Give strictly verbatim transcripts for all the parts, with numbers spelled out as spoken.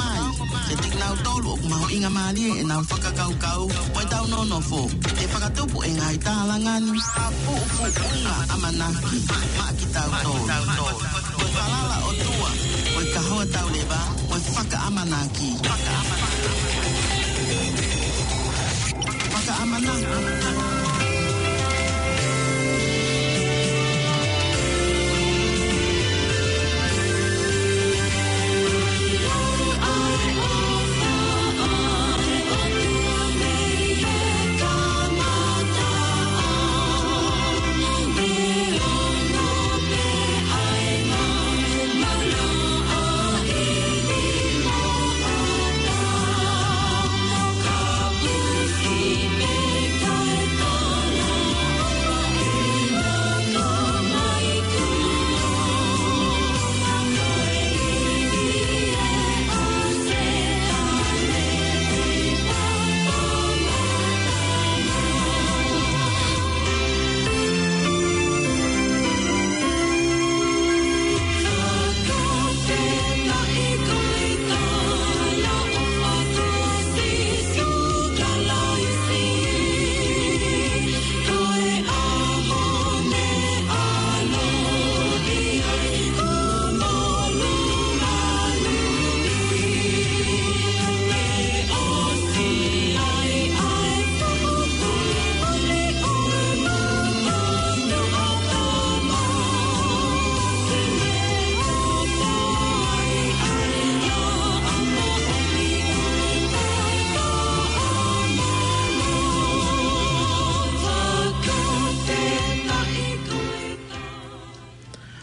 Ai, kiate kinautolu ʻoku mahuʻingamālie ʻenau fakakaukau mo ʻetau nonofo, ʻe fakatupu e ngaahi tālanga ni ha pupuʻunga ʻamanaki maʻa kitautolu. Ko e falala ʻOtua, ko e kahoa tauleva, ko e fakaʻamanaki. Fakaʻamanaki.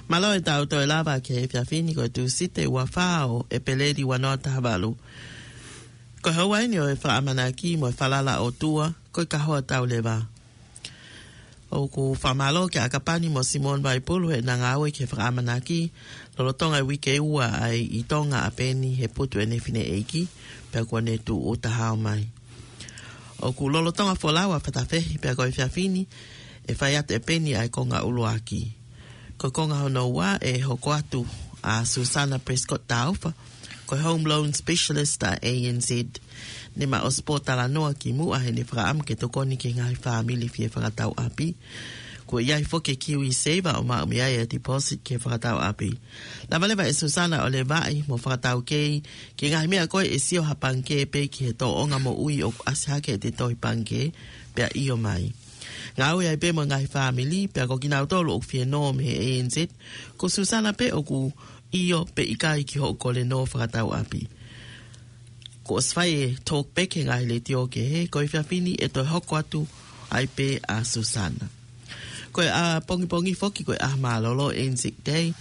Mālō e tau toe lava ki he efiafi ni, ko e Tūsite ua fā ʻo ʻEpeleli ua noa taha valu. Ko e houa eni ʻo e fakaʻamanaki mo e falala ʻOtua, ko e kahoa tauleva. ʻOku fakamālō kia ʻAkapani mo Simone Vaipulu heʻena ngāue ki he fakaʻamanaki, lolotonga e uike ua ʻa e ʻi Tonga ʻa Peni he putu ʻene fineʻeiki, pea kuo ne tūʻuta hao mai. ʻOku lolotonga folau ʻa Fatafehi, pea ko e efiafi ni, ʻe fai atu ʻe Peni ʻa e konga ʻuluaki. Ko e konga hono ua ʻe hoko atu ʻa Susana Prescott Taufa, ko e Home Loan Specialist ʻa e A N Z. Ne ma ʻosi pōtalanoa kimuʻa heʻene fakaʻamu ke tokoni ki he ngaahi fāmili fie fakatau ʻapi. Kuo ʻi ai foki e KiwiSaver ʻo maʻu mei ai e deposit ki he fakatau ʻapi. Lava leva ʻe Susana ʻo levaʻi mo fakataukei ki he ngaahi meʻa ko ē ʻe sio ha pangikē pē ki he tōʻonga moʻui ʻoku ʻasi hake ʻi he tohi pangikē, pea ʻio mai. Ngāue ai pē mo e ngaahi fāmili, pea ko kinautolu ʻoku fie nō mei he A N Z, ko Susana pē ʻoku ʻio pe ʻikai ki hoʻo kole nō fakatau ʻapi. Kuo ʻosi fai e talk back he ngaahi letiō kehe, ko e efiafi ni ʻe toe hoko atu ai pē ʻa Susana. Ko e ʻapongipongi foki ko e ʻaho mālōlō, Anzac Day,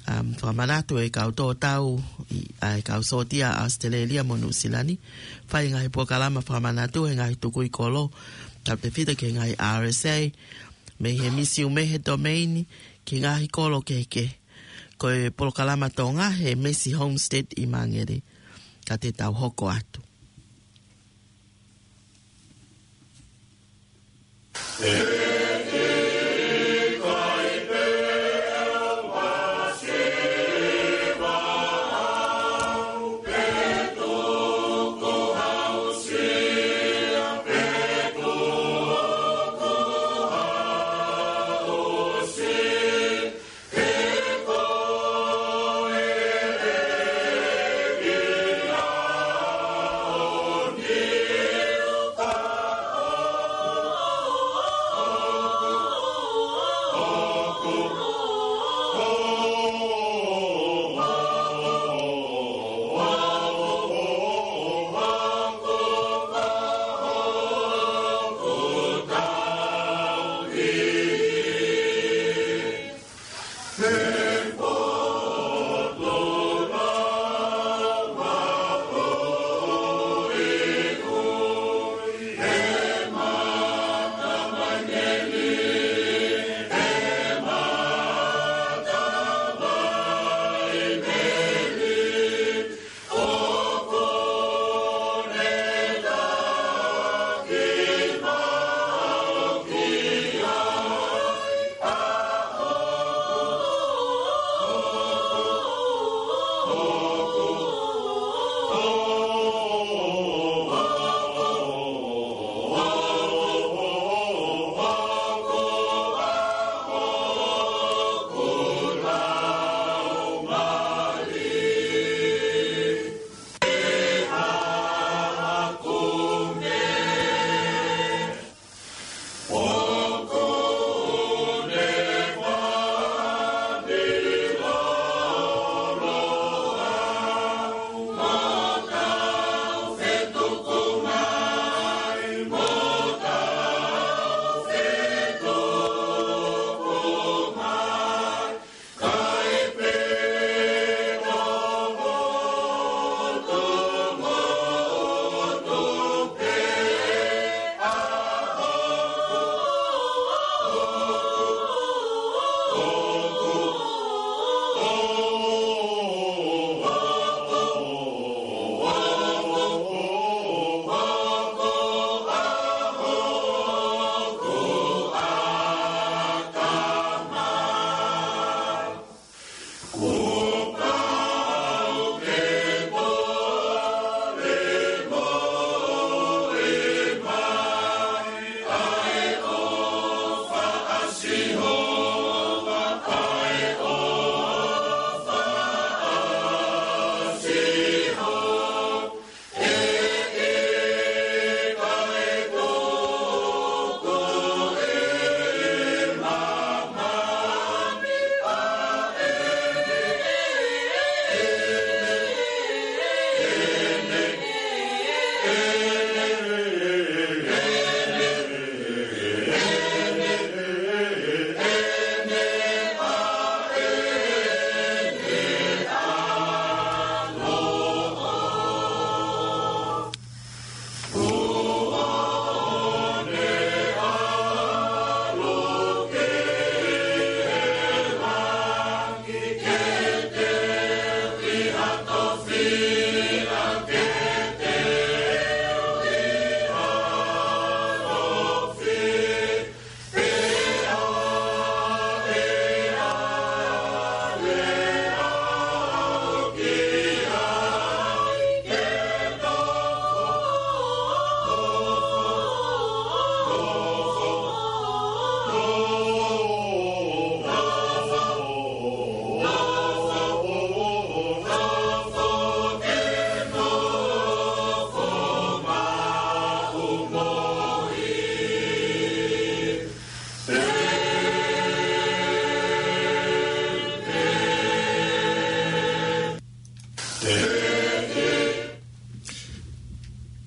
um, fakamanatu e kau tō tau ʻi, ʻa e kau sōtia ʻa ʻAositelēlia mo Nuʻusila ni, fai e ngaahi polokalama fakamanatu he ngaahi tukui kolo, tautefito ki he ngaahi R S A, mei he Misiume he Domain, ki he ngaahi kolo kehekehe. Ko e polokalama Tonga he Massey Homestead ʻi Māngere. Ka te tau hoko atu.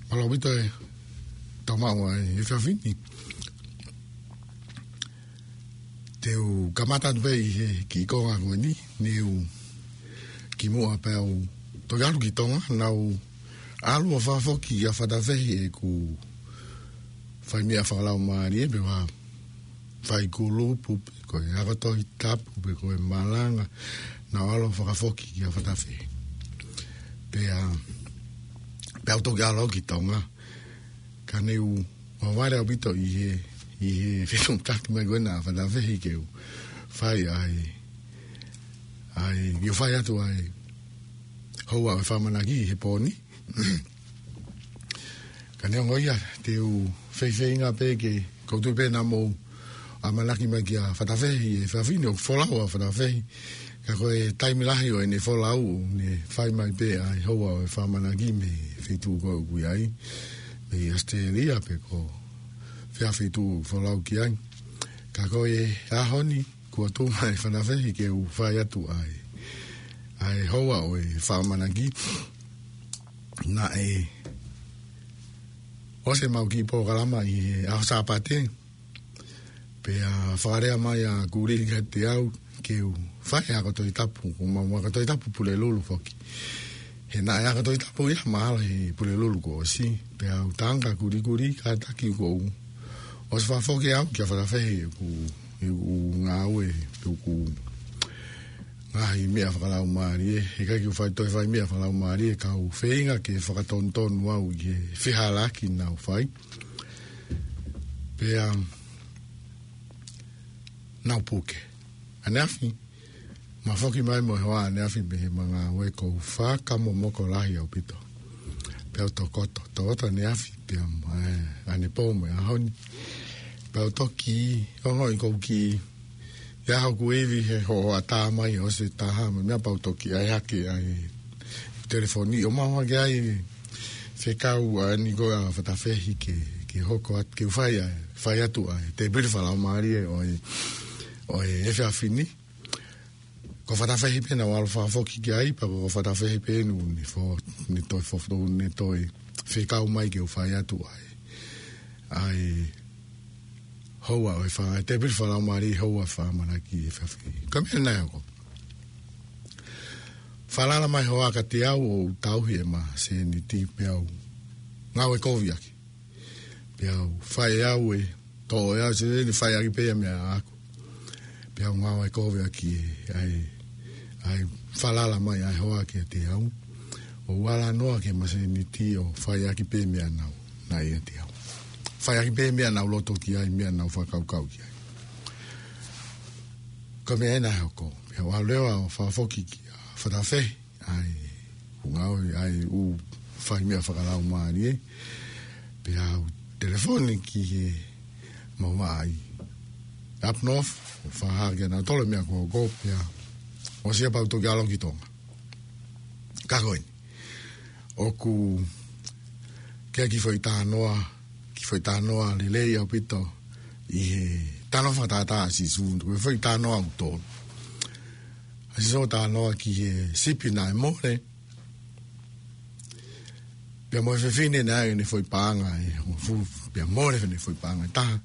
Mālō ʻaupito e tau maʻu ʻa e efiafi ni. Te u kamata atu pē ʻi he kiʻi konga ko eni, ne u kimuʻa pea u toki ʻalu ki Tonga, naʻa ku ʻalu ʻo fakafoki ʻa Fatafehi ʻeku fai meʻa fakalaumālie, pe ko ha fai kulupu, pe ko e ako Tohi Tapu, pe ko e malanga, naʻa ku ʻalu ʻo fakafoki kia Fatafehi. Pea, pea u toki ʻalu ki Tonga. Ka ne u vavale ʻaupito ʻi he, ʻi he fetuʻutaki mai ko ena ʻa Fatafehi ke u fai ai, ai, ke u fai atu ai houa ʻo e fakaʻamanaki he pō ni. Ka neongo ia, te u feifeinga pē ke, ʻoku ou tui pē naʻa mou ʻamanaki mai kia Fatafehi he efiafi ni, ʻoku folau ʻa Fatafehi. Ka ko e taimi lahi ʻo ʻene folau, ne fai mai pē ʻa e houa ʻo e fakaʻamanaki mei he feituʻu ko ē ʻoku ʻi ai, mei ʻAositelēlia pe ko fē feituʻu ʻoku folau ki ai. Ka ko e ʻaho ni, kuo tuʻu mai Fatafehi ke u fai atu ai, ai houa ʻo e fakaʻamanaki. Naʻe ʻosi ʻemau kiʻi polokalama ʻi he ʻaho Sāpate. Pea fakalea mai ʻa Kulī kiate au ke u fai ako Tohi Tapu, ko ʻemau ako Tohi Tapu Pulelulu foki. He naʻe ako Tohi Tapu ia mahalo he Pulelulu kuo ʻosi. Pea u tala ange kia Kulī, Kulī, kātaki kuo u ʻosi fakafoki au kia Fatafehi ʻeku, ʻeku ngāue, ʻeku ngaahi meʻa fakalaumālie, he ʻikai ke u fai toe fai meʻa fakalaumālie, ka u feinga ke fakatonutonu au ki he fehālaaki naʻa ku fai. Pea naʻa ku puke. ʻAneafi, ma foki mai mo e hoa ʻaneafi mei heʻema ngāue, ʻoku ou fakamomoko lahi ʻaupito. Pea u tokoto, tokoto ʻaneafi, pea mo e, ʻanepō mo e ʻaho ni. Pea u toki ongoʻi ʻoku ou kiʻi, ʻi ai hoku ivi he hoʻatā mai, ʻosi e taha mai, meʻa pea u toki ʻai hake ʻa e telefoni, ʻo maʻu hake ai e fekau ʻa eni ko ē ʻa Fatafehi ke, ke hoko atu, ke u fai ai, fai atu ai e tēpile fakalaumālie ʻo e, ʻo e efiafi ni. Ko Fatafehi pē naʻa ku ʻalu ʻo fakafoki ki ai, pea ko Fatafehi pē naʻa ne fo-, ne toe fo-, ne toe fekau mai ke u fai atu ai, ai houa ʻo e fa-, tēpile fakalaumālie, houa fakaʻamanaki he efiafi ni. Ko e meʻa naʻe hoko. Falala mai e hoa kiate au ʻo u tauhi ʻema sēniti pea u ngāue kovi ʻaki. Pea u fai ʻe au e, toʻo ʻe au e sēniti, fai ʻaki pē ia meʻa ʻaʻaku. Pea u ngāue kovi ʻaki e, ʻa e, ʻa e falala mai ʻa e hoa kiate au. ʻO u ala noa ki heʻema sēniti ʻo fai ʻaki pē meʻa naʻa nau, naʻe ʻiate au. Fai ʻaki pē meʻa naʻa ku loto ki ai, meʻa naʻa ku fakakaukau ki ai. Ko e meʻa ē naʻe hoko. Pea u ʻalu leva ʻo fakafoki kia Fatafehi ʻa e, ʻeku ngāue ʻa e ʻū fai meʻa fakalaumālie. Pea u telefoni ki heʻemau vaʻa ʻi Up North, ʻo fakahā kia nautolu e meʻa kuo hoko, pea ʻosi ia pea u toki ʻalu ki Tonga. Ka ko eni, ʻoku kei ʻi ai e kiʻi foʻi talanoa, kiʻi foʻi talanoa lelei ʻaupito ʻi he talanoa fakatātā ʻa Sīsū, ko e foʻi talanoa ʻoku tonu. ʻA Sīsū ʻo talanoa ki he sipi naʻe mole, pea mo e fefine naʻe ʻi ai ʻene foʻi paʻanga ʻe hongofulu, pea mole ʻene foʻi paʻanga ʻe taha.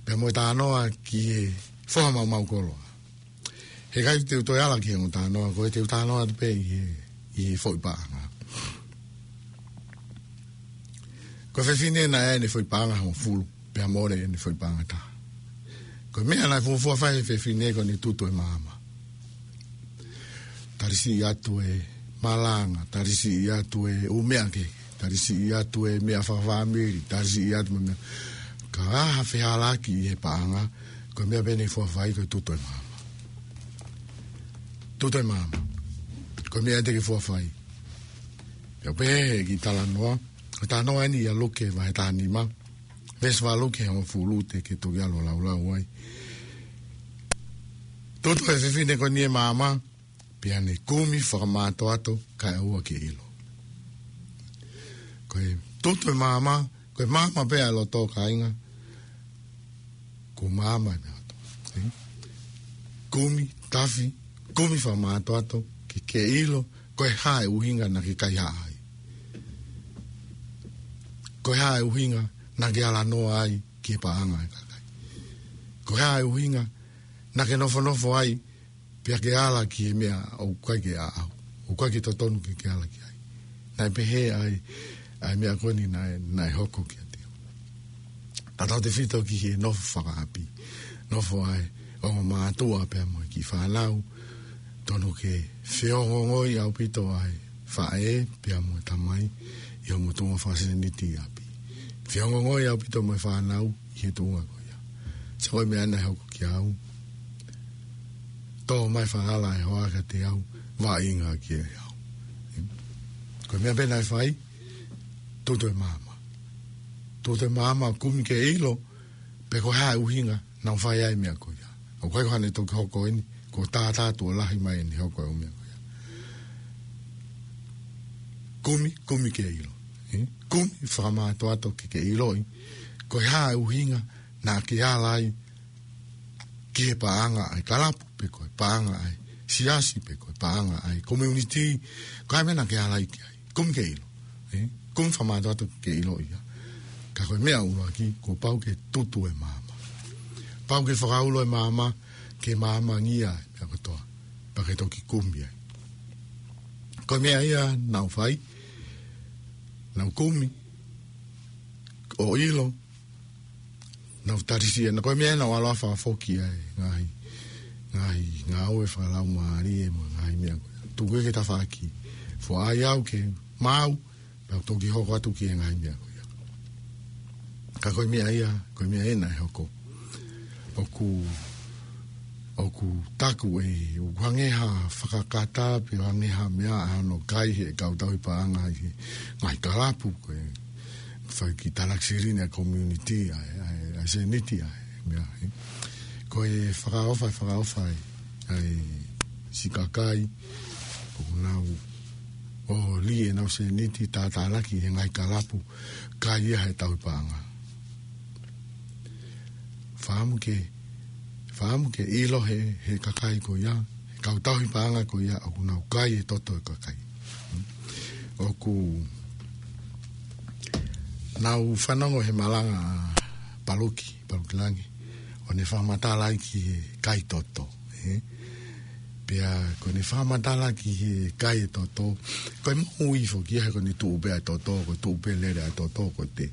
Pea mo e talanoa ki he foha maumau koloa. He ʻikai te u toe ala ki he ongo talanoa ko ē, te u talanoa atu pē ʻi he, ʻi he foʻi paʻanga. Ko e fefine naʻe ʻi ai ʻene foʻi paʻanga ʻe hongofulu, pea mole ʻene foʻi paʻanga ʻe taha. Ko e meʻa naʻe fuofua fai ʻe he fefine ko ʻene tutu e maama. Tali siʻi atu e malanga, tali siʻi atu e ʻū meʻa kehe, tali siʻi atu e meʻa fakafāmili, tali siʻi atu e meʻa. Ka ʻi ai ha fehālaaki ʻi he paʻanga, ko e meʻa pē naʻe fuofua fai ko e tutu e maama. Tutu e maama. Ko e meʻa ia te ke fuofua fai. Pea u pehē he kiʻi talanoa, ko e talanoa eni ʻia Luke vahe taha nima, veesi valu ki he hongofulu, te ke toki ʻalu ʻo laulau ai. Tutu ʻe he fefine ko eni e maama, pea ne kumi fakamātoato kae ʻoua ke ʻilo. Ko e tutu e maama, ko e maama pē ʻa e loto, kāinga, ko e maama e meʻa kotoa. Ē? Kumi, tafi, kumi fakamātoato, ke ke ʻilo, Ko e hā e ʻuhinga naʻa ke kaihaʻa ai? Ko e hā e ʻuhinga naʻa ke ala noa ai ki he paʻanga ʻa e kakai? Ko e hā e ʻuhinga naʻa ke nofonofo ai pea ke ala ki he meʻa ʻoku ʻikai ke ʻaʻau, ʻoku ʻikai ke totonu ke ke ala ki ai? Naʻe pehē ai ʻa e meʻa ko eni naʻe, naʻe hoko kiate au. Tautautefito ki he nofo fakaʻapi, nofo ʻa e ongo mātuʻa pea mo e kiʻi fānau, totonu ke feongoongoi ʻaupito ʻa e faʻē pea mo e tamai ʻi hoʻomo tuʻunga fakasēniti ʻi ʻapi. Feongoongoi ʻaupito mo e fānau ʻi he tuʻunga ko ia. Sio ko e meʻa naʻe hoko kiate au. Tō mai e falala ʻa e hoa kiate au, vaʻinga kiate au. Ko e meʻa pē naʻe fai, tutu e maama. Tutu e maama, kumi ke ʻilo pe ko e hā e ʻuhinga naʻa ku fai ai e meʻa ko ia. ʻOku ʻikai ko haʻane toki hoko eni, kuo tātā tuʻo lahi mai eni hoko e ʻū meʻa ko ia. Kumi, kumi ke ʻilo. Ē? Kumi fakamātoato ke ke ʻiloʻi ko e hā e ʻuhinga naʻa ke ala ai ki he paʻanga ʻa e kalapu, pe ko e paʻanga ʻa e siasi, pe ko e paʻanga ʻa e community, ko e hā e meʻa naʻa ke ala ai ki ai. Kumi ke ʻilo. Ē? Kumi fakamātoato ke ʻiloʻi ia. Ka ko e meʻa ʻuluaki, kuo pau ke tutu e maama. Pau ke fakaulo e maama, ke maamangia e meʻa kotoa, pea ke toki kumi ai. Ko e meʻa ia naʻa ku fai, naʻa ku kumi, ʻo ʻilo, naʻa ku tali siʻi, naʻa ko e meʻa ia naʻa ku ʻalu ʻo fakafoki ai e ngaahi, ngaahi ngāue fakalaumālie mo e ngaahi meʻa ko ia. Tuku ia ki tafaʻaki, foaki au ke maau, pea toki hoko atu ki he ngaahi meʻa ko ia. Ka ko e meʻa ia, ko e meʻa ia naʻe hoko. ʻOku, ʻoku taku ē, ʻoku hangē ha fakakata, pe hangē ha meʻa ʻa hono kai ʻe he kau tauhi paʻanga ʻi he ngaahi kalapu, ko e fai ki talakisili ʻa e community, ʻa e, ʻa e, ʻa e sēniti, ʻa e meʻa, ē. Ko e fakaʻofa, fakaʻofa ē, ʻa e siʻi kakai, ʻoku nau ʻoholi ʻenau sēniti, tātālaki he ngaahi kalapu, kai ia ʻe he tauhi paʻanga. Fakaʻamu ke, fakaʻamu ke ʻilo ʻe he, he kakai ko ia, he kau tauhi paʻanga ko ia, ʻoku nau kai e toto ʻo e kakai. ʻOku nau fanongo he malanga ʻa Paluki, Paluki Langi, ʻo ne fakamatala ai ki he kai toto, ē? Pea ko ʻene fakamatala ki he kai e toto, ko e moʻui foki ia he ko ʻene tuʻu pē ʻa e toto, ko e tuʻu pē lele ʻa e toto, ko e te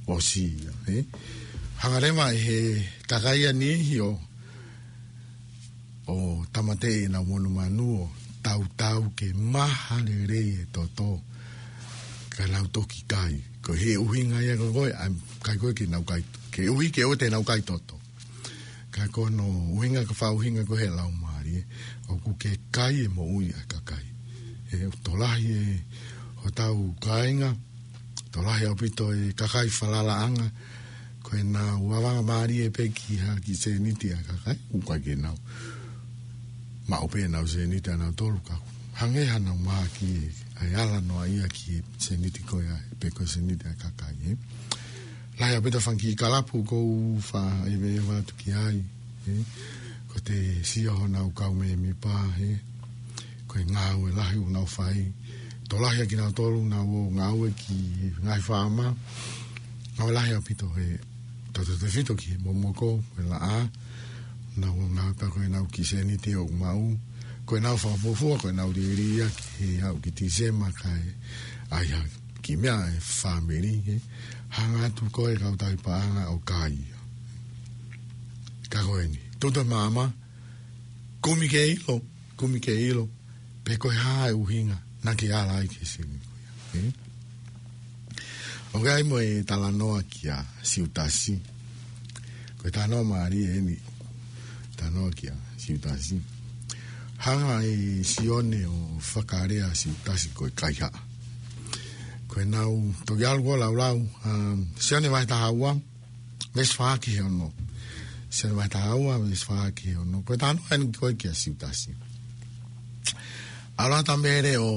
ʻosi ia, ē? Hanga leva ʻe he kakai ʻa e niʻihi ʻo, ʻo tāmateʻi ʻenau monumanu ʻo tautau ke maha lelei e toto, ka nau toki kai. Ko e ʻuhinga ia ko ē, ʻa e kai ko ē ke nau kai, ke ʻuhi ke ʻoua te nau kai toto. Ka ko hono ʻuhinga, ka fakaʻuhinga ko ē he laumālie, ʻoku ke kai e moʻui ʻa e kakai. Ē, tokolahi e hotau kāinga, tokolahi ʻaupito e kakai falalaʻanga, ko ʻenau vavanga mālie pē ki ha kiʻi sēniti ʻa e kakai, ʻoku ʻikai ke nau maʻu pē ʻenau sēniti ʻanautolu ka hangē ha nau mahaki ʻa e ala noa ia ki he sēniti ko ia, pe ko e sēniti ʻa e kakai, ē. Lahi ʻaupito e fanga kiʻi kalapu ʻoku ou faʻa ʻeveʻeva atu ki ai, ē. Ko ʻete sio honau kau mēmipa, ē. Ko e ngāue lahi ʻoku nau fai. Tokolahi ʻa kinautolu ʻoku nau ō ngāue ki he ngaahi faama. Ngāue lahi ʻaupito he tautautefito ki he momoko, ko e laʻā. Nau ō ngāue pea ko ʻenau kiʻi sēniti ʻoku maʻu. Ko ʻenau fakafuofua, ko ʻenau liliu ia ki he aʻu ki Tīsema kae ʻai ha kiʻi meʻa e fāmili, ē. Hanga atu ko e kau tauhi paʻanga ʻo kai ia. Ka ko eni, tutu e maama, kumi ke ʻilo, kumi ke ʻilo pe ko e hā e ʻuhinga naʻa ke ala ai ki he sēniti ko ia, ē? ʻOku ʻi ai mo e talanoa kia Siutasi. Ko e talanoa mālie eni, talanoa kia Siutasi. Hanga ʻe Sione ʻo fakalea ʻa Siutasi ko e kaihaʻa. Ko ʻenau toki ʻalu ko ē ʻo laulau, um, Sione vahe taha ua, veesi fā ki he ono. Sione vahe taha ua, veesi fā ki he ono. Ko e talanoa eni ko ē kia Siutasi. ʻAlu ʻa Tamele ʻo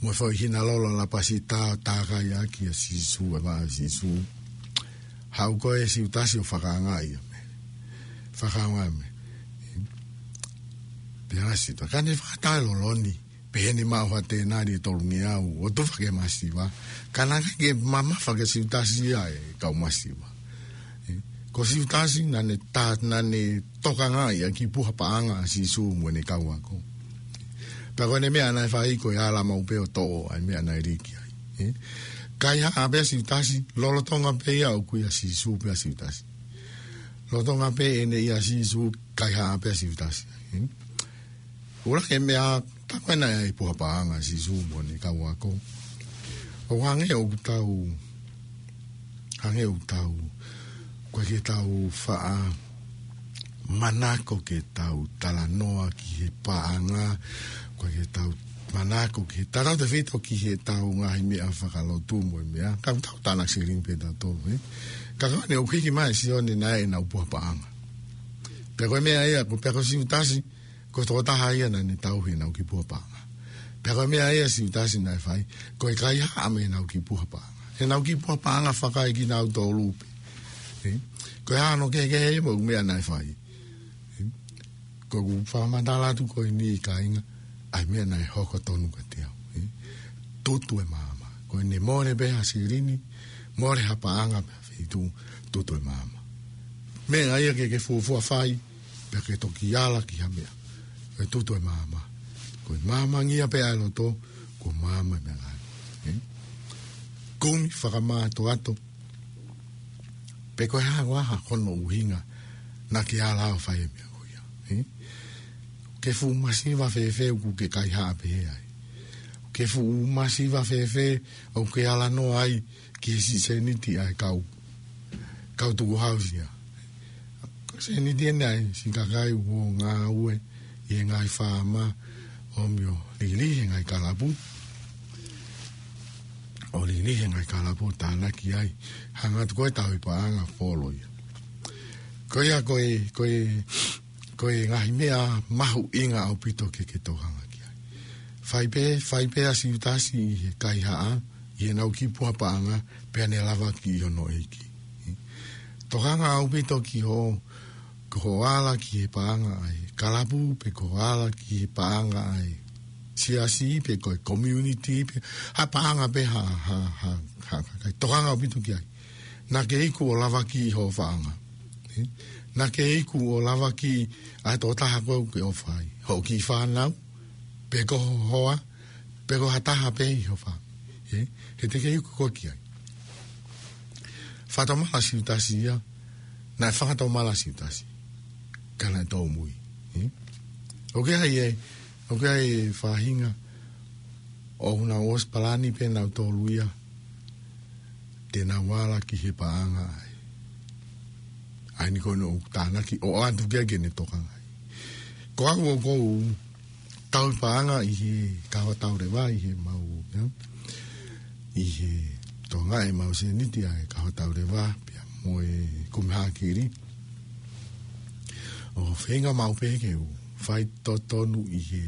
mo e foʻi hina lolo ʻalapasita ʻo tākai ʻaki ʻa Sīsū, ʻa e vaʻe ʻo Sīsū. Haʻu ko ē Siutasi ʻo fakaangaʻi ia mei, fakaangaʻi ia mei. Pea ʻasi atu, ka ne fakataʻeloloni, pehē ni maʻu ha tēnali ʻe tolungeau, ʻo tufa ki he masiva, ka naʻe ʻikai ke mamafa kia Siutasi ʻa e kau masiva. Ē, ko Siutasi naʻa ne ta-, naʻa ne tokangaʻi ʻa e kiʻi puha paʻanga ʻa Sīsū mo ʻene kau ako. Pea ko ʻene meʻa naʻe fai ko e ala maʻu pē ʻo toʻo ʻa e meʻa naʻe liki ai. Ē, kaihaʻa pē ʻa Siutasi, lolotonga pē ia ʻoku ʻia Sīsū pē ʻa Siutasi. Lolotonga pē ʻene ʻia Sīsū, kaihaʻa pē ʻa Siutasi. Ē, ʻuluaki meʻa, tā ko ena ʻa e puha paʻanga ʻa Sīsū mo ʻene kau ako. ʻOku hangē ʻoku tau, hangē ʻoku tau, ʻoku ʻikai ke tau faʻa manako ke tau talanoa ki he paʻanga, ʻoku ʻikai ke tau manako ki he talatefito ki heʻetau ngaahi meʻa fakalotu mo e meʻa. Ka ʻoku tau tānaki selini pē tautolu, ē. Ka ko eni ʻoku hiki mai ʻe Sione naʻe ʻi ai ʻenau puha paʻanga. Pea ko e meʻa ia, ko, pea ko Siutasi, ko e tokotaha ia naʻa ne tauhi ʻenau kiʻi puha paʻanga. Pea ko e meʻa ia ʻa Siutasi naʻe fai, ko e kaihaʻa mei heʻenau kiʻi puha paʻanga. ʻEnau kiʻi puha paʻanga fakaekinautolu pē. Ē? Ko e hā hono kehekehe mo e meʻa naʻe fai. Ē? Ko ʻeku fakamatala atu ko eni kāinga, ʻa e meʻa naʻe hoko tonu kiate au. Ē? Tutu e maama. Ko ʻene mole pē ha selini, mole ha paʻanga pē ha feituʻu, tutu e maama. Meʻa ia ke ke fuofua fai, pea ke toki ala ki ha meʻa. Ko e tutu e maama. Ko e maamangia pē ʻa e loto, ko e maama e meʻangāue. Ē? Kumi fakamātoato. Pe ko e hā koā hono ʻuhinga naʻa ke ala ʻo fai e meʻa ko ia. Ē? Ke fuʻu masiva fēfē ʻoku ke kaihaʻa pehē ai. Ke fuʻu masiva fēfē ʻoku ke ala noa ai ki he siʻi sēniti ʻa e kau, kau tukuhausia. Ko e sēniti eni ʻa e siʻi kakai ʻoku ngāue ʻi he ngaahi faama ʻo ʻomai ʻo lilihi he ngaahi kalapu. ʻO lilihi he ngaahi kalapu ʻo tānaki ai. Hanga atu ko e tauhi paʻanga folo ia. Ko ia ko e, ko e, ko e ngaahi meʻa mahuʻinga ʻaupito ke ke tokanga ki ai. Fai pē, fai pē ʻa Siutasi ʻi he kaihaʻa, ʻi heʻenau kiʻi puha paʻanga, pea ne lavakiʻi hono ʻeiki. Tokanga ʻaupito ki hoʻo, ki hoʻo ala ki he paʻanga ʻa e kalapu, pe ko hoʻo ala ki he paʻanga ʻa e siasi, pe ko e community, pe ha paʻanga pē ha, ha, ha, ha, ha, tokanga ʻaupito ki ai. Naʻa ke iku ʻo lavakiʻi hoʻo faʻanga. Ē? Naʻa ke iku ʻo lavakiʻi ʻa e tokotaha ko ē ʻoku ke ʻofa ai. Hoʻo kiʻi fānau, pe ko ho hoa, pe ko ha taha pē ʻi ho fā-, ē? He te ke iku koe ki ai. Fakatomala Siutasi ia, naʻe fakatomala Siutasi. Ka naʻe tōmui. Ē? ʻOku ʻi ai e, ʻoku ʻi ai e faʻahinga, ʻoku nau ʻosi palani pē nautolu ia, te nau ala ki he paʻanga ʻa e, ʻa eni ko eni ʻoku tānaki, ʻo ʻoatu ki ai ke ne tokanga ai. Ko au ʻoku ou tauhi paʻanga ʻi he Kahoa Tauleva, ʻi he mau, ia, ʻi he tokangaʻi ʻemau sēniti ʻa e Kahoa Tauleva, pea mo e Kumi Hākili. ʻO feinga maʻu pē ke u faitotonu ʻi he,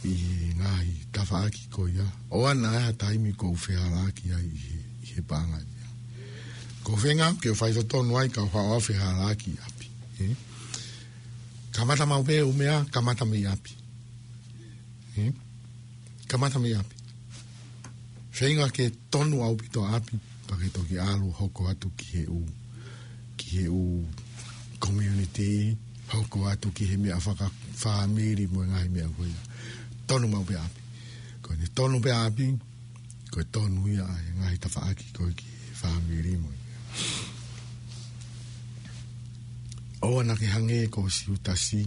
ʻi he ngaahi tafaʻaki ko ia. ʻOua naʻa ʻi ai ha taimi ʻoku ou fehālaaki ai ʻi he, ʻi he paʻanga ia. ʻOku ou feinga ke u faitotonu ai ka u haʻu ʻo fehālaaki ʻi ʻapi. Ē? Kamata maʻu pē ʻū meʻa, kamata mei ʻapi. Ē? Kamata mei ʻapi. Feinga ke tonu ʻaupito ʻapi, pea ke toki ʻalu hoko atu ki he ʻū, ki he ʻū community, hoko atu ki he meʻa fakafāmili mo e ngaahi meʻa ko ia. Tonu maʻu pē ʻapi. Ko ʻene tonu pē ʻapi, ko e tonu ia ʻa e ngaahi tafaʻaki ko ē ki he fāmili mo e meʻa. ʻOua naʻa ke hangē ko Siutasi,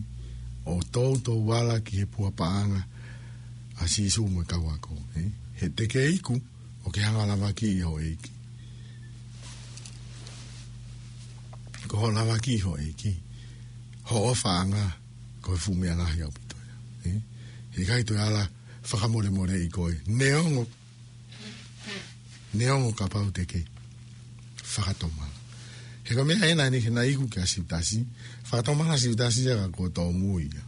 ʻo toutou ala ki he puha paʻanga ʻa Sīsū mo e kau ako, ē? He te ke iku, ʻo ke hanga ʻo lavakiʻi hoʻo ʻeiki. Ko hoʻo lavakiʻi hoʻo ʻeiki, hoʻo ʻofaʻanga, ko e fuʻu meʻa lahi ʻaupito ia. Ē? He ʻikai toe ala fakamolemoleʻi koe. Neongo, neongo kapau te ke fakatomala. He ko e meʻa ena eni ke naʻe iku kia Siutasi. Fakatomala Siutasi ia ka kuo tōmui ia.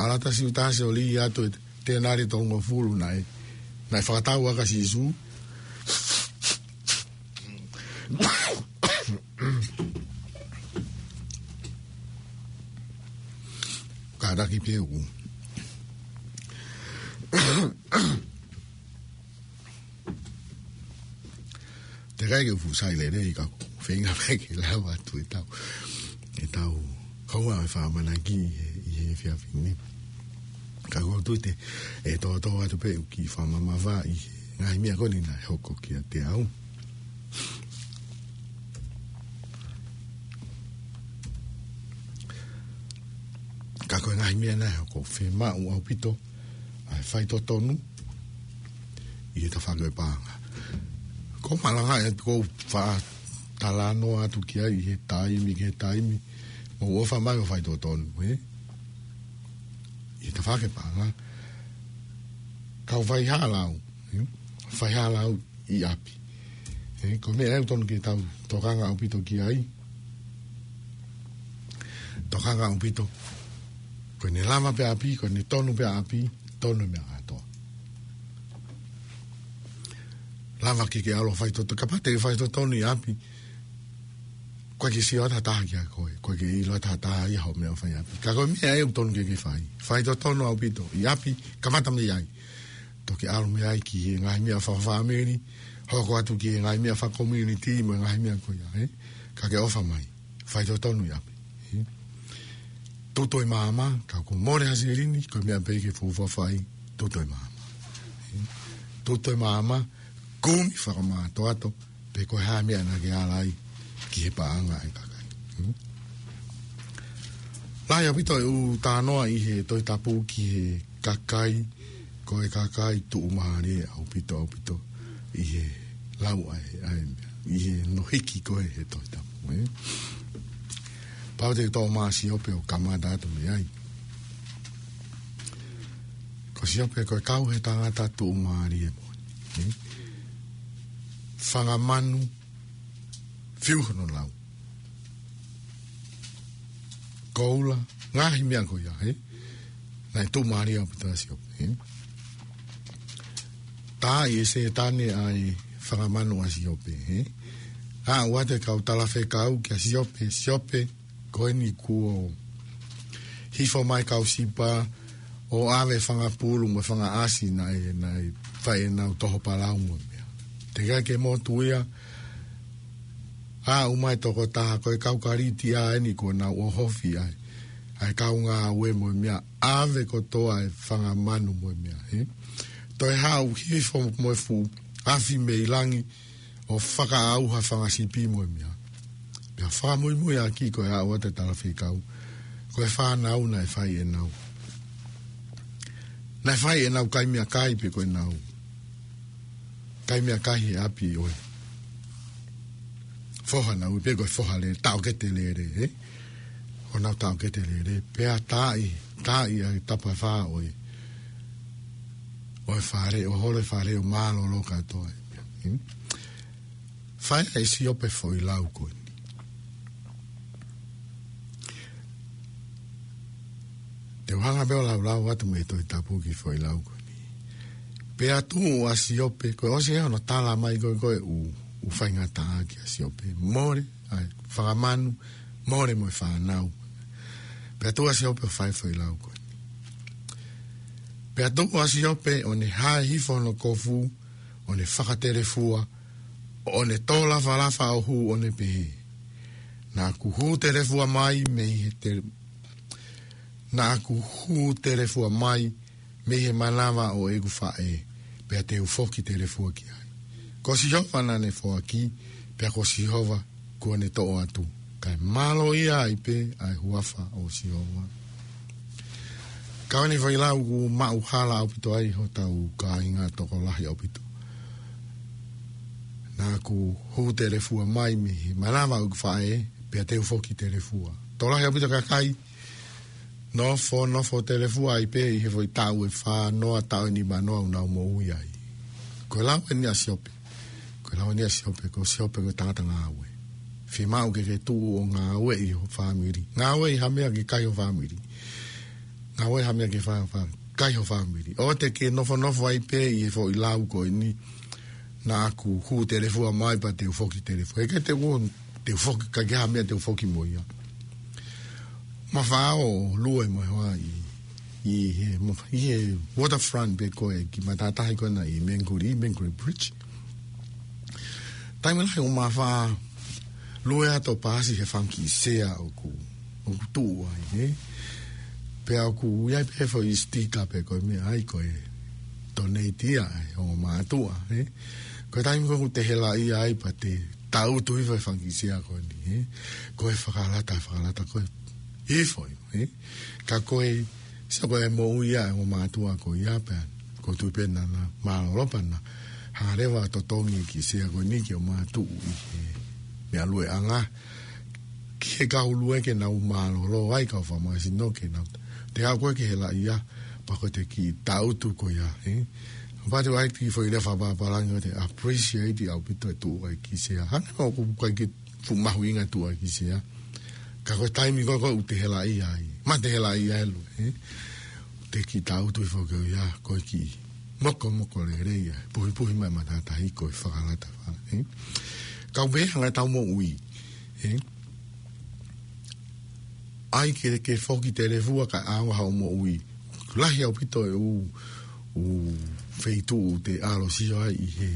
Ala atu Siutasi ʻo lī atu e tēnali tolungofulu naʻe, naʻe fakatau ʻaki ʻa Sīsū. Taki peu. Te kai ke fuʻu sai lelei ka ʻoku feinga pē ke lava atu ʻetau, ʻetau kaua e fakamanaki ʻi he, ʻi he efiafi ni. Ka ʻoku ou tui te, ʻe tōtō atu pē ʻeku kiʻi fakamamafa ʻi he ngaahi meʻa ko eni naʻe hoko kiate au. Ka ko e ngaahi meʻa naʻe hoko, fiemaʻu ʻaupito ʻa e faitotonu ʻi he tafaʻaki ʻo e paʻanga. Ko e malanga ʻe ʻoku ou faʻa talanoa atu ki ai ʻi he taimi ki he taimi, mou ʻofa mai ʻo faitotonu, ē? ʻI he tafaʻaki ʻo e paʻanga. Kau fai ha lau, ē? Fai ha lau ʻi ʻapi. Ē, ko e meʻa ia ʻoku totonu ke tau tokanga ʻaupito ki ai. Tokanga ʻaupito. Ko ʻene lava pē ʻapi, ko ʻene tonu pē ʻapi, tonu e meʻa kātoa. Lava ke ke ʻalu ʻo faitoto-, kapau te ke faitotonu ʻi ʻapi, ʻoku ʻikai ke sio atu ha taha kiate koe, ʻoku ʻikai ke ʻilo atu ha taha ia hoʻo meʻa ʻoku fai ʻi ʻapi. Ka ko e meʻa ia ʻoku totonu ke ke fai. Faitotonu ʻaupito ʻi ʻapi, kamata mei ai. Toki ʻalu mei ai ki he ngaahi meʻa fakafāmili, hoko atu ki he ngaahi meʻa fakakomiunitī mo e ngaahi meʻa ko ia, ē? Ka ke ʻofa mai, faitotonu ʻi ʻapi, ē? Tutu e maama, ka ʻoku mole ha silini, ko e meʻa pē ke fuofua fai, tutu e maama. Ē? Tutu e maama, kumi fakamātoato, pe ko e hā e meʻa naʻa ke ala ai ki he paʻanga ʻa e kakai. Hmm? Lahi ʻaupito e ʻū talanoa ʻi he Tohi Tapu ki he kakai, ko e kakai tuʻumālie ʻaupito, ʻaupito ʻi he lau ʻa e, ʻa e meʻa, ʻi he no hiki ko ē he Tohi Tapu, ē? Pau te u toʻo mai ʻa Siope ʻo kamata atu mei ai. Ko Siope ko e kau he tangata tuʻumālie moʻoni, ē? Fanga manu, fiu hono lau. Koula, ngaahi meʻa ko ia, ē? Naʻe tuʻumālie ʻaupito ʻa Siope, ē? Taaʻi ʻe Sētane ʻa e fanga manu ʻa Siope, ē? Aʻu atu e kau talafekau kia Siope, Siope, ko eni kuo hifo mai kau sipa ʻo ʻave fanga pulu mo e fanga ʻasi naʻe, naʻe fai ʻenau toho palau mo e meʻa. Teʻeki ai ke motu ia, aʻu mai tokotaha ko e kau Kalitia eni kuo nau ʻohofi ai ʻa e kau ngāue mo e meʻa, ʻave kotoa e fanga manu mo e meʻa, ē? Toe haʻu hifo mo e fuʻu afi mei langi, ʻo fakaʻauha fanga sipi mo e meʻa. Pea fakamuimuiʻaki ko e aʻu atu e talafekau, ko e fānau naʻe fai ʻenau, naʻe fai ʻenau kai meʻakai pe ko ʻenau kai meʻakai he ʻapi ʻo e foha naʻa ui pē ko e foha lele, taʻokete lele, ē? ʻO nau taʻokete lele, pea taaʻi, taaʻi ʻa e tapa ʻe fā ʻo e, ʻo e fale, ʻo holo e fale ʻo mālōlō kātoa. Hmm? Fai ʻe Siope foʻi lau ko eni. Te u hanga pē ʻo laulau atu mei he Tohi Tapu kiʻi foʻi lau ko eni. Pea tuʻu ʻa Siope, ko e ʻosi ē hono tala mai ko ē, ko e ʻū, ʻū faingataʻa kia Siope. Mole ʻa e fanga manu, mole mo e fānau. Pea tuʻu ʻa Siope ʻo fai foʻi lau ko eni. Pea tuʻu ʻa Siope ʻo ne hae hifo hono kofu, ʻo ne fakatelefua, ʻo ne tō lafalafa ʻo hū ʻo ne pehē: Naʻa ku hū telefua mai mei he te-, naʻa ku hū telefua mai mei he manava ʻo ʻeku faʻē, pea te u foki telefua ki ai. Ko Sihova naʻa ne foaki, pea ko Sihova kuo ne toʻo atu, kae mālō ia ai pē ʻa e huafa ʻo Sihova. Ka ko eni foʻi lau ʻoku maʻu hala ʻaupito ai hotau kāinga tokolahi ʻaupito. Naʻa ku hū telefua mai mei he manava ʻo ʻeku faʻē, pea te u foki telefua. Tokolahi ʻaupito kakai, nofo, nofo telefua ai pē ʻi he foʻi taʻu ʻe fā noa, taʻu ʻe nima noa ʻoku nau moʻui ai. Ko e lau eni ʻa Siope. Ko e lau eni ʻa Siope, ko Siope ko e tangata ngāue. Fiemaʻu ke ke tuʻu ʻo ngāueʻi ho fāmili. Ngāueʻi ha meʻa ke kai ho fāmili. Ngāueʻi ha meʻa ke fa-, fa-, kai ho fāmili. ʻOua te ke nofonofo ai pē ʻi he foʻi lau ko eni, naʻa ku hū telefua mai pea te u foki telefua. ʻIkai te u, te u foki, ʻikai ke ha meʻa te u foki mo ia. Mafao lue mo e hoa ʻi ʻi he, ʻi he waterfront pē ko ē ki he matātahi ko ena ʻi Mangere, Mangere Bridge. Taimi lahi ʻoku ma faʻa lue atu ʻo paasi he fanga kiʻi sea ʻoku, ʻoku tuʻu ai, ē. Pea ʻoku ʻi ai pē foʻi sitika pē ko e meʻa ai ko e donate ia ʻa e ongo mātuʻa, ē. Ko e taimi ko ē ʻoku te helaʻia ai pea te tangutu hifo he fanga kiʻi sea ko eni, ē. Ko e fakalata, fakalata ko ē hifo, ē. Ka ko e, sio ko e moʻui ia ʻa e ongo mātuʻa ko ia pea, ʻoku ou tui pē naʻa na mālōlō pea na hanga leva ʻo totongi e kiʻi sea ko eni ke ō mai ʻo tuʻu ʻi he meʻa lueʻanga. Ki he kau lue ke nau mālōlō ai kau fakamāsino ke nau, te aʻu ko ē ke helaʻia, pea ko e te kiʻi tangutu ko ia, ē. Pea te ʻai ki he foʻi lea fakapālangi ʻo te appreciate ʻaupito e tuʻu ʻa e kiʻi sea. Hangē ʻoku ʻikai ke fuʻu mahuʻinga tuʻu ʻa e kiʻi sea. Ka ko e taimi ko ē ʻoku te helaʻia ai. Ma te helaʻia ʻe lue, ē. Te kiʻi tangutu hifo ko ia, ko e kiʻi mokomoko lelei ia. Puhipuhi mai matātahi ko e fakalata, ē. Ka ʻoku pehē hangē ʻetau moʻui, ē. ʻAi ke, ke foki telefua kae ʻaonga hoʻo moʻui. Lahi ʻaupito e ʻū, ʻū feituʻu te ʻalu ʻo sio ai ʻi he,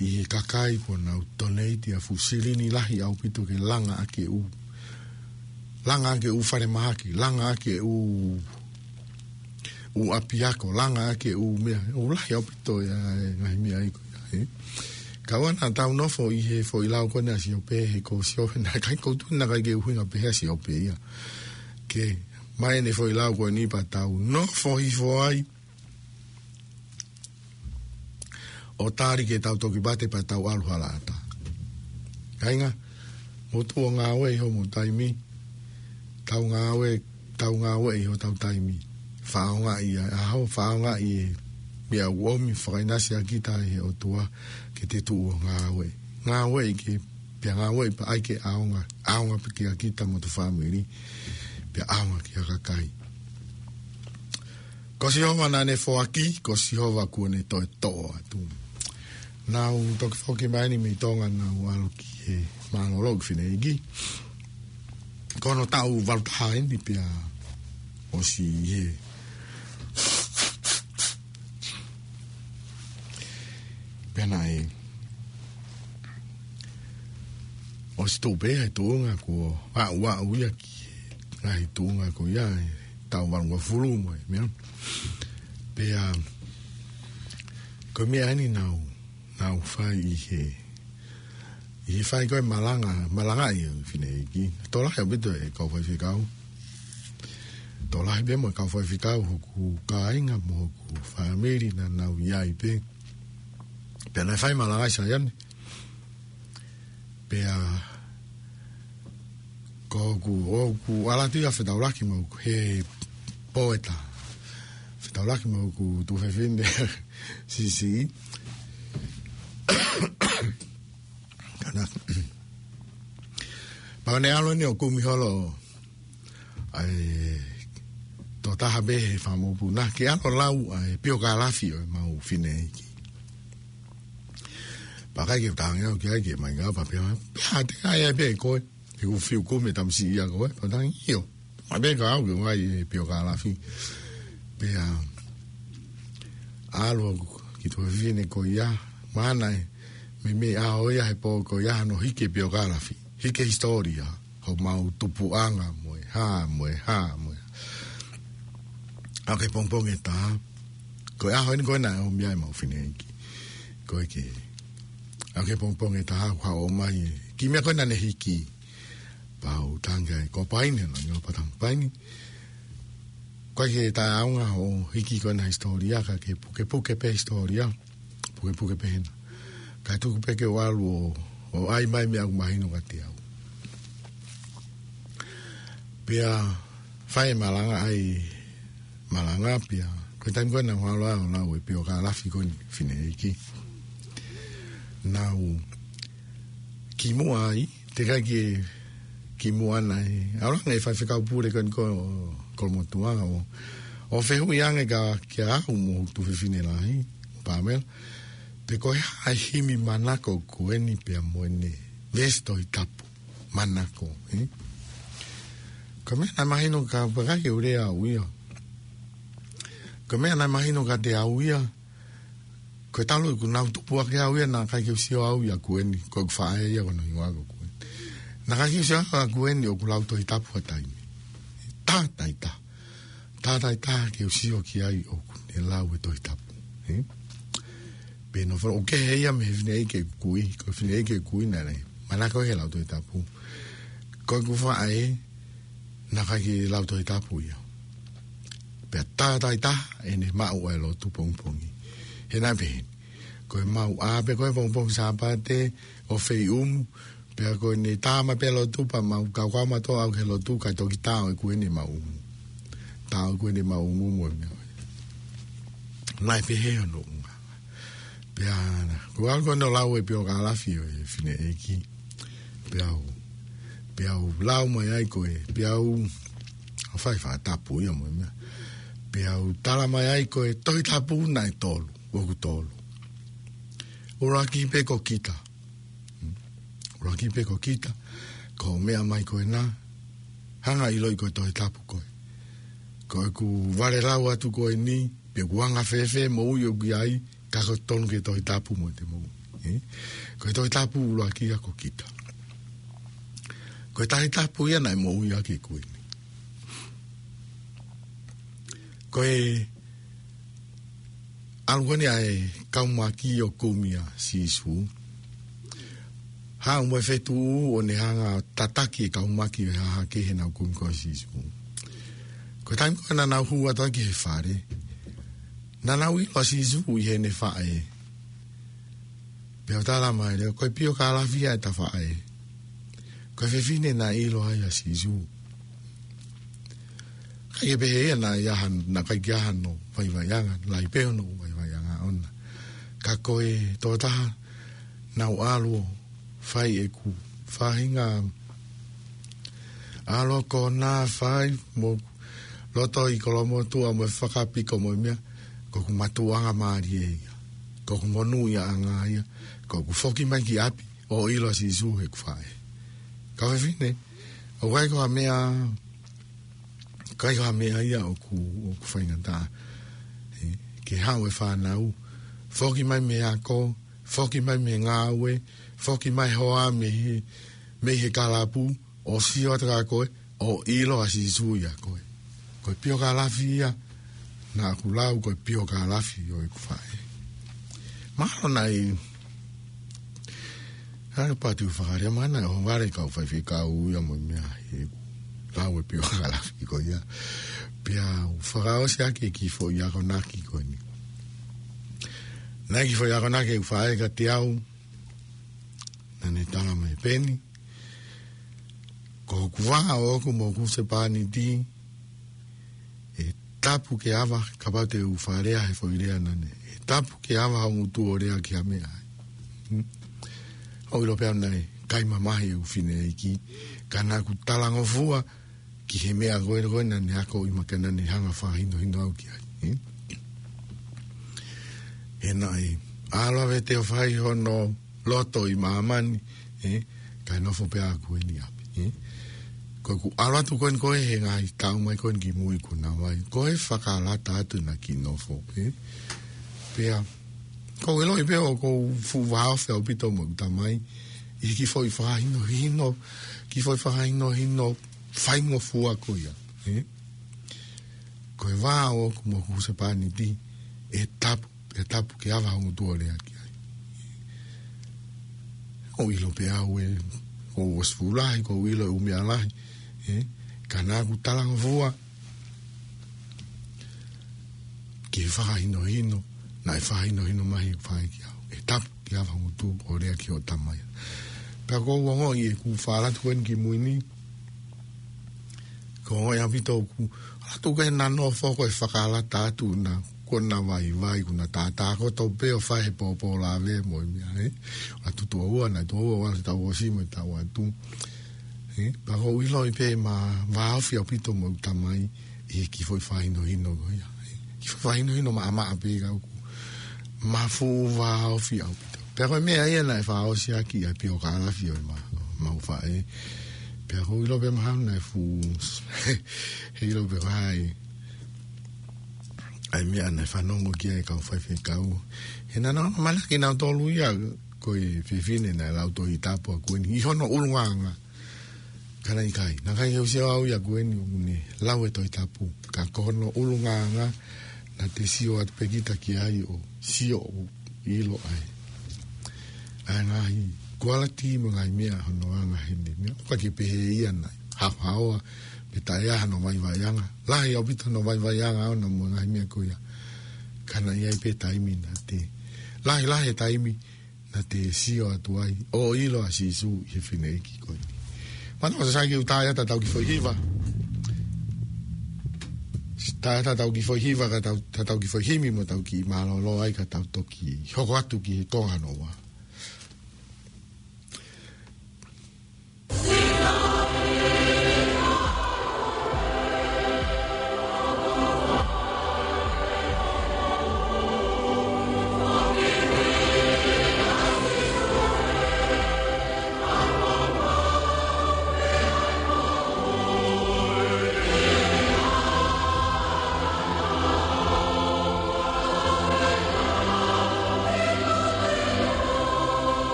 ʻi he kakai kuo nau donate ʻa e fuʻu silini lahi ʻaupito ke langa ʻaki e ʻū, langa ʻaki e ʻū falemahaki, langa ʻaki e ʻū, ʻū ʻapiako, langa ʻaki e ʻū meʻa, ʻū lahi ʻaupito ia e ngaahi meʻa ia ko ia, ē. Ka ʻoua naʻa tau nofo ʻi he foʻi lau ko ena ʻa Siope, he ko Siope naʻe ʻikai, ʻoku ou tui naʻe ʻikai ke ʻuhinga pehē ʻa Siope ia. Ke ʻomai ʻene foʻi lau ko eni pea tau nofo hifo ai ʻo tali ke tau toki mate pea tau ʻalu halaʻatā. Kāinga, mou tuʻu ʻo ngāueʻi homou taimi, tau ngāue, tau ngāueʻi hotau taimi. Fakaʻaongaʻi ʻa e ʻaho, fakaʻaongaʻi e meʻa ʻoku ʻomi, fakaʻinasi ʻa kita ʻe he ʻOtua ke te tuʻu ʻo ngāue. Ngāueʻi ke, pea ngāueʻi pea ʻai ke ʻaonga, ʻaonga pē kia kita mo hoto fāmili, pea ʻaonga ki he kakai. Ko Sihova naʻa ne foaki, ko Sihova kuo ne toe toʻo atu. Naʻa ku toki foki mai eni mei Tonga naʻa ku ʻalu ki he mālōlō ʻeku fineʻeiki. Ko hono taʻu valu taha eni pea ʻosi ē. Pea naʻe ʻosi tuʻu pē he tuʻunga kuo aʻu, aʻu ia ki he ngaahi tuʻunga ko ia he taʻu valungofulu mo e meʻa. Pea ko e meʻa eni naʻa ku, naʻa ku fai ʻi he, ʻi he fai ko ē malanga, malangaʻi ʻeku fineʻeiki. Tokolahi ʻaupito e kau faifekau. Tokolahi pē mo e kau faifekau hoku kāinga mo hoku fāmili naʻa nau ʻi ai pē. Pea naʻe fai malanga ʻi Saione. Pea ko ʻeku, ʻoku ʻalu atu ia ʻo fetaulaki mo ʻeku, he pō ʻe taha. Fetaulaki mo ʻeku tuofefine siʻisiʻi. Kāinga. Pea ne ʻalu eni ʻo kumi holo ʻa e tokotaha pē he fanga mokopuna ke ʻalu ʻo lau ʻa e piokalafi ʻo ʻemau fineʻeiki. Pea ʻikai ke u tangi au ki ai ke mai ngā pea pea, pea te kai ai pē koe. He ʻoku fiu kumi e tamasiʻi ia ko ē, pea tangi ʻio. Mai pē ka au ke u ʻai e piokalafi. Pea ʻalu ʻeku tuofefine ko ia, mahalo ʻe meimei ʻaho ia he pō ko ia hono hiki e piokalafi. Hiki e hisitōlia. Homau tupuʻanga mo e hā, mo e hā, mo e hā. Aʻu ki he pongipongi ʻe taha. Ko e ʻaho eni ko ē naʻe ʻomi ai ʻemau fineʻeiki. Ko e ke. Aʻu ki he pongipongi ʻe taha, kuo ʻomai e kiʻi meʻa ko ē naʻa ne hiki. Pea u tangi ai, ko Paini, no, no, pea tangi Paini. Ko e ke taʻeʻaonga hoʻo hiki ko ena hisitōlia, ka ke pukepuke pē hisitōlia. Pukepuke pē hena. Kae tuku pē ke u ʻalu ʻo, ʻo ʻai mai meʻa ʻoku mahino kiate au. Pea fai e malanga, ʻai malanga pea. Ko e taimi ko ē naʻa ku ʻalu ai ʻo lau e piokalafi ko eni fineʻeiki. Naʻa ku kimuʻa ai, teʻeki ai ke kimuʻa naʻe ʻalu ange e faifekau pule ko eni ko Kolomotuʻa ʻo, ʻo fehuʻi ange kia, kia au mo hoku tuofefine lahi, Pamela. Pe ko e hā e himi manako ko eni pea mo ʻene veesi Tohi Tapu manako, ē? Ko e meʻa naʻe mahino ka pea ʻikai ke u lea au ia. Ko e meʻa naʻe mahino kiate au ia, ko e talu ʻeku nau tupu ʻaki au ia, naʻe ʻikai ke u sio au ia ʻa Kueni, ko ʻeku faʻē ia ko hono hingoa ko Kueni. Naʻe ʻikai ke u sio au ʻa Kueni ʻoku lau Tohi Tapu ha taimi. Taha taha. Taha taha ke u sio ki ai ʻoku ne lau e Tohi Tapu. Ē? Pea nofo, ʻoku kehe ia mei he fineʻeiki ʻeku kui, ko e fineʻeiki ʻeku kui naʻe manako he lau Tohi Tapu. Ko ʻeku faʻē, naʻe ʻikai ke lau Tohi Tapu ia. Pea taha taha ʻene maʻu ʻa e lotu pongipongi. He naʻe pehē ni. Ko e maʻu ʻa pē ko e pongipongi Sāpate ʻo feiʻumu, pea ko ʻene tā mai pē lotu pea mau kaukau mātuʻa au ki he lotu kae toki tā ʻo ʻeku ʻene maʻu. Tā ʻo ʻeku ʻene maʻu mo e meʻa. Naʻe pehē hono ʻuhinga. Pea, ko au ko ʻene lau e piokalafi ʻo e fineʻeiki. Pea u, pea u lau mai ai ko e, pea u, ʻo fai fakatapu ia mo e meʻa. Pea u tala mai ai ko e Tohi Tapu naʻe tolu, ʻoku tolu. ʻUluaki pē ko kita. ʻUluaki pē ko kita, ko e meʻa mai ko ena, hanga ʻiloʻi ko e Tohi Tapu ko ē. Ko ʻeku vale lau atu ko eni, pe ʻoku anga fēfē moʻui ʻoku ʻi ai, ka ko e tonu ke Tohi Tapu mo te moʻui. Ē? Ko e Tohi Tapu ʻuluaki ia ko kita. Ko e Tohi Tapu ia naʻe moʻui ʻaki ʻeku ʻEiki. Ko e ʻalu ko eni ʻa e kau maki ʻo kumi ʻa Sīsū. Haʻu mo e fetuʻu ʻo ne hanga tataki e kau maki ʻo e hahake he nau kumi ko ē ʻa Sīsū. Ko e taimi ko ē naʻa nau hū atu ai ki he fale. Naʻa nau ʻilo ʻa Sīsū ʻi heʻene faʻē. Pea u tala mai leva, ko e piokalafi ia ʻeta faʻē. Ko e fefine naʻe ʻilo ai ʻa Sīsū. ʻIkai ke pehē ia naʻe ʻi ai ha, naʻe ʻikai ke ʻi ai hano vaivaiʻanga, lahi pē hono vaivaiʻanga ʻoʻona. Ka ko e tokotaha naʻa ku ʻalu ʻo fai ʻeku faʻahinga ʻalu ko ena fai mo loto ʻi kolomotuʻa mo e fakapiko mo e meʻa, ko ʻeku mātuʻanga mālie ia. Ko ʻeku monūʻiaʻanga ia, ko ʻeku foki mai ki ʻapi, ʻo ʻilo ʻa Sīsū heʻeku faʻē. Kau fefine, ʻoku ʻikai ko ha meʻa, ʻikai ko ha meʻa ia ʻoku, ʻoku faingataʻa. Ē, ke haʻu e fānau, foki mai mei he ako, foki mai mei he ngāue, foki mai hoa mei he, mei he kalapu, ʻo sio atu kia koe, ʻo ʻilo ʻa Sīsū ʻia koe. Ko e piokalafi ia, naʻa ku lau ko e piokalafi ʻo ʻeku faʻē. Mahalo naʻe, ʻa e patu fakalea mana, ʻo vale kau faifekau ia mo e meʻa he lau e piokalafi ko ia. Pea u fakaʻosi ʻaki e kiʻi foʻi akonaki ko eni. Naʻe kiʻi foʻi akonaki ʻeku faʻē kiate au, naʻa ne tala mai pē ni. Ko hoku vā ʻoʻoku mo hoku husepāniti, ʻe tapu ke ava, kapau te u fakalea he foʻi lea naʻa ne. ʻE tapu ke ava ho ngutu ʻo lea ki ha meʻa. Hmm? ʻOku ʻilo pē au naʻe ʻikai mamahi ʻeku fineʻeiki, ka naʻa ku talangofua ki he meʻa ko ē ko ē naʻa ne akoʻi mai ka naʻa ne hanga fakahinohino au ki ai. Hmm? He naʻe ʻalu ʻa Vete ʻo fai hono loto ʻi māmani, ē, kae nofo pē ʻa Kueni ʻi ʻapi, ē. Ko ʻeku ʻalu atu ko eni ko ē he ngaahi taʻu mai ko eni ki mui kuo nau ʻi ai, ko e fakalata atu naʻa ku nofo, ē. Pea, ʻoku ou ʻiloʻi pē ʻoku ou fuʻu vāofi ʻaupito mo ʻeku tamai, ʻi he kiʻi foʻi fakahinohino, kiʻi foʻi fakahinohino faingofua ko ia, ē. Ko e vā ʻoʻoku mo hoku husepāniti, ʻe tapu, ʻe tapu ke ava ho ngutu ʻo lea ki ai. ʻOku ou ʻilo pē au ē, ʻoku ou ʻosi fuʻu lahi, ʻoku ou ʻilo e ʻū meʻa lahi, ē, ka naʻa ku talangofua ki he fakahinohino, naʻe fakahinohino mai ʻe he faʻē kia au. ʻE tapu ke ava ho ngutu ʻo lea ki hoʻo tamai. Pea ʻoku ou ongoʻi ʻeku fakalata ko eni ki mui ni, ʻoku ou ongoʻi ʻaupito ʻoku, ʻalu atu ke na nofo ko e fakalata atu na, kuo na vaivai, kuo na tātā kotoa pē ʻo fai he pōpō lave mo e meʻa, ē. ʻAlu atu tuʻo ua, na tuʻo ua, ʻalu atu tuʻo ua, si mo e taʻu atu. Ē, pea ʻoku ou ʻiloʻi pē ʻema vāofi ʻaupito mo ʻeku tamai, ʻi he kiʻi foʻi fakahinohino ko ia. Ē, kiʻi foʻi fakahinohino maʻamaʻa pē ka ʻoku ma fuʻu vāofi ʻaupito. Pea ko e meʻa ia naʻe fakaʻosi ʻaki ʻa e piokalafi ʻo ʻema, ʻemau faʻē. Pea ʻoku ou ʻilo pē mahalo naʻe fuʻu, he ʻilo pē ko hai. ʻa e meʻa naʻe fanongo ki ai e kau faifekau. He naʻa nau ʻamanaki nautolu ia ko e fefine naʻe lau Tohi Tapu ʻa Kuini ʻi hono ʻulungaanga. Ka naʻe ʻikai, naʻe ʻikai ke u sio au ia Kuini ʻoku ne lau e Tohi Tapu. Ka ko hono ʻulungaanga naʻa te sio atu pē kita ki ai ʻo sio ʻo ʻilo ai. ʻA e ngaahi kualiti mo e ngaahi meʻa hono anga heni. Meʻa ʻoku ʻikai ke pehē ia naʻe haohaoa pe taʻe ʻi ai hano vaivaiʻanga. Lahi ʻaupito hono vaivaiʻanga ʻona mo e ngaahi meʻa ko ia. Ka naʻe ʻi ai pē taimi naʻa te, lahi lahi e taimi naʻa te sio atu ai ʻo ʻilo ʻa Sīsū ʻi he fineʻeiki ko eni. Mana o sasai ke u tae ata tau kiʻi foʻi hiva. Tae ata tau kiʻi foʻi hiva ka tau, ta tau kiʻi foʻi himi mo tau kiʻi mālōlō ai ka tau toki hoko atu ki he konga hono ua.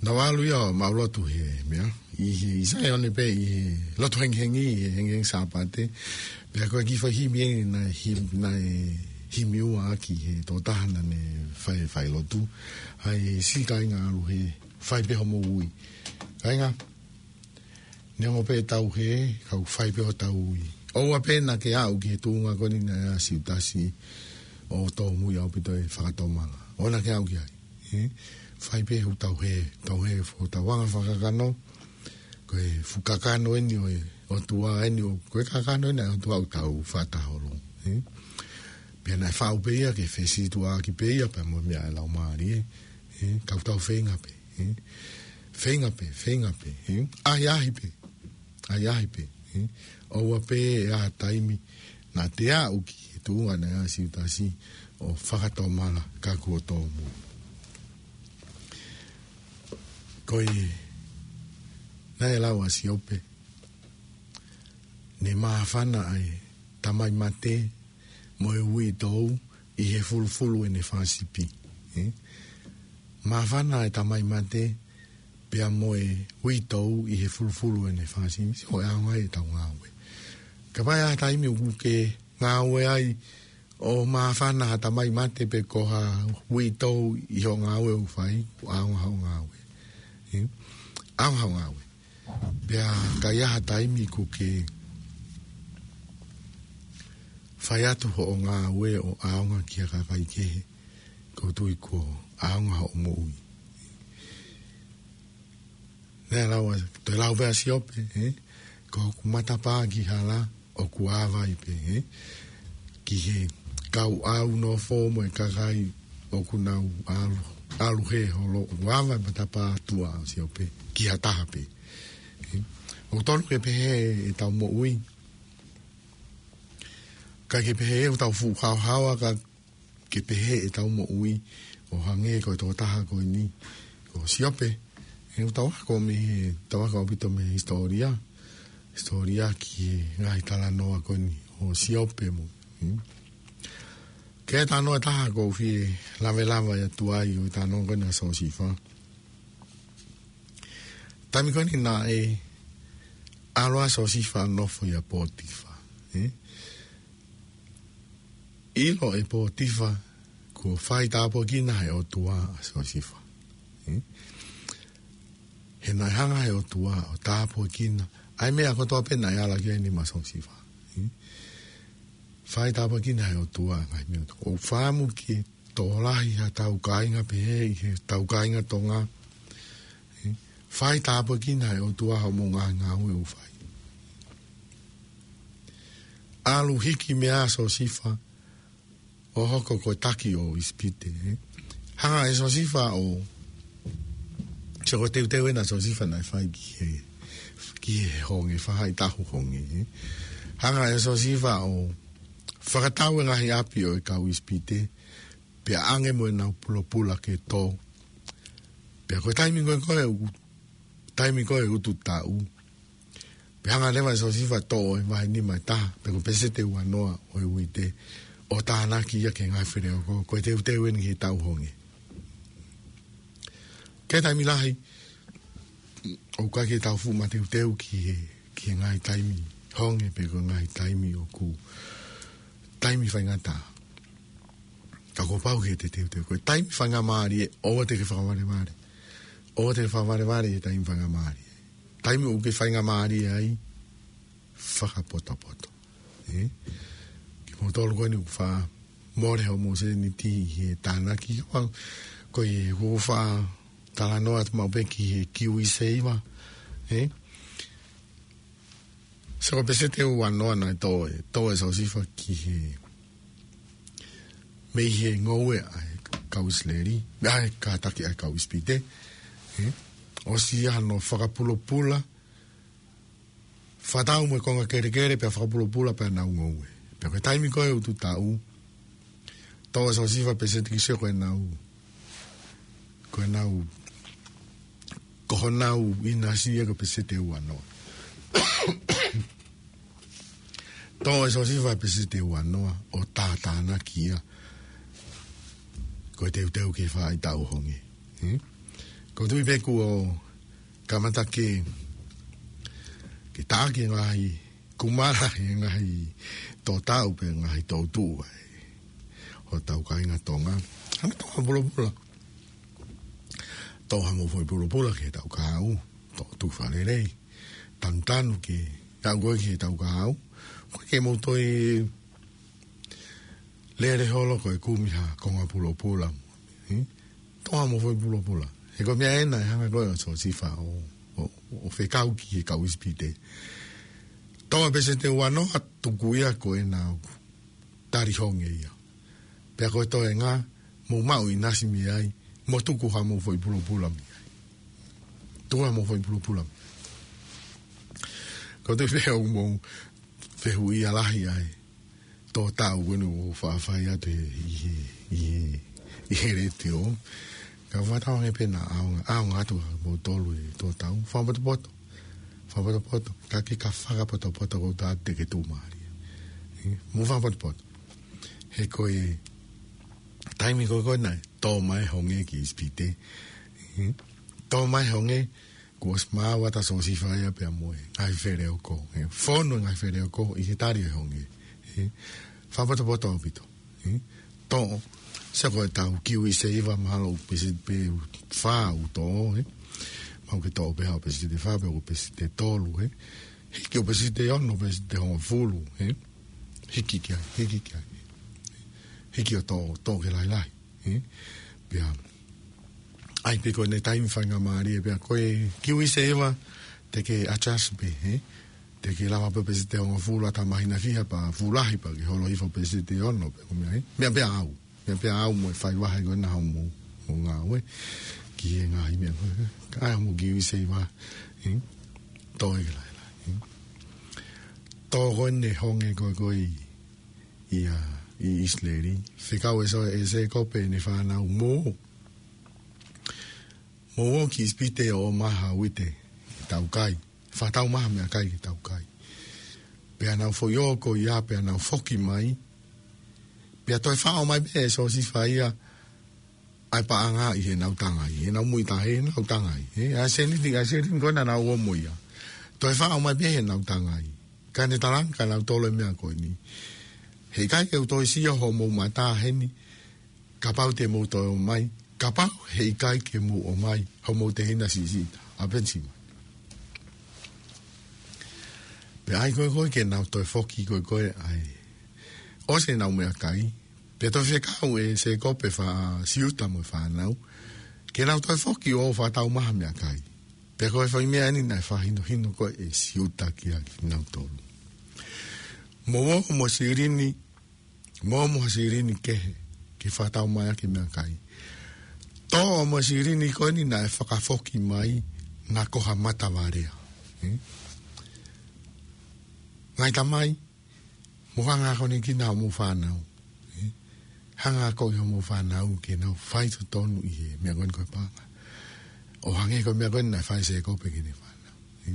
Naʻa mau lotu he meʻa ʻi he, ʻi Saione pē ʻi he lotu hengihengi, ʻi he hengihengi Sāpate. Pea ko e kiʻi foʻi himi eni naʻe him-, naʻe himi ua ʻaki he tokotaha naʻa ne fai, fai lotu. ʻAi siʻi kāinga ʻalu hē, fai pē hoʻomou ui. Kāinga, neongo pē tau hē, kau fai pē hotau ui. ʻOua pē naʻa ke aʻu ki he tuʻunga ko eni naʻe ʻasi ʻa Siutasi ʻo tōmui ʻaupito e fakatomala. ʻOua naʻa ke aʻu ki ai. Ē? Fai pē hotau hē, tau hē, hotau anga fakakakano. Ko e fuʻu kakano eni ʻo e ʻOtua eni ʻo, ko e kakano eni ʻa e ʻOtua ʻoku tau fakataha holo. Ē? Pea naʻe faʻu pē ia ke fesītuʻaʻaki pē ia pea mo e meʻa ʻa e Laumālie. Ē? Ka ʻoku tau feinga pē. Ē? Feinga pē, feinga pē. Ē? ʻAhiʻahi pē. ʻAhiʻahi pē. Ē? ʻOua pē ʻe ʻi ai ha taimi naʻa te aʻu ki he tuʻunga naʻe ʻasi ʻa Siutasi ʻo fakatomala ka kuo tōmui. Ko e, naʻe lau ʻa Siope, ne māfana ʻa e tamai mate mo e uitou ʻi he fulufulu ʻene fanga sipi. Ē? Māfana ʻa e tamai mate pea mo e uitou ʻi he fulufulu ʻene fanga sipi. Sio ko e ʻaonga ia ʻetau ngāue. Kapau ʻe ʻi ai ha taimi ʻoku ke ngāue ai ʻo māfana ha tamai mate pe ko ha uitou ʻi hoʻo ngāue ʻoku fai, ʻoku ʻaonga hoʻo ngāue. Ē? ʻAonga hoʻo ngāue. Pea ka ʻi ai ha taimi ʻoku ke fai atu hoʻo ngāue ʻo ʻaonga ki ha kakai kehe, ʻoku ou tui kuo ʻaonga hoʻo moʻui. Naʻe lau ʻa, toe lau pē ʻa Siope, ē? Ko hoku matapā ki hala, ʻoku ʻā vai pē, ē? Ki he kau ʻau nofo mo e kakai ʻoku nau ʻalu ʻalu he holo, ʻoku ava e matapā tuʻa ʻo Siope ki ha taha pē. ʻE, ʻoku tonu ke pehē ʻetau moʻui. Ka ke pehē ʻoku tau fuʻu haohaoa ka ke pehē ʻetau moʻui ʻo hangē ko e tokotaha ko eni, ko Siope. ʻE, ʻoku tau ako mei he, tau ako ʻaupito mei he hisitōlia. Hisitōlia ki he ngaahi talanoa ko eni ʻo Siope mo. Hmm? Ke talanoa ʻe taha ʻoku ou fie lavelave atu ai ʻo e talanoa ko eni ʻa Siosifa. Taimi ko eni naʻe ʻalu ʻa Siosifa ʻo nofo ʻia Potifa. ʻE? ʻIlo ʻe Potifa, kuo fai tāpuekina ʻe he ʻOtua ʻa Siosifa. ʻE? He naʻe hanga ʻe he ʻOtua ʻo tāpuekina ʻa e meʻa kotoa pē naʻe ala ki ai e nima ʻo Siosifa. ʻE? Fai tāpuekina ʻe he ʻOtua ngaahi meʻa. ʻOku ou fakaʻamu ke tokolahi ha tau kāinga pehē ʻi he tau kāinga Tonga. ʻE? Fai tāpuekina ʻe he ʻOtua hoʻomou ngaahi ngāue ʻoku fai. ʻAlu hiki mei ai ʻa Siosifa ʻo hoko ko e taki ʻo ʻIsipite, ʻe. Hanga ʻe Siosifa ʻo, sio ko e teuteu ena ʻa Siosifa naʻe fai ki he, ki he honge, faʻahitaʻu honge, ʻe. Hanga ʻe Siosifa ʻo fakatau e ngaahi ʻapi ʻo e kau ʻIsipite, pea ʻange mo ʻenau pulopula ke tō. Pea ko e taimi ko ē, ko e u-, taimi ko ē utu taʻu. Pea hanga leva ʻe Siosifa ʻo toʻo e vahe nima ʻe taha, pe ko e peseti ʻe uanoa ʻo e uite, ʻo tānaki ia ki he ngaahi feleoko, ko e teuteu eni ki he tau honge. Ko e taimi lahi, ʻoku ʻikai ke tau fuʻu mateuteu ki he, ki he ngaahi taimi honge, pe ko e ngaahi taimi ʻoku taimi faingataʻa. Ka kuo pau ke te teuteu. Ko e taimi faingamālie, ʻoua te ke fakavalevale. ʻOua te ke fakavalevale he taimi faingamālie. Taimi ʻoku ke faingamālie ai, fakapotopoto. ʻE? Kimoutolu ko eni ʻoku faʻa mole hoʻomou sēniti ʻi he tānaki. Ko e, ʻoku ou faʻa talanoa atu maʻu pē ki he kiu i seiva. ʻE? Sio ko e peseti ʻe uanoa naʻe tō ʻe, tō ʻe Siosifa ki he, mei he ngoue ʻa e kau ʻIsileli, ʻa e kātaki ʻa e kau ʻIsipite. ʻE? ʻOsi ia hono fakapulopula, fakatau mo e konga kelekele pea fakapulopula pea nau ngoue. Pea ko e taimi ko ē utu taʻu, tō ʻe Siosifa peseti ki he sio ko ʻenau, ko ʻenau, ko honau ʻinasi ia ko e peseti ʻe uanoa. Tō ʻe Siosifa peseti ʻe uanoa ʻo tātānaki ia. Ko e teuteu ki he faʻahitaʻu honge. Hmm? ʻOku ou tui pē kuo kamata ke, ke taʻaki e ngaahi kumala he ngaahi tō taʻu pe ngaahi tō tuʻu ai. ʻO e tau kāinga Tonga. Hanga Tonga pulopula. Toʻo haʻamou foʻi pulopula ki he tau kahaʻu. Toʻo tuku fakalelei. Tanutanu ke, tau ko ē ki he tau kahaʻu. ʻOku ʻikai ke mou toe lele holo ko e kumi ha konga pulopula. Hmm? Toʻo haʻamou foʻi pulopula. He ko e meʻa ena ʻe hanga ko ē ʻa Siosifa ʻo, ʻo, ʻo fekau ki he kau ʻIsipite. Tō ʻa e peseti ʻe uanoa tuku ia ko ʻenau tali honge ia. Pea ko e toenga, mou maʻu ʻinasi mei ai, mo tuku haʻamou foʻi pulopula mei ai. Tuku haʻamou foʻi pulopula. ʻOku ou tui pē ʻoku mou fehuʻia lahi ai. Tō taʻu ko eni ʻoku faʻa fai atu ʻi he, ʻi he, ʻi he, ʻi he letiō. Ka ʻoku ou tui ange pē naʻa ʻaonga, ʻaonga atu ʻa moutolu ʻi he tō taʻu. Fakapotopoto. Fakapotopoto. Ka ke ka fakapotopoto ʻoku ou tui te ke tuʻumālie. ʻE, mou fakapotopoto. He ko e taimi ko ē ko ē naʻe tō mai honge ki ʻIsipite. ʻE, tō mai honge, kuo ʻosi maau atu ʻa Siosifa ia pea mo e ngaahi feleoko. ʻE, fonu e ngaahi feleoko ʻi he tali e honge. ʻE, fakapotopoto ʻaupito. ʻE, toʻo, sio ko e tau kiu i seiva mahalo peseti pē fā ʻoku toʻo, ʻe. Mahalo ke toʻo pē ha peseti ʻe fā pe ko e peseti ʻe tolu, ʻe. Hiki ʻo peseti ʻe ono, peseti ʻe hongofulu, ʻe. Hiki ki ai, hiki ki ai. Hiki ʻo toʻo, toʻo ki he lahilahi. ʻE? Pea ʻai pē ko ʻene taimi faingamālie pea ko e kiu i seiva te ke adjust pē, ʻe? Te ke lava pē peseti ʻe hongofulu ʻata mahina fiha pea fuʻu lahi pea ke holo hifo peseti ʻe ono pea ko e meʻa, ʻe? Meʻa pē ʻa au. Meʻa pē ʻa au mo e fai vahe ko ena hoʻomou, mo ngāue ki he ngaahi meʻa ko ē. Ka ai mo ki ui sei vā. Ē? Tō e ke laila. Ē? Tō ko ē ne honge ko ē ko ē ia ʻi ʻIsileli. Fekau ʻe Sō-, ʻe Sēkope ʻene fānau mo. Mo ō ki ʻIsipite ʻo ʻomai ha uite ke tau kai. Fakatau mai ha meʻakai ke tau kai. Pea nau foʻi ō ko ia, pea nau foki mai. Pea toe faʻo mai pē ʻe Siosifa ia ʻa e paʻanga ʻi heʻenau tangai, ʻi heʻenau muʻi tahi, ʻi heʻenau tangai. Ē, ʻa e sēniti, ʻa e sēniti ko ena naʻa nau ō mo ia. Toe faʻo mai pē heʻenau tangai. Ka ne talaange kia nautolu e meʻa ko eni. Heʻikai ke u toe sio homou mata heni, kapau te mou toe ō mai, kapau heʻikai ke mou ō mai, homou tehina siʻisiʻi, ʻa Penisima. Pea ʻai ko ē ko ē ke nau toe foki ko ē ko ē ai. ʻOsi ʻenau meʻakai, pea toe fekau ʻe Sēkope ʻa Siuta mo e fānau, ke nau toe foki ʻo fakatau mai ha meʻakai. Pea ko e foʻi meʻa eni naʻe fakahinohino ko ē ʻe Siuta kia kinautolu. Mo ō mo silini, mo ō mo silini kehe, ke fakatau mai ʻaki e meʻakai. Tō mo silini ko eni naʻe fakafoki mai, naʻa ko ha matavalea. Ē? Ngaahi tamai, mou hanga ʻo akonekina hoʻomou fānau. Ē? Hanga ʻo akoʻi hoʻomou fānau ke nau fai totonu ʻi he meʻa ko eni ko e paʻanga. ʻO hangē ko e meʻa ko eni naʻe fai ʻe Sēkope ki heʻene fānau. Ē?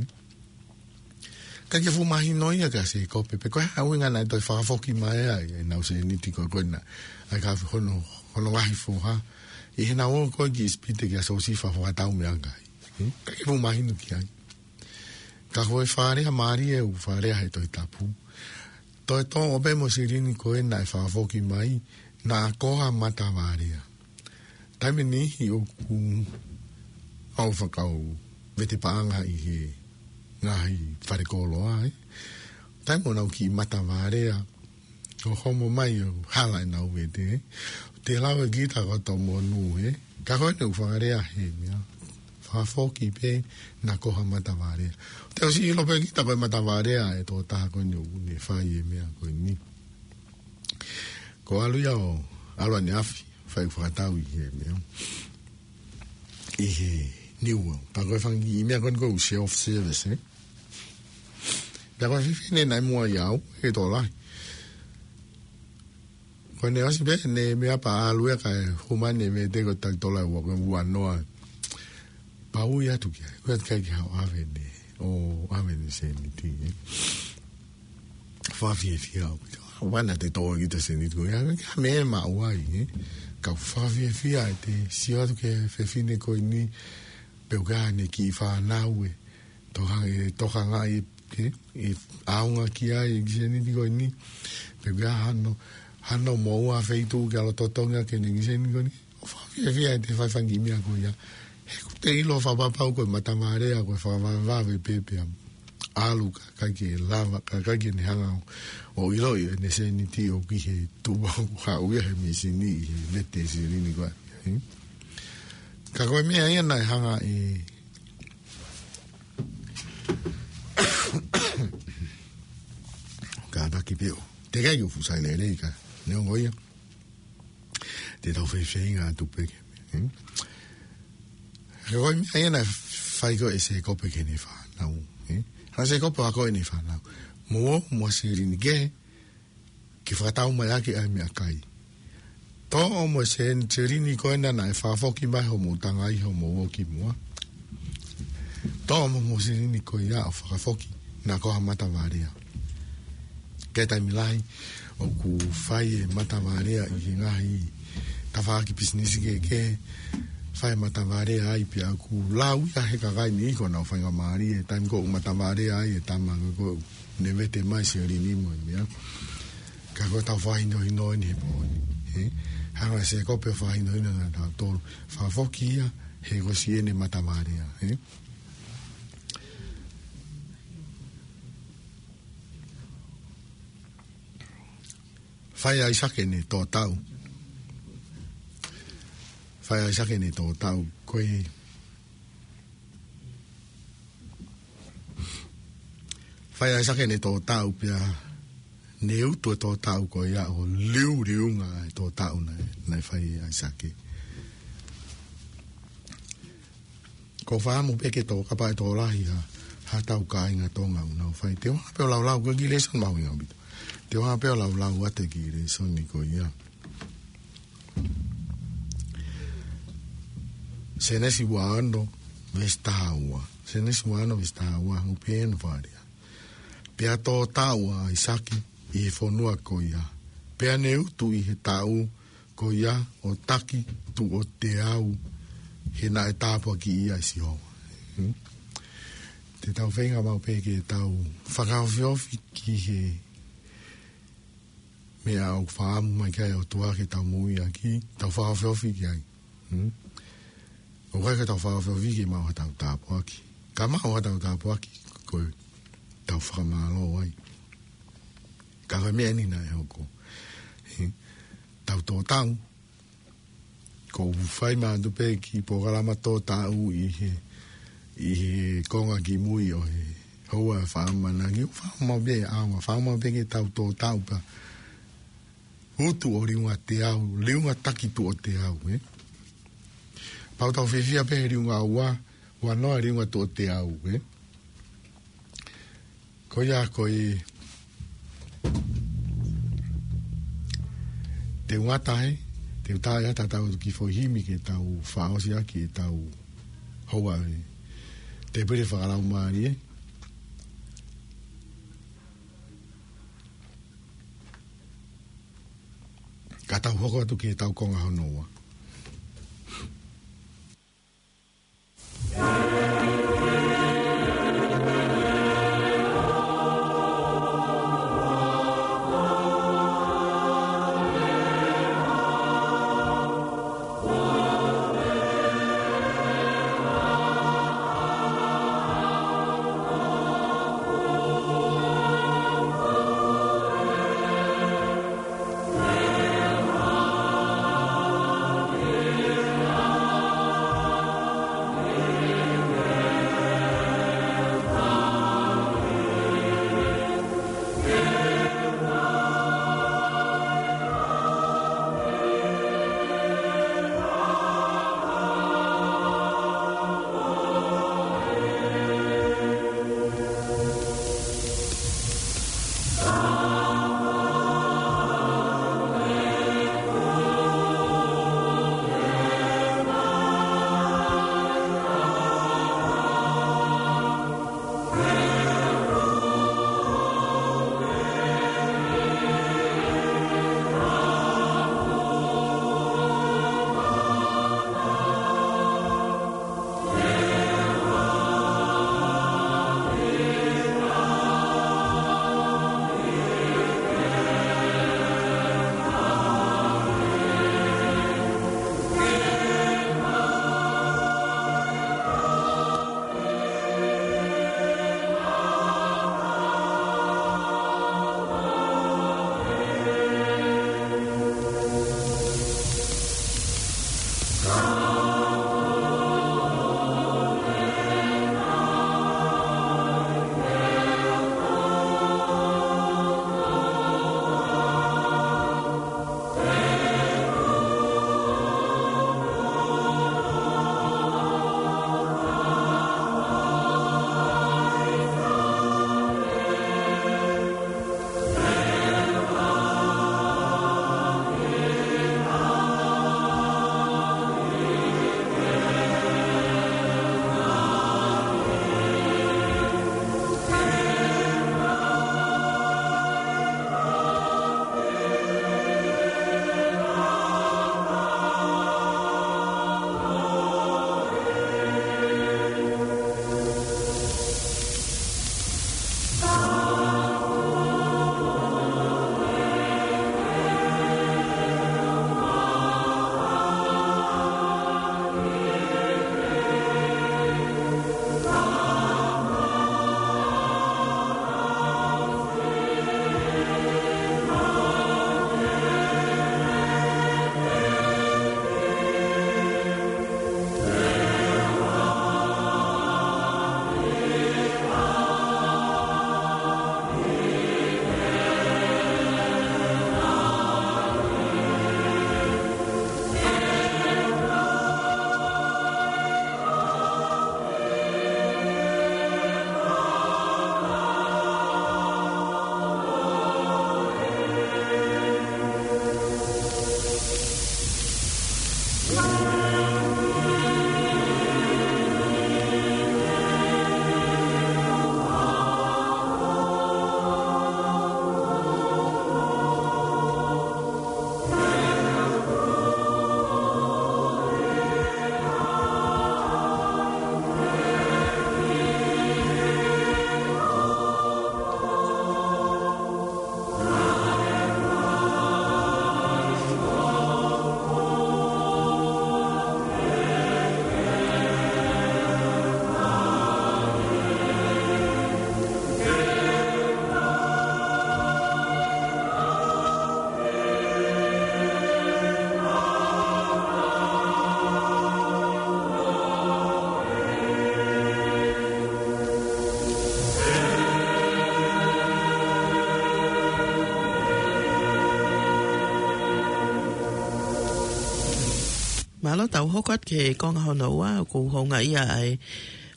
Ka ke fuʻu mahino ia kia Sēkope, pe ko e hā e ʻuhinga naʻe toe fakafoki mai ai ʻenau sēniti ko ē ko ena, ʻa e ka hono, hono ngaahi foha. ʻI heʻenau ō ko ē ki ʻIsipite kia Siosifa fakatau meʻakai. Ē? Ka ke fuʻu mahino ki ai. Ka ko e fakalea mālie ʻoku fakalea he Tohi Tapu. Toe tō ʻo pē mo silini ko ē naʻe fakafoki mai, naʻa ko ha matavalea. Taimi ʻe niʻihi ʻoku ʻi ai e fakakaukau vete paʻanga ʻi he ngaahi falekoloa, ē. Taimi ʻoku nau kiʻi matavalea, ʻo homo mai ʻo hala ʻenau vete, ē. Te lau e kita ko Tomonū, ē. Ka ko eni ʻoku fakalea he meʻa. Fakafoki pē naʻa ko ha matavalea. Te ʻosi ʻilo pē kita ko e matavalea ʻe tō taha ko eni ʻoku ne fai e meʻa ko eni. Ko e ʻalu ia ʻo, ʻalu ʻaneafi, fai fakatau ʻi he meʻa. ʻI he New World. Pea ko e fanga kiʻi meʻa ko eni ko e self-service, ē. Pea ko e fefine naʻe muʻa ʻia au, he tō lahi. Ko ʻene ʻosi pē ʻene meʻa pea ʻalu ia kae hū mai ʻene vete ko e tali tola ua ko e ua noa. Pea ui atu ki ai, ui atu ki ai ke haʻu ʻo ʻave ʻene, ʻo ʻave ʻene sēniti, ē. Fakafiefia ʻaupito. ʻOua naʻa te tō ʻeku sēniti ko ia, ʻa e meʻa maʻu ai, ē. Ka u fakafiefia ʻi heʻeku sio atu ki he fefine ko eni, pe ʻoku ʻi ai haʻane kiʻi fānau ē, toka, ē, tokangaʻi, ē, ʻe ʻaonga ki ai e kiʻi sēniti ko eni. Pe ʻoku ʻi ai hano, hano moʻua feituʻu ke ʻalu ʻo totongi ʻaki ʻene kiʻi sēniti ko eni. ʻOku ou fakafiefia ʻi heʻeku fai e fanga kiʻi meʻa ko ia. He ʻoku te ʻilo fakapapau ko e matavalea, ko e fakavavevave pē pea ʻalu kae ʻikai ke lava, kae ʻikai ke ne hanga ʻo, ʻo ʻiloʻi ʻene sēniti ʻoku ʻi he tuʻunga ʻoku haʻu ia he mīsini ʻi he vete silini ko ē. Ē? Ka ko e meʻa ia naʻe hanga ʻe kātaki pē ʻo. Teʻeki ai ke u fuʻu sai lelei ka. Neongo ia. Te tau feifeinga atu pē ke. Hmm? Ka ko e meʻa ia naʻe fai ko ē ʻe Sēkope ki heʻene fānau. Ē? Hanga ʻe Sēkope ʻo akoʻi ʻene fānau. Mo ō mo silini kehe, ke fakatau mai ʻaki ʻa e meʻakai. Tō ʻo mo sēn-, silini ko ena naʻe fakafoki mai hoʻomou tangai hoʻomou ō ki muʻa. Tō ʻo mo silini ko ia ʻo fakafoki, naʻa ko ha matavalea. Ko e taimi lahi, ʻoku fai e matavalea ʻi he ngaahi tafaʻaki pisinisi kehekehe, fai e matavalea ai pea ʻoku lau ia he kakai ni ko ʻenau faingamālie, taimi ko ē ʻoku matavalea ai e tama ko ē ne vete mai silini mo e meʻa. Ka ko ʻetau fakahinohino eni he pō ni. Ē? Hanga ʻe Sēkope ʻo fakahinohino kinautolu. Fakafoki ia he kuo ʻosi ʻene matavalea. Ē? Fai ʻe ʻAisake ʻene tō taʻu. Fai ʻe ʻAisake ʻene tō taʻu. Ko e Fai ʻe ʻAisake ʻene tō taʻu pea ne utu e tō taʻu ko ia ʻo liuliunga e tō taʻu naʻe, naʻe fai ʻe ʻAisake. Ko e fakaʻamu pē ke tō, kapau ʻe tō lahi ha, ha tau kāinga Tonga ʻoku nau fai. Te u hanga pē ʻo laulau, ko e kiʻi lēsoni mahuʻinga ʻaupito. Te u hanga pē ʻo laulau atu e kiʻi lēsoni ko ia. Sēnesi ua ono, veesi taha ua. Sēnesi ua ono, veesi taha ua, ʻoku pehē ʻene fakalea. Pea tō taʻu ʻa ʻAisake ʻi he fonua ko ia. Pea ne utu ʻi he taʻu ko ia ʻo taki tuʻo teau, he naʻe tāpuakiʻi ia ʻe Sihova. Hmm? Te tau feinga maʻu pē ke tau fakaofiofi ki he meʻa ʻoku fakaʻamu mai ki ai e ʻOtua ke tau moʻui ʻaki, tau fakaofiofi ki ai. Hmm? ʻOku ʻikai ke tau fakaofiofi ke maʻu ha tau tāpuaki. Ka maʻu ha tau tāpuaki ko e tau fakamālō ai. Ka ko e meʻa eni naʻe hoko. He, tau tō taʻu, ʻoku fai mai atu pē kiʻi polokalama tō taʻu ʻi he, ʻi he konga kimui ʻo e houa ʻo e fakaʻamanaki. ʻOku fakaʻamu pē ʻaua, fakaʻamu pē ke tau tō taʻu pea utu ʻo liunga teau, liunga taki tuʻo teau, ē? Pau tau fiefia pē he liunga ua, ua noa liunga tuʻo teau, ē? Ko ia ko e te u ngata ai, te u tā ia tatau ki he foʻi himi ke tau fakaʻosi ʻaki e tau houa ē. Te pere fakalaumālie. Ka tau hoko atu ki he tau konga hono ua. Mālō, tau hoko atu ki he konga hono ua, ʻoku houngaʻia ai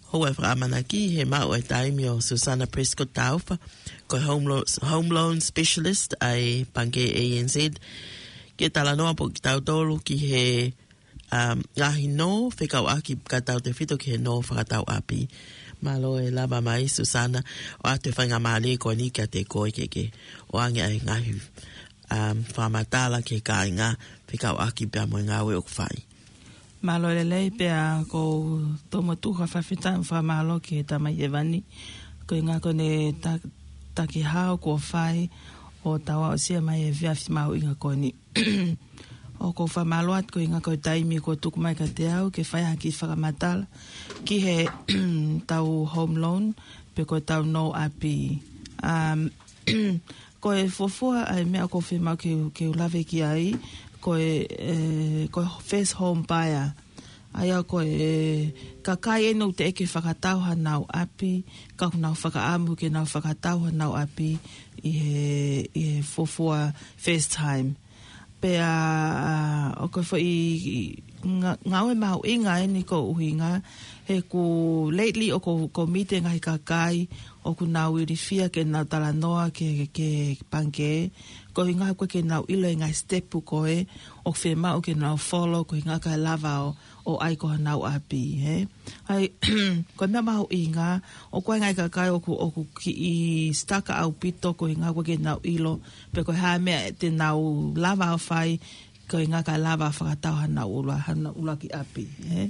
hoʻo fakamanatu ki he maʻu e taimi ʻo Susana Prescott Taufa, ko e home lo-, home loan specialist ʻa e Pangikē A N Z. Ke talanoa pē kitautolu ki he, um, ngaahi nō fekauʻaki kae tautefito ki he nō fakatau ʻapi. Mālō e lava mai, Susana, ʻo ʻoatu e faingamālie ko eni kiate koe ke ke ʻoange ʻa e ngaahi, um, fakamatala ki he kāinga fekauʻaki pea mo e ngāue ʻoku fai. Mālō e lelei, pea ʻoku ou tomuʻa tuku ha fakafetaʻi mo fakamālō ki he Tamai Hēvani, koeʻuhinga ko ʻene ta-, takihau kuo fai ʻo tau aʻusia mai e efiafi mahuʻinga ko eni. ʻOku ou fakamālō atu koeʻuhinga ko e taimi kuo tuku mai kiate au ke fai ha kiʻi fakamatala ki he tau home loan, pe ko e tau nō ʻapi. Um, ko e fuofua ʻa e meʻa ʻoku ou fiemaʻu ke, ke u lave ki ai, ko e, e, ko e first home buyer. ʻA ia ko e kakai ʻeni ʻoku teʻeki ke fakatau hanau ʻapi, ka ʻoku nau fakaʻamu ke nau fakatau hanau ʻapi ʻi he, ʻi he fuofua first time. Pea, ʻa, ʻoku foʻi nga-, ngāue mahuʻinga ʻeni koeʻuhinga, he ʻoku lately ʻoku, ʻoku mite ngaahi kakai ʻoku nau ilifia ke nau talanoa ki he, ki he Pangikē, koeʻuhinga ʻoku ʻikai ke nau ʻilo e ngaahi step ko ē ʻoku fiemaʻu ke nau follow, koeʻuhinga kae lava ʻo, ʻo ʻai ko hanau ʻapi, hē? ʻA ia, ko e meʻa mahuʻinga, ʻoku ʻi ai e ngaahi kakai ʻoku, ʻoku kiʻi stuck ʻaupito koeʻuhinga ʻoku ʻikai ke nau ʻilo, pe ko e hā e meʻa te nau lava ʻo fai, koeʻuhinga kae lava ʻo fakatau hanau ʻulu-, hanau ʻuluaki ʻapi, hē?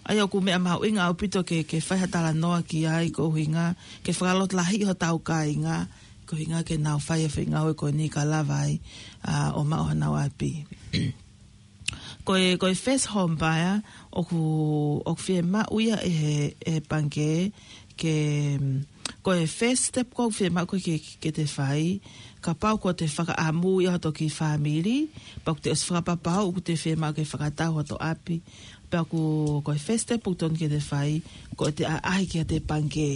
ʻA ia ʻoku meʻa mahuʻinga ʻaupito ke, ke fai ha talanoa ki ai koeʻuhinga, ke fakalotolahiʻi hotau kāinga, koeʻuhinga ke nau fai e foʻi ngāue ko eni kae lava ai, ʻa, ʻo maʻu hanau ʻapi. Ko e, ko e first home buyer, ʻoku, ʻoku fiemaʻu ia ʻe he, ʻe he Pangikē, ke, mm, ko e first step ʻoku fiemaʻu ko ē ke, ke te fai, kapau ʻoku te fakaʻamu ia hoto kiʻi fāmili, pea ʻoku te ʻosi fakapapau ʻoku te fiemaʻu ke fakatau hoto ʻapi, pea ʻoku, ko e first step ʻoku totonu ke te fai, ko ʻete ʻaʻahi kiate Pangikē.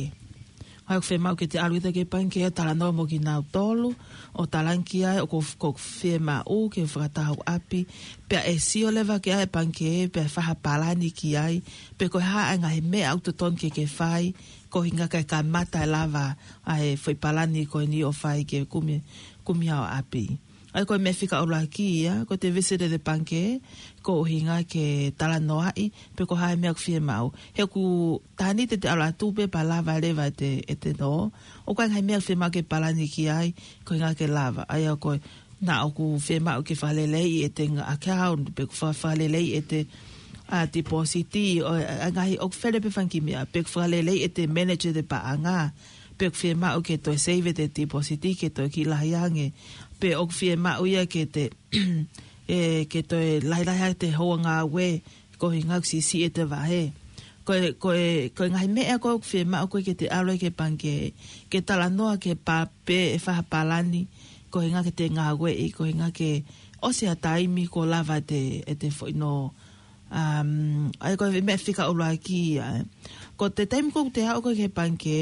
ʻA ia ʻoku fiemaʻu ke te ʻalu atu ki he Pangikē ʻo talanoa mo kinautolu, ʻo talaange ki ai ʻoku, ʻoku fiemaʻu ke fakatau ʻapi, pea ʻe sio leva ki ai e Pangikē, pea fai ha palani ki ai, pe ko e hā e ngaahi meʻa ʻoku totonu ke ke fai, koeʻuhinga kae kamata e lava ʻa e foʻi palani ko eni ʻo fai ke kumi, kumi haʻo ʻapi. ʻA ia ko e meʻa fika ʻuluaki ia, ko ʻete visit e Pangikē, koeʻuhinga ke talanoaʻi, pe ko e hā e meʻa ʻoku fiemaʻu. He ʻoku taha ni te te ʻalu atu pē pea lava leva ʻete, ʻete nō. ʻOku ʻi ai e ngaahi meʻa ʻoku fiemaʻu ke palani ki ai, koeʻuhinga ke lava. ʻA ia ko e, naʻa ʻoku fiemaʻu ke fakaleleiʻi ʻete ngaahi account, pe ʻoku fa-, fakaleleiʻi ʻete, ʻa, deposit, ʻo, ʻa, ngaahi ʻoku fele pē fanga kiʻi meʻa, pe ʻoku fakaleleiʻi ʻete manage ʻete paʻanga, pe ʻoku fiemaʻu ke toe save ʻete deposit, ke toe kiʻi lahi ange, pe ʻoku fiemaʻu ia ke te, ʻe, ke toe lahilahi ʻete houa ngāue, koeʻuhinga ʻoku siʻisiʻi ʻete vahe. Ko e, ko e, ko e ngaahi meʻa ko ē ʻoku fiemaʻu ko ē ke te ʻalu ai ki he Pangikē, ke talanoa ki he pa-, pe ʻe fai ha palani, koeʻuhinga ke te ngāueʻi, koeʻuhinga ke ʻosi ha taimi kuo lava ʻete, ʻete foʻi nō. Um, ʻa ia ko e meʻa fika ʻuluaki ia, ē. Ko ʻete taimi ko ē ʻoku te aʻu ko ē ki he Pangikē,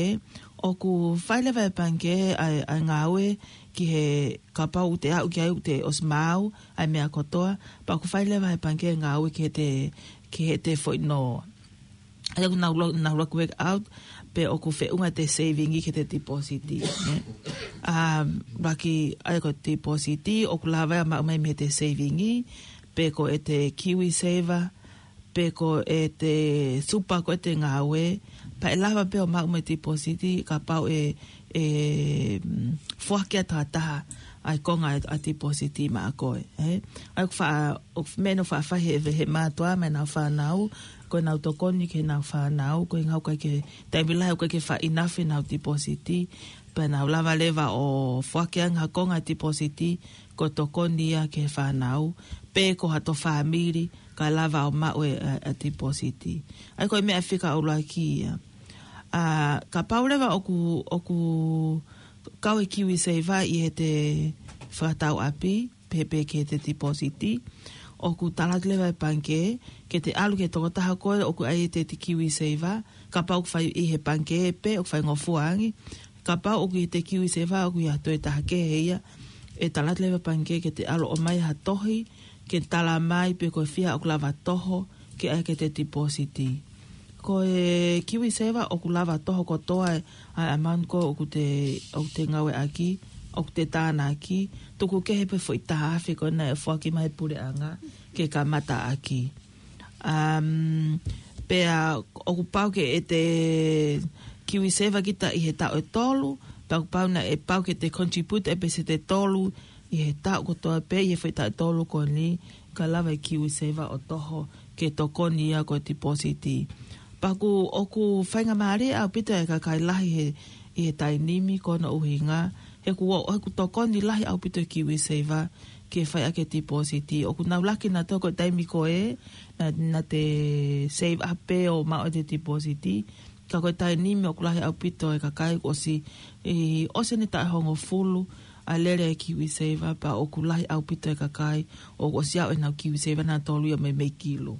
ʻoku fai leva ʻe he Pangikē ʻa e, ʻa e ngāue ki he, kapau ʻoku te aʻu ki ai ʻoku te ʻosi maau ʻa e meʻa kotoa, pea ʻoku fai leva ʻe he Pangikē ngāue ki heʻete, ki heʻete foʻi nō. ʻA ia ʻoku nau lo-, nau loku work out, pe ʻoku feʻunga ʻete saving ki heʻete deposit, ē. Um, ʻuluaki, ʻa ia ko e deposit, ʻoku lava ia ʻo maʻu mai mei heʻete saving, pe ko ʻete KiwiSaver, pe ko ʻete super ko ē te ngāue, pea ʻe lava pē ʻo maʻu mo e deposit, kapau ʻe, ʻe, mm, foaki ʻe ha taha ʻa e konga ʻa e, ʻa e deposit maʻa koe, ē? ʻA ia ʻoku fa-, ʻoku meʻa naʻe faʻa fai ʻe he, he mātuʻa maʻa ʻenau fānau, ko ʻenau tokoni ki heʻenau fānau, koeʻuhinga ʻoku ʻikai ke, taimi lahi ʻoku ʻikai ke faʻa enough ʻenau deposit, pea nau lava leva ʻo foaki ange ha konga ʻa e deposit, ko e tokoni ia ki he fānau, pe ko hato fāmili, kae lava ʻo maʻu e, ʻa, ʻa e deposit. ʻA ia ko e meʻa fika ʻuluaki ia. ʻA, kapau leva ʻoku, ʻoku kau e KiwiSaver ʻi heʻete fakatau ʻapi, pe, pe ki heʻete deposit, ʻoku tala atu leva ʻe he Pangikē, ke te ʻalu ki he tokotaha ko ē ʻoku ʻi ai ʻete, ʻete KiwiSaver, kapau ʻoku fai ʻi he Pangikē pe ʻoku faingofua ange, kapau ʻoku ʻi heʻete KiwiSaver ʻoku ʻi ai ha toe taha kehe ia, ʻe tala atu leva ʻe he Pangikē ke te ʻalu ʻo ʻomai ha tohi ke tala mai pe ko e fiha ʻoku lava toho ke ʻai ki he tipōsiti. Ko e KiwiSaver ʻoku lava toho kotoa ʻa e amount ko ē ʻoku te, ʻoku te ngāueʻaki, ʻoku te tānaki, tuku kehe pē foʻi taha afe ko ē naʻe foaki mai ʻe he puleʻanga ke kamata ʻaki. Um, pea ʻoku pau ke ʻete KiwiSaver kita ʻi he taʻu ʻe tolu, pea ʻoku pau naʻe pau ke te contribute ʻa e peseti ʻe tolu ʻi he taʻu kotoa pē ʻi he foʻi taʻu ʻe tolu ko eni, ka lava ʻe he KiwiSaver ʻo toho ke tokoni ia ko e tipōsiti. Pea ʻoku, ʻoku faingamālie ʻaupito ʻa e kakai lahi he, ʻi he taimi ni ko hono ʻuhinga, he ʻoku, ʻoku tokoni lahi ʻaupito ʻa e KiwiSaver ke fai ʻaki e tipōsiti. ʻOku nau laki nautolu ko e taimi ko ē, naʻa, naʻa te save up pē ʻo maʻu ʻete tipōsiti. Ka ko e taimi ni ʻoku lahi ʻaupito e kakai ʻoku ʻosi, ʻe, ʻosi ʻene taʻu ʻe hongofulu ʻa e lele e KiwiSaver, pea ʻoku lahi ʻaupito e kakai ʻoku ʻosi aʻu ʻenau KiwiSaver nautolu ia meimei kilu.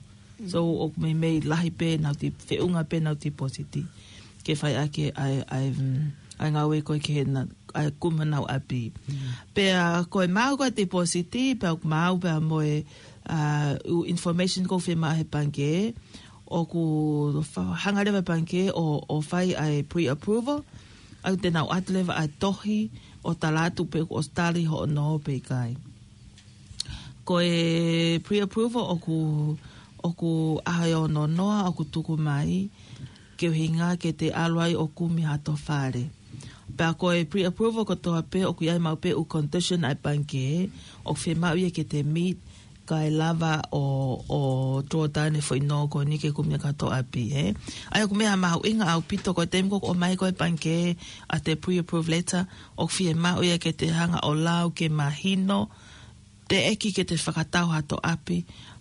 So, ʻoku meimei lahi pē ʻenau ti-, feʻunga pē ʻenau tipōsiti ke fai ʻaki ʻa e, ʻa e, mm, ʻa e ngāue ko ē ki heʻena, ʻa e kumi honau ʻapi. Pea ko e maʻu ko ē tipōsiti, pea ʻoku maʻu pea mo e, ʻa, ʻū information ʻoku fiemaʻu ʻe he pangikē, ʻoku fa-, hanga leva ʻe he pangikē ʻo, ʻo fai ʻa e pre-approval, ʻa ia te nau ʻoatu leva ʻa e tohi ʻo tala atu pe ʻoku ʻosi tali hoʻo nō pe ʻikai. Ko e pre-approval ʻoku, ʻoku ʻaho ʻe ono noa ʻoku tuku mai, ke ʻuhinga ke te ʻalu ai ʻo kumi hato fale. Pea ko e pre-approval kotoa pē ʻoku ʻi ai maʻu pē ʻū condition ʻa e pangikē, ʻoku fiemaʻu ia ke te meet, kae lava ʻo, ʻo drawdown e foʻi nō ko eni ke kumi ʻaki hato ʻapi, ē. ʻA ia ʻoku meʻa mahuʻinga ʻaupito ko e taimi ko ē ʻoku ʻomai ko ē ʻe he pangikē ʻa e pre-approval letter, ʻoku fiemaʻu ia ke te hanga ʻo lau ke mahino, teʻeki ke te fakatau hato ʻapi,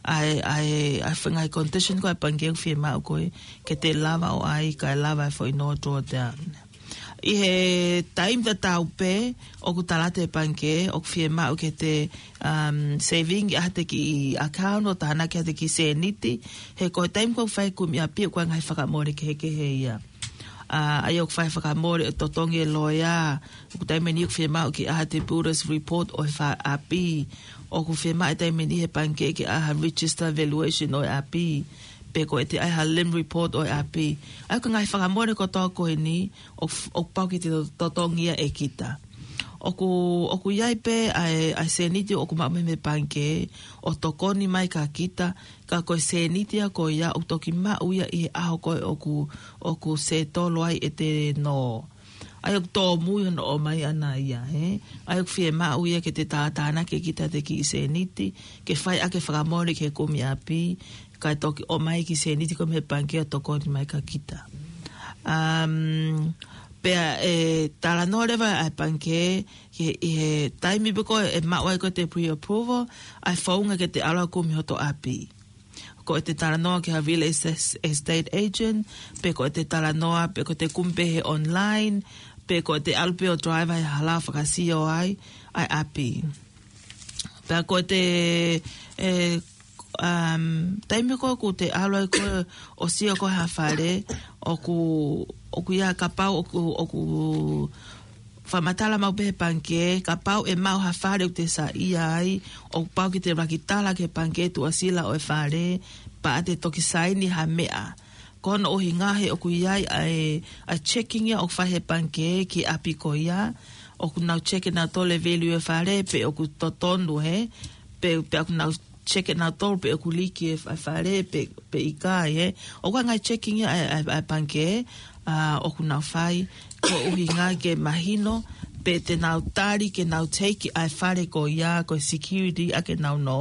ʻa e, ʻa e, ʻa e ngaahi condition ko ē ʻa e pangikē ʻoku fiemaʻu ko ē, ke te lava ʻo ʻai, kae lava e foʻi nō drawdown. ʻI he taimi tatau pē, ʻoku tala atu ʻe he pangikē, ʻoku fiemaʻu ke te, um, saving ʻi haʻate kiʻi account ʻo tānaki haʻate kiʻi sēniti, he ko e taimi ko ē ʻoku fai e kumi ʻapi ʻoku ʻi ai e ngaahi fakamole kehekehe ia. ʻA, ʻa ia ʻoku fai e fakamole ʻo totongi e loea, ʻoku taimi ʻe niʻihi ʻoku fiemaʻu ke ʻai haʻate builder's report ʻo e fale ʻapi, ʻoku fiemaʻu e taimi ʻe niʻihi ʻe he pangikē ke ʻai ha register valuation ʻo e ʻapi, pe ko ʻete ʻai ha lim report ʻo e ʻapi. ʻA ia ko e ngaahi fakamole kotoa ko eni, ʻoku, ʻoku pau ke te to-, totongi ia ʻe kita. ʻOku, ʻoku ʻi ai pē ʻa e, ʻa e sēniti ʻoku maʻu mei he pangikē, ʻo tokoni mai kia kita, ka ko e sēniti ia ko ia ʻoku toki maʻu ia ʻi he ʻaho ko ē ʻoku, ʻoku settle ai ʻete nō. ʻA ia ʻoku tōmui hono ʻomai ʻana ia, ē? ʻA ia ʻoku fiemaʻu ia ke te tātānaki ʻe kita ʻete kiʻi sēniti, ke fai ʻaki e fakamole ki he kumi ʻapi, kae toki ʻomai e kiʻi sēniti ko ē mei he pangikē ʻo tokoni mai kia kita. Um, pea ʻe talanoa leva ʻa e pangikē, ʻi he, ʻi he taimi pē ko ē ʻe maʻu ai ko ē ʻete pre-approval, ʻa e founga ke te ʻalu ʻo kumi hoto ʻapi. Ko ʻete talanoa ki ha real es-, estate agent, pe ko ʻete talanoa, pe ko ʻete kumi pē he online, pe ko ʻete ʻalu pē ʻo drive ai hala ʻo fakasio ai ʻa e ʻapi. Pea ko ʻete, ē, um, taimi ko ē ʻoku te ʻalu ai ko ē ʻo sio ko ē ha fale, ʻoku, ʻoku ʻi ai, kapau ʻoku, ʻoku fakamatala maʻu pē ʻe he pangikē, kapau ʻe maʻu ha fale ʻoku te saiʻia ai, ʻoku pau ke te ʻuluaki tala ki he pangikē tuʻasila ʻo e fale, pea te toki saini ha meʻa. Ko hono ʻuhinga he ʻoku ʻi ai ʻa e, ʻa e checking ia ʻoku fai ʻe he pangikē ki he ʻapi ko ia, ʻoku nau check ʻe nautolu e value e fale, pe ʻoku totonu, ē, pe, pe ʻoku nau check ʻe nautolu pe ʻoku liki e fa-, fale, pe, pe ʻikai, ē. ʻOku ʻi ai e ngaahi checking ia ʻa e, ʻa e, ʻa e pangikē, ʻa, ʻoku nau fai, ko e ʻuhinga ke mahino, pe te nau tali ke nau take ʻa e fale ko ia, ko e security ʻaki ʻenau nō,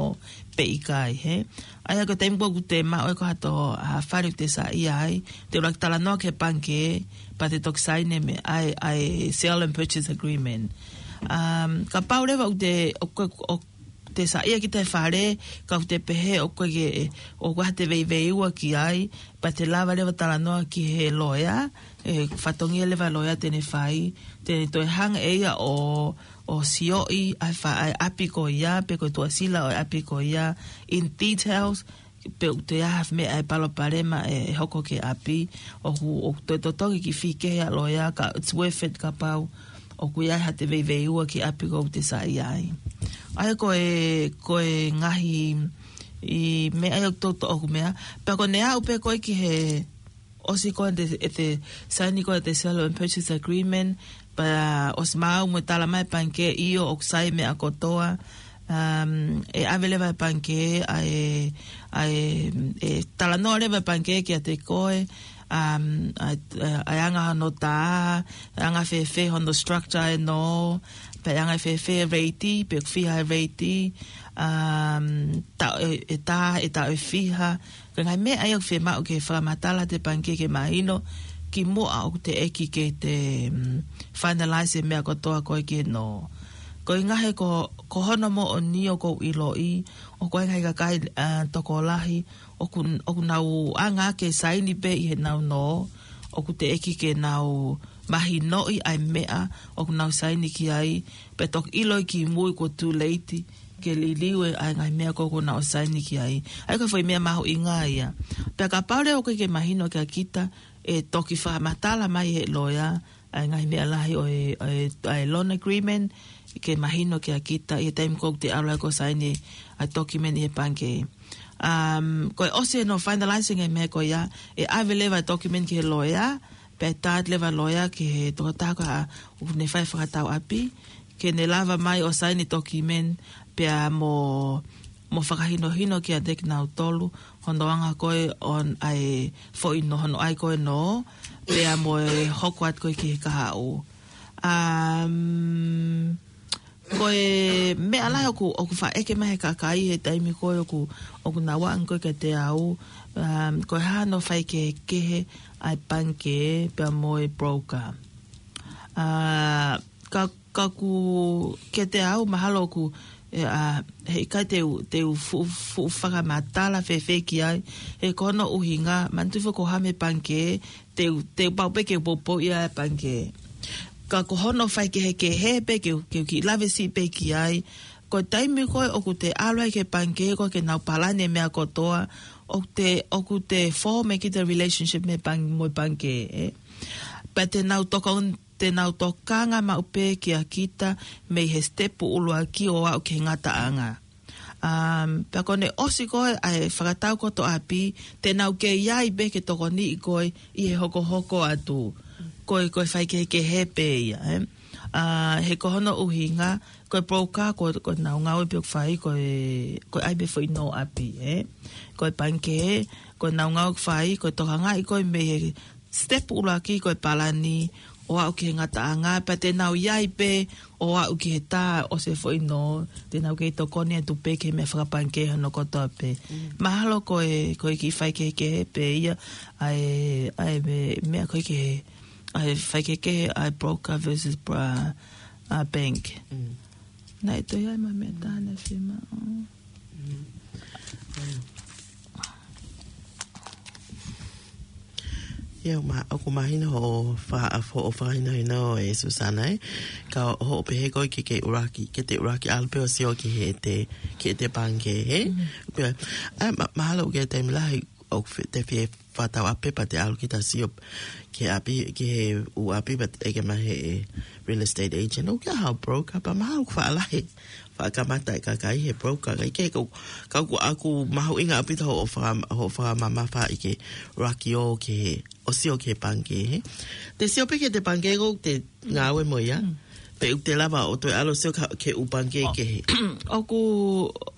pe ʻikai, ē. ʻA ia ko e taimi ko ē ʻoku te maʻu ai ko ē hato, ha fale ʻoku te saiʻia ai, te ʻuluaki talanoa ki he pangikē, pea te toki saini e meʻa, ʻa e, ʻa e sale and purchase agreement. Um, kapau leva ʻoku te, ʻoku, ʻoku te saiʻia kita he fale, ka ʻoku te pehē ʻoku ʻikai ke, ʻoku ʻi ai haʻate veiveiua ki ai, pea te lava leva talanoa ki he loea, ʻe fatongia leva loea te ne fai, te ne toe hanga ʻe ia ʻo, ʻo sioʻi ʻa e fa-, ʻa e ʻapi ko ia, pe ko e tuʻasila ʻo e ʻapi ko ia, in details, pe ʻoku toe ʻi ai ha meʻa ʻe palopalema ʻe, ʻe hoko ki he ʻapi, ʻoku, ʻoku toe totongi e kiʻi fee kehe ʻa e loea, ka it's worth it kapau ʻoku ʻi ai haʻate veiveiua ki he ʻapi ko ē ʻoku te saiʻia ai. ʻA ia ko e, ko e ngaahi ʻi meʻa ʻa ia ʻoku toutou ʻoku meʻa. Pea ko ʻene aʻu pē ko ē ki he ʻosi ko ē ʻete, ʻete saini ko ē ʻete sale and purchase agreement, pea ʻosi maʻu mo e tala mai pangikē ʻio ʻoku sai meʻa kotoa, um, ʻe ʻave leva e pangikē ʻa e, ʻa e, ʻe talanoa leva e pangikē kiate koe, um, ʻa e, ʻa e anga hono tā, anga fēfē hono structure ʻa e nō, pea anga fēfē e rate, pe ʻoku fiha e rate, um, tā ʻe, ʻe tā, ʻe tā ʻe fiha, ko e ngaahi meʻa ia ʻoku fiemaʻu ke fakamatala ʻe he pangikē ke mahino kimuʻa ʻoku teʻeki ke te, mm, finalize e meʻa kotoa ko ē ki he nō. Ko e ngaahi ko, ko hono moʻoni ʻoku ou ʻiloʻi, ʻoku ʻi ai e ngaahi kakai, ʻa, tokolahi, ʻoku, ʻoku nau anga ke saini pē ʻi heʻenau nō, ʻoku teʻeki ke nau mahinoʻi ʻa e meʻa ʻoku nau saini ki ai, pea toki ʻiloʻi kimui kuo too late ke liliu e ʻa e ngaahi meʻa ko ē ʻoku nau saini ki ai. ʻA ia ko e foʻi meʻa mahuʻinga ia. Pea kapau leva ʻoku ʻikai ke mahino kia kita, ʻe toki fakamatala mai ʻe he loea ʻa e ngaahi meʻa lahi ʻo e, ʻo e, ʻa e loan agreement, ke mahino kia kita ʻi he taimi ko ē ʻoku te ʻalu ai ko ē ʻo saini ʻa e document ʻi he pangikē. Um, ko e ʻosi hono finalizing e meʻa ko ia, ʻe ʻave leva e document ki he loea, pea ʻe tā atu leva e loea ki he tokotaha ko ē ʻoku ne fai e fakatau ʻapi, ke ne lava mai ʻo saini e document, pea mo, mo fakahinohino kiate kinautolu hono anga ko ē ʻo e foʻi nō, hono ʻai ko ē nō, pea mo e hoko atu ko ē ki he kahaʻu. Um, ko e meʻa lahi ʻoku, ʻoku faʻa ʻeke mai ʻe he kakai he taimi ko ē ʻoku, ʻoku nau anga ko ē kiate au, um, ko e hā hono faikehekehe ʻa e pangikē pea mo e broker. Uh, ka, ka ʻoku kiate au mahalo ʻoku, ʻe, ʻa, heʻikai te u, te u fuʻu, fuʻu fakamatala fēfē ki ai, he ko hono ʻuhinga, manatuʻi foki ko e hā e meʻa pangikē, te u, te u pau pē ke u poupouʻi ʻa e pangikē. Ka ko hono faikehekehe pē ke u, ke u kiʻi lave siʻi pē ki ai, ko e taimi ko ē ʻoku te ʻalu ai ki he pangikē ko ē ke nau palani e meʻa kotoa, ʻoku te, ʻoku te form ʻe kita e relationship mei he pang-, mo e pangikē, ē. Pea te nau tokon-, te nau tokanga maʻu pē kia kita mei he step ʻuluaki ʻo aʻu ki he ngataʻanga. Um, pea ko ʻene ʻosi ko ē ʻa e fakatau kotoa ʻapi, te nau kei ʻi ai pē ke tokoniʻi koe ʻi he hokohoko atu. Ko e, ko e faikehekehe pē ia, ē. Uh, he ko hono ʻuhinga, ko e broker, ko, ko ʻenau ngāue pē ʻoku fai, ko e, ko e ʻai pē foʻi nō ʻapi, ē. Ko e pangikē, ko ʻenau ngāue ʻoku fai, ko e tokangaʻi koe mei he step ʻuluaki ko e palani, ʻo aʻu ki he ngataʻanga, pea te nau ʻi ai pē, ʻo aʻu ki he tā ʻosi e foʻi nō, te nau kei tokoni atu pē ki he meʻa fakapangikē hono kotoa pē. Mm. Mahalo ko e, ko e kiʻi faikehekehe pē ia, ʻa e, ʻa e me-, meʻa ko ē ki he, ʻa e faikehekehe, ʻa e broker versus bra-, ʻa, bank. Mm. Naʻe toe ʻi ai mo e meʻa ʻe taha naʻe fiemaʻu. Mm. Ia, ma-, ʻoku mahino hoʻo fa-, hoʻo fakahinohino ē Susana, ē. Ka hoʻo pehē ko ē ke ke ʻuluaki, ke te ʻuluaki ʻalu pē ʻo sio ki heʻete, ki heʻete pangikē, ē? Mm. Pea, ʻa, ma-, mahalo ʻoku ʻi ai e taimi lahi ʻoku fi-, te fie fakatau ʻapi pea te ʻalu kita ʻo sio ki he ʻapi, ki he ʻū ʻapi pea te ʻeke mai ʻe he real estate agent, ʻoku ʻi ai haʻo broker, pea mahalo ʻoku faʻa lahi, faʻa kamata e kakai he broker, kae kehe, ka, ka ʻoku, ʻoku mahuʻinga ʻaupito hoʻo faka-, hoʻo fakamamafaʻi ke ʻuluaki ō ki he, ʻo sio ki he pangikē, ē. Te sio pē ki heʻete pangikē ko ē te ngāue mo ia. Mm. Pe ʻoku te lava ʻo toe ʻalu ʻo sio ka-, ki he ʻū pangikē kehe. ʻOku,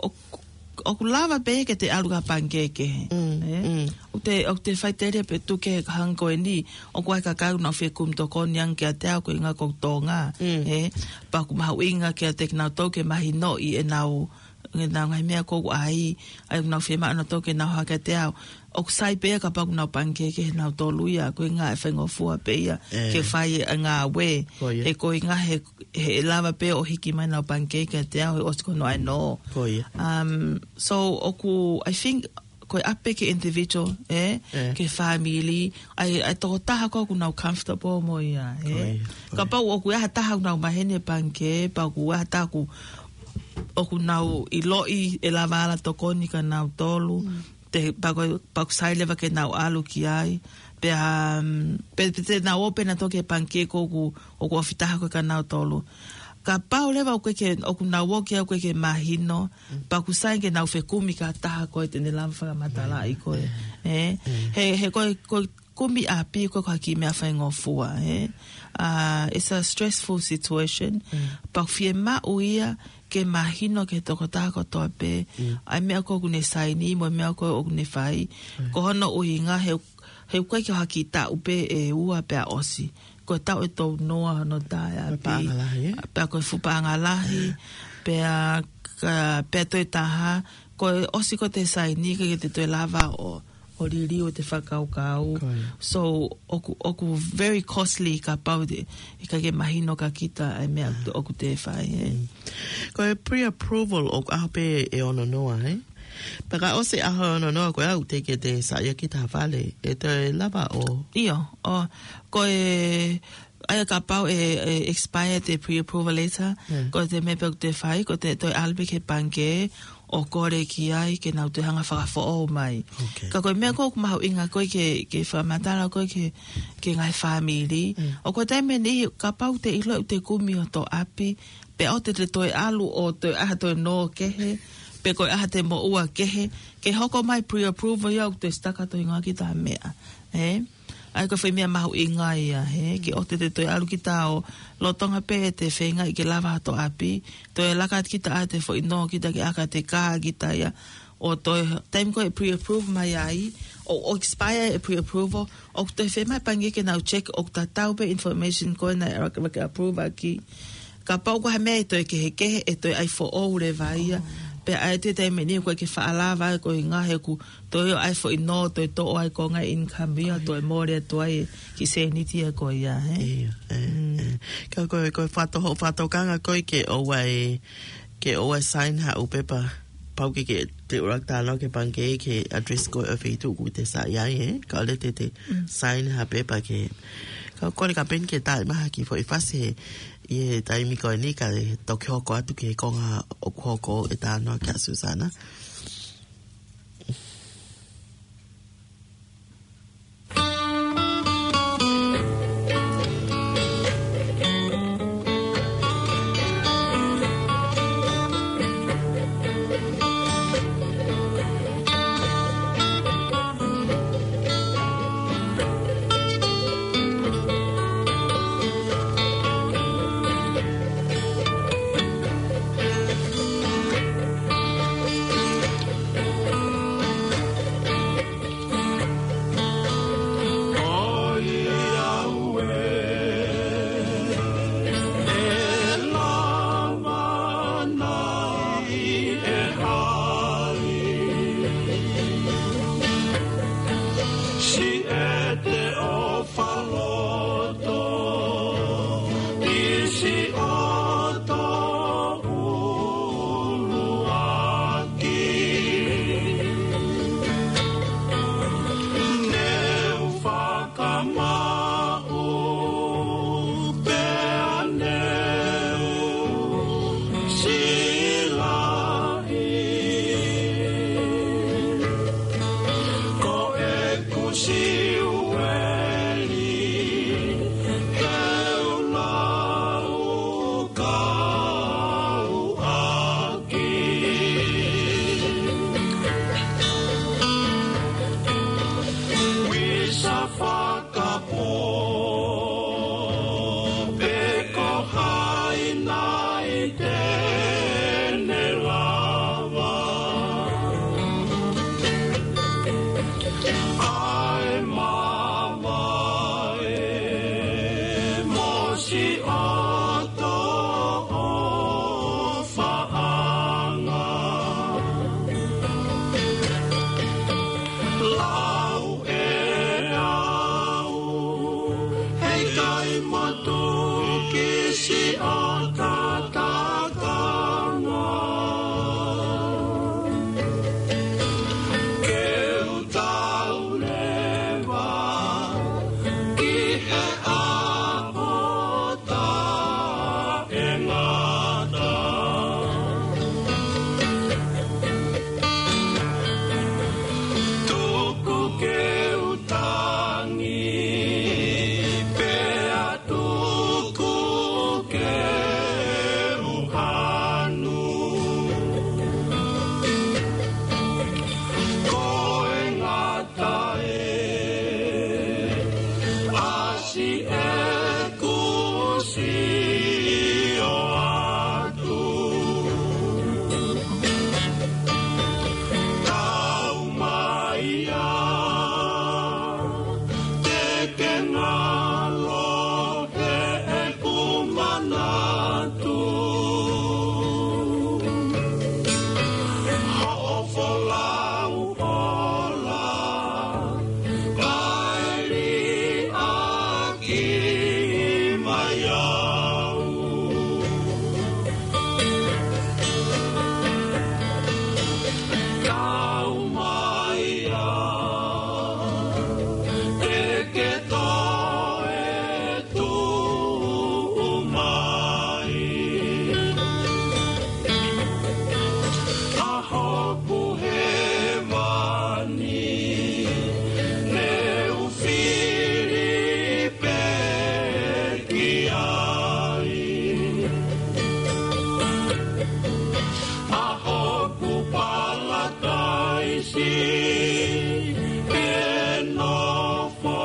ʻoku, ʻoku lava pē ke te ʻalu ki ha pangikē kehe. Mm, ē? Mm. ʻOku te, ʻoku te faʻiteliha pē tuku ke hangē ko eni, ʻoku ʻi ai e kakai ʻoku nau fie kumi tokoni ange kiate au ko e ʻuhinga ko Tonga. Mm. Ē? Pea ʻoku mahuʻinga kiate kinautolu ke mahinoʻi ʻenau, ʻenau ngaahi meʻa ko ē ʻoku ʻai, ʻa ia ʻoku nau fiemaʻu nautolu ke nau hā kiate au. ʻOku sai pē ia kapau ʻoku nau pangikē kehe nautolu ia, ko e ʻuhinga ʻe faingofua pē ia, ē, ke fai e ngāue. Ko ia. He ko e ʻuhinga he, he lava pē ʻo hiki mai ʻenau pangikē kiate au, he ʻosi ko hono ʻai nō. Ko ia. Um, so, ʻoku, I think, ko e ʻapi ki he individual, ē, ē, ki he family, ʻa e, ʻa e tokotaha ko ē ʻoku nau comfortable mo ia, ē. Ko ia, ko ia. Kapau ʻoku ʻi ai ha taha ʻoku nau maheni he pangikē, pea ʻoku ʻi ai ha taha ʻoku, ʻoku nau ʻiloʻi ʻe lava ala tokoni kia nautolu. Mm. Te, pea ko, pea ʻoku sai leva ke nau ʻalu ki ai. Pea, um, pe, pe te nau ō pē nautolu ki he pangikē ko ē ʻoku, ʻoku ofi taha ko ē kia nautolu. Kapau leva ʻoku ʻikai ke, ʻoku nau ō ki ai ʻoku ʻikai ke mahino, pea ʻoku sai ke nau fekumi ki ha taha ko ē te ne lava fakamatalaʻi ko ē. Ē? He, he ko e, ko e kumi ʻapi ko e ko ha kiʻi meʻa faingofua, ē? Ah, it's a stressful situation. Pea ʻoku fiemaʻu ia ke mahino ki he tokotaha kotoa pē ʻa e meʻa ko ē ʻoku ne saini mo e meʻa ko ē ʻoku ne fai. Ko hono ʻuhinga he, he ʻoku ʻikai ke ʻi ai ha kiʻi taʻu pē ʻe ua pea ʻosi. Ko e taʻu ʻe tolu noa hono tā e ʻapi. Paʻanga lahi, ē? Pea ko e fuʻu paʻanga lahi, pea ka, pea toe taha, ko e ʻosi ko ē te saini ka ʻikai te toe lava ʻo, ʻo liliu ʻete fakakaukau. Ko ia. So, ʻoku, ʻoku very costly kapau te, ʻikai ke mahino kia kita ʻa e meʻa ʻoku te fai, ē? Ko e pre-approval ʻoku ʻaho pē ʻe ono noa, ē? Pea ka ʻosi ʻaho ono noa ko ē ʻoku teʻeki ke te saiʻia ki ha fale, ʻe toe lava ʻo? ʻIo, ʻo, ko e, ʻa ia kapau ʻe, ʻe expire ʻete pre-approval letter, ko e meʻa pē ʻoku te fai, ko ʻete toe ʻalu pē ki he pangikē, ʻo kole ki ai ke nau toe hanga fakafoʻou mai. Ka ko e meʻa ko ē ʻoku mahuʻinga ko ē ke, ke fakamatala ko ē ki he, ki he ngaahi fāmili. ʻOku ʻi ai e taimi ʻe niʻihi kapau te ʻilo ʻete kumi hoto ʻapi, pea ʻoua te te toe ʻalu ʻo toe ʻai ha toe nō kehe, pe ko e ʻai ha toe moʻua kehe, ke hoko mai pre-approval ia ʻoku te sitaka toe hingoa ki ha meʻa. Ē? ʻA ia ko e foʻi meʻa mahuʻinga ia, ē, ke ʻoua te te toe ʻalu ki ha taha ʻo lolotonga pē ʻete feingaʻi ke lava hoto ʻapi, toe laka ki ha taha ʻete foʻi nō ki ha taha ke ʻaka ʻete kā ki ha taha ia, ʻo toe, taimi ko ē ʻe pre-approve mai ai, ʻo, ʻo expire e pre-approval, ʻoku toe fiemaʻu e pangikē ke nau check ʻoku tatau pē information ko ē naʻe, naʻe approve ʻaki. Kapau ko ha meʻa ʻe toe kehekehe, ʻe toe ʻai foʻou leva ia. Pea ʻi ai e taimi ʻe niʻihi ʻoku ʻikai ke faʻa lava ai ko e ʻuhinga he ʻoku toe ʻi ai e foʻi nō, toe toʻo ai ko e ngaahi income ia, toe mole atu ai e kiʻi sēniti ia ko ia, ē? ʻIo, ē, ē. Ka ko e, ko e fato-, fakatokanga ko ē ke ʻoua ʻe, ke ʻoua ʻe sign haʻo pepa. Pau ke, ke te ʻuluaki talanoa ki he pangikē ki he address ko ē ʻo e feituʻu ʻoku te saiʻia ai, ē? Kae ʻoua te te sign ha pepa ke. Ka ko e kole kapeni ke tā mai ha kiʻi foʻi fasi he, ʻi he taimi ko eni kae toki hoko atu ki he konga ʻoku hoko ʻe talanoa ki ai ʻa Susana. Faloto, ʻi siʻoto ʻuluaki. Ne u fakamaʻu pea ne u silaʻi. Ko ʻeku siueli, he u lau kau ʻaki. Visa fakapō, pe ko hai nai te ne lava. ʻAi mavae mo siʻoto ʻofaʻanga. Lau ʻe au, heʻikai motuki siʻo tatakanga. Ke u tau leva ki he ʻapo taʻengata. Tuku ke u tangi, pea tuku ke Siʻeku sio atu. Kau mai ia, te ke ngalo heʻeku manatu. Hoʻo folau ola, kae liʻaki mai au. Kau mai ia, te ke toe tuʻu mai. ʻA hoku hēvani, ne u fili pē ki ai. ʻA hoku palataisi, ʻe nofo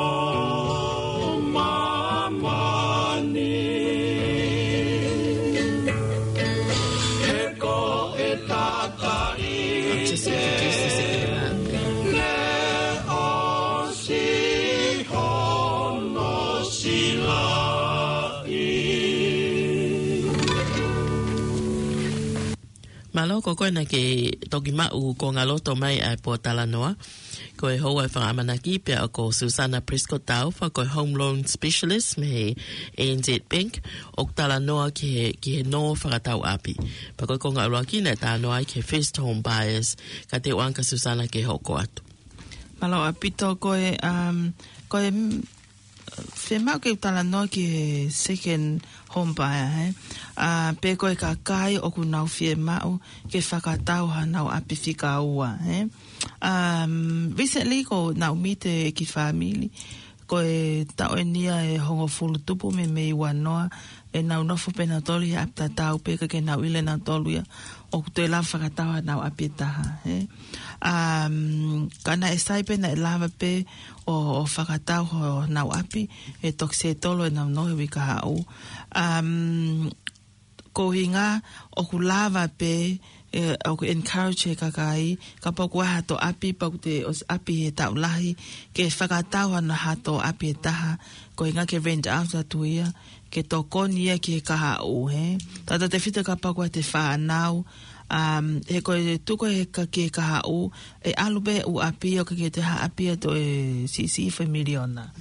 māmani. He ko e tataʻi, I'll just introduce this again. Ne ʻosi hono silaʻi. Mālō, ko koe naʻa ke toki maʻu konga loto mai ʻa e pōtalanoa. Ko e houa ʻo e fakaʻamanaki pea ko Susana Prescott Taufa, ko e Home Loan Specialist mei he A N Z Bank, ʻoku talanoa ki he, ki he nō fakatau ʻapi. Pea ko e konga ʻuluaki naʻe talanoa ai ki he first home buyers, ka te u ʻoange kia Susana ke hoko atu. Mālō ʻaupito. Ko e, um, ko e, mm, fiemaʻu ke u talanoa ki he second home buyer, he? ʻA, pe ko e kakai ʻoku nau fiemaʻu ke fakatau hanau ʻapi fika ua, he? Um, recently ko ʻenau meet e kiʻi fāmili, ko e taʻu eni ia ʻe hongofulu tupu meimei ua noa, ʻenau nofo pē nautolu he ʻapi tatau pē, ka ke nau ʻilo nautolu ia ʻoku toe lava fakatau hanau ʻapi ʻe taha, he? Um, ka naʻe sai pē naʻe lava pē ʻo, ʻo fakatau honau ʻapi ʻe toki settle ʻenau nō he uike kahaʻu. Um, ko e ʻuhinga ʻoku lava pē, ʻe, ʻoku encourage e kakai, kapau ʻoku ʻi ai hato ʻapi, pea ʻoku te ʻosi ʻapi he taʻu lahi, ke fakatau hano hato ʻapi ʻe taha, ko e ʻuhinga ke rent out atu ia, ke tokoni ia ki he kahaʻu, he? Tautautefito kapau ʻoku ʻi ai hato fānau, um, he ko e tuku he ka-, ki he kahaʻu, ʻe ʻalu pē ʻū ʻapi ʻo ka ke te ha ʻapi ʻe toe siʻisiʻi foʻi miliona.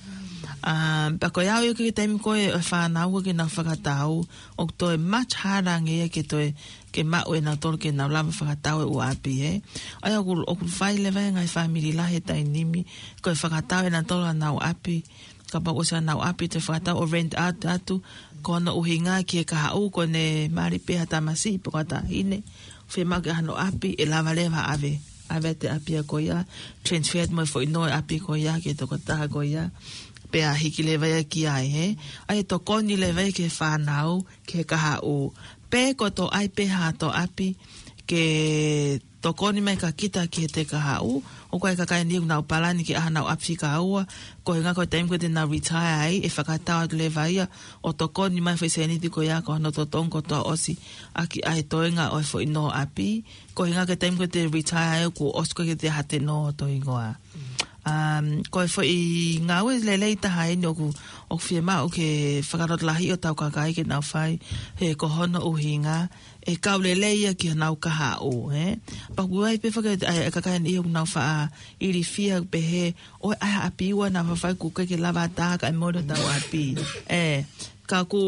Um, pea ko e ʻai ia ki he taimi ko ē ʻo e fānau ʻoku nau fakatau, ʻoku toe much harder ange ia ke toe, ke maʻu ʻe nautolu ke nau lava fakatau e ʻū ʻapi, he? ʻA ia ʻoku, ʻoku fai leva e ngaahi fāmili lahi he taimi ni, ko e fakatau ʻe nautolu hanau ʻapi, kapau ʻoku ʻosi hanau ʻapi, te fakatau ʻo rent out atu, ko hono ʻuhinga ki he kahaʻu, ko ʻene mali pē ha tamasiʻi pe ko ha taʻahine, fiemaʻu ke ʻi ai hano ʻapi, ʻe lava leva ʻave, ʻave atu e ʻapi ia ko ia, transfer atu mo e foʻi nō e ʻapi ko ia ki he tokotaha ko ia, pea hiki leva ia ki ai, he? ʻA ia tokoni leva ia ki he fānau, ki he kahaʻu, pe ko e toe ʻai pē hato ʻapi, ke tokoni mai kia kita ki heʻete kahaʻu, ʻoku ʻi ai e kakai eni ʻoku nau palani ke ʻai hanau ʻapi fika ua, ko e ʻuhinga ko e taimi ko ē te nau retire ai, ʻe fakatau atu leva ia, ʻo tokoni mai foʻi sēniti ko ia ko hono totongi kotoa ʻosi, ʻaki ʻa e toenga ʻo e foʻi nō ʻapi, ko e ʻuhinga ko e taimi ko ē te retire ai, kuo ʻosi ko ē ke te ʻai hato nō ʻo toenga. Um, ko e foʻi ngāue lelei taha eni ʻoku, ʻoku fiemaʻu ke fakalotolahiʻi hotau kakai ke nau fai, he ko hono ʻuhinga, ʻe kau lelei ia ki honau kahaʻu, he? Pea ʻoku ʻi ai pē foki ʻa e, ʻa e kakai eni ʻoku nau faʻa ilifia pehē, ʻoku ʻi ai ha ʻapi ua naʻa faifai kuo ʻikai ke lava ʻatā kae mole hotau ʻapi. ʻE, ka ʻoku,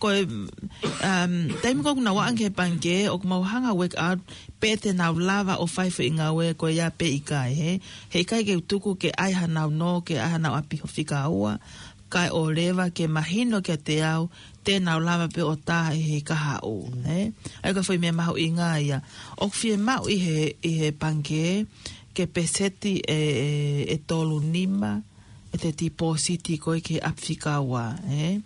ko e, um, taimi ko ē ʻoku nau ʻaʻanga ki he pangikē, ʻoku mau hanga work out, pe te nau lava ʻo fai foʻi ngāue ko ia pe ʻikai, he? Heʻikai ke u tuku ke ʻai hanau nō, ke ʻai hanau ʻapi ʻo fika ua, kae ʻoua leva ke mahino kiate au, te nau lava pē ʻo tā ʻe he kahaʻu, he? ʻA ia ko e foʻi meʻa mahuʻinga ia. ʻOku fiemaʻu ʻi he, ʻi he pangikē, ke peseti ʻe, ʻe, ʻe tolu nima, ʻete tipōsiti ko ē ki he ʻapi fika ua, he?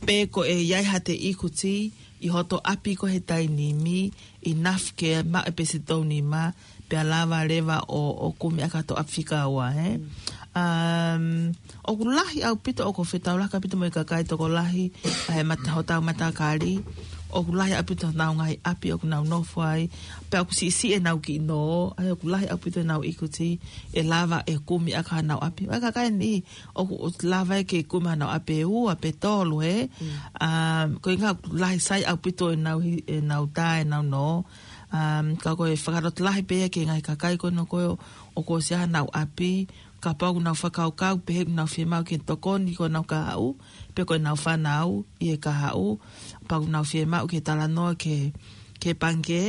Pe ko e ʻi ai hato equity, ʻi hoto ʻapi ko ē he taimi ni, enough ke maʻu e peseti tolu nima, pea lava leva ʻo, ʻo kumi ʻaki hato ʻapi fika ua, he? Um, ʻoku lahi ʻaupito, ʻoku fetaulaki ʻaupito mo e kakai tokolahi, ʻa e mata-, hotau matakali, ʻoku lahi ʻaupito honau ngaahi ʻapi ʻoku nau nofo ai, pea ʻoku siʻisiʻi ʻenau kiʻi nō, ʻa ia ʻoku lahi ʻaupito ʻenau ikuti, ʻe lava ʻe kumi ʻaki hanau ʻapi. ʻA e kakai ni, ʻoku, ʻoku lava ʻe ke kumi hanau ʻapi ʻe ua pe tolu, ē? Um, ko e ʻuhinga ʻoku lahi sai ʻaupito ʻenau hi-, ʻenau tā, ʻenau nō. Um, ka ko e fakalotolahi pē ia ki he ngaahi kakai ko ena ko ē ʻoku ʻosi ʻi ai hanau ʻapi, kapau ʻoku nau fakakaukau pē he ʻoku nau fiemaʻu ke tokoni ko ʻenau kahaʻu, pe ko ʻenau fānau ʻi he kahaʻu, pea ʻoku nau fiemaʻu ke talanoa ki he, ki he pangikē,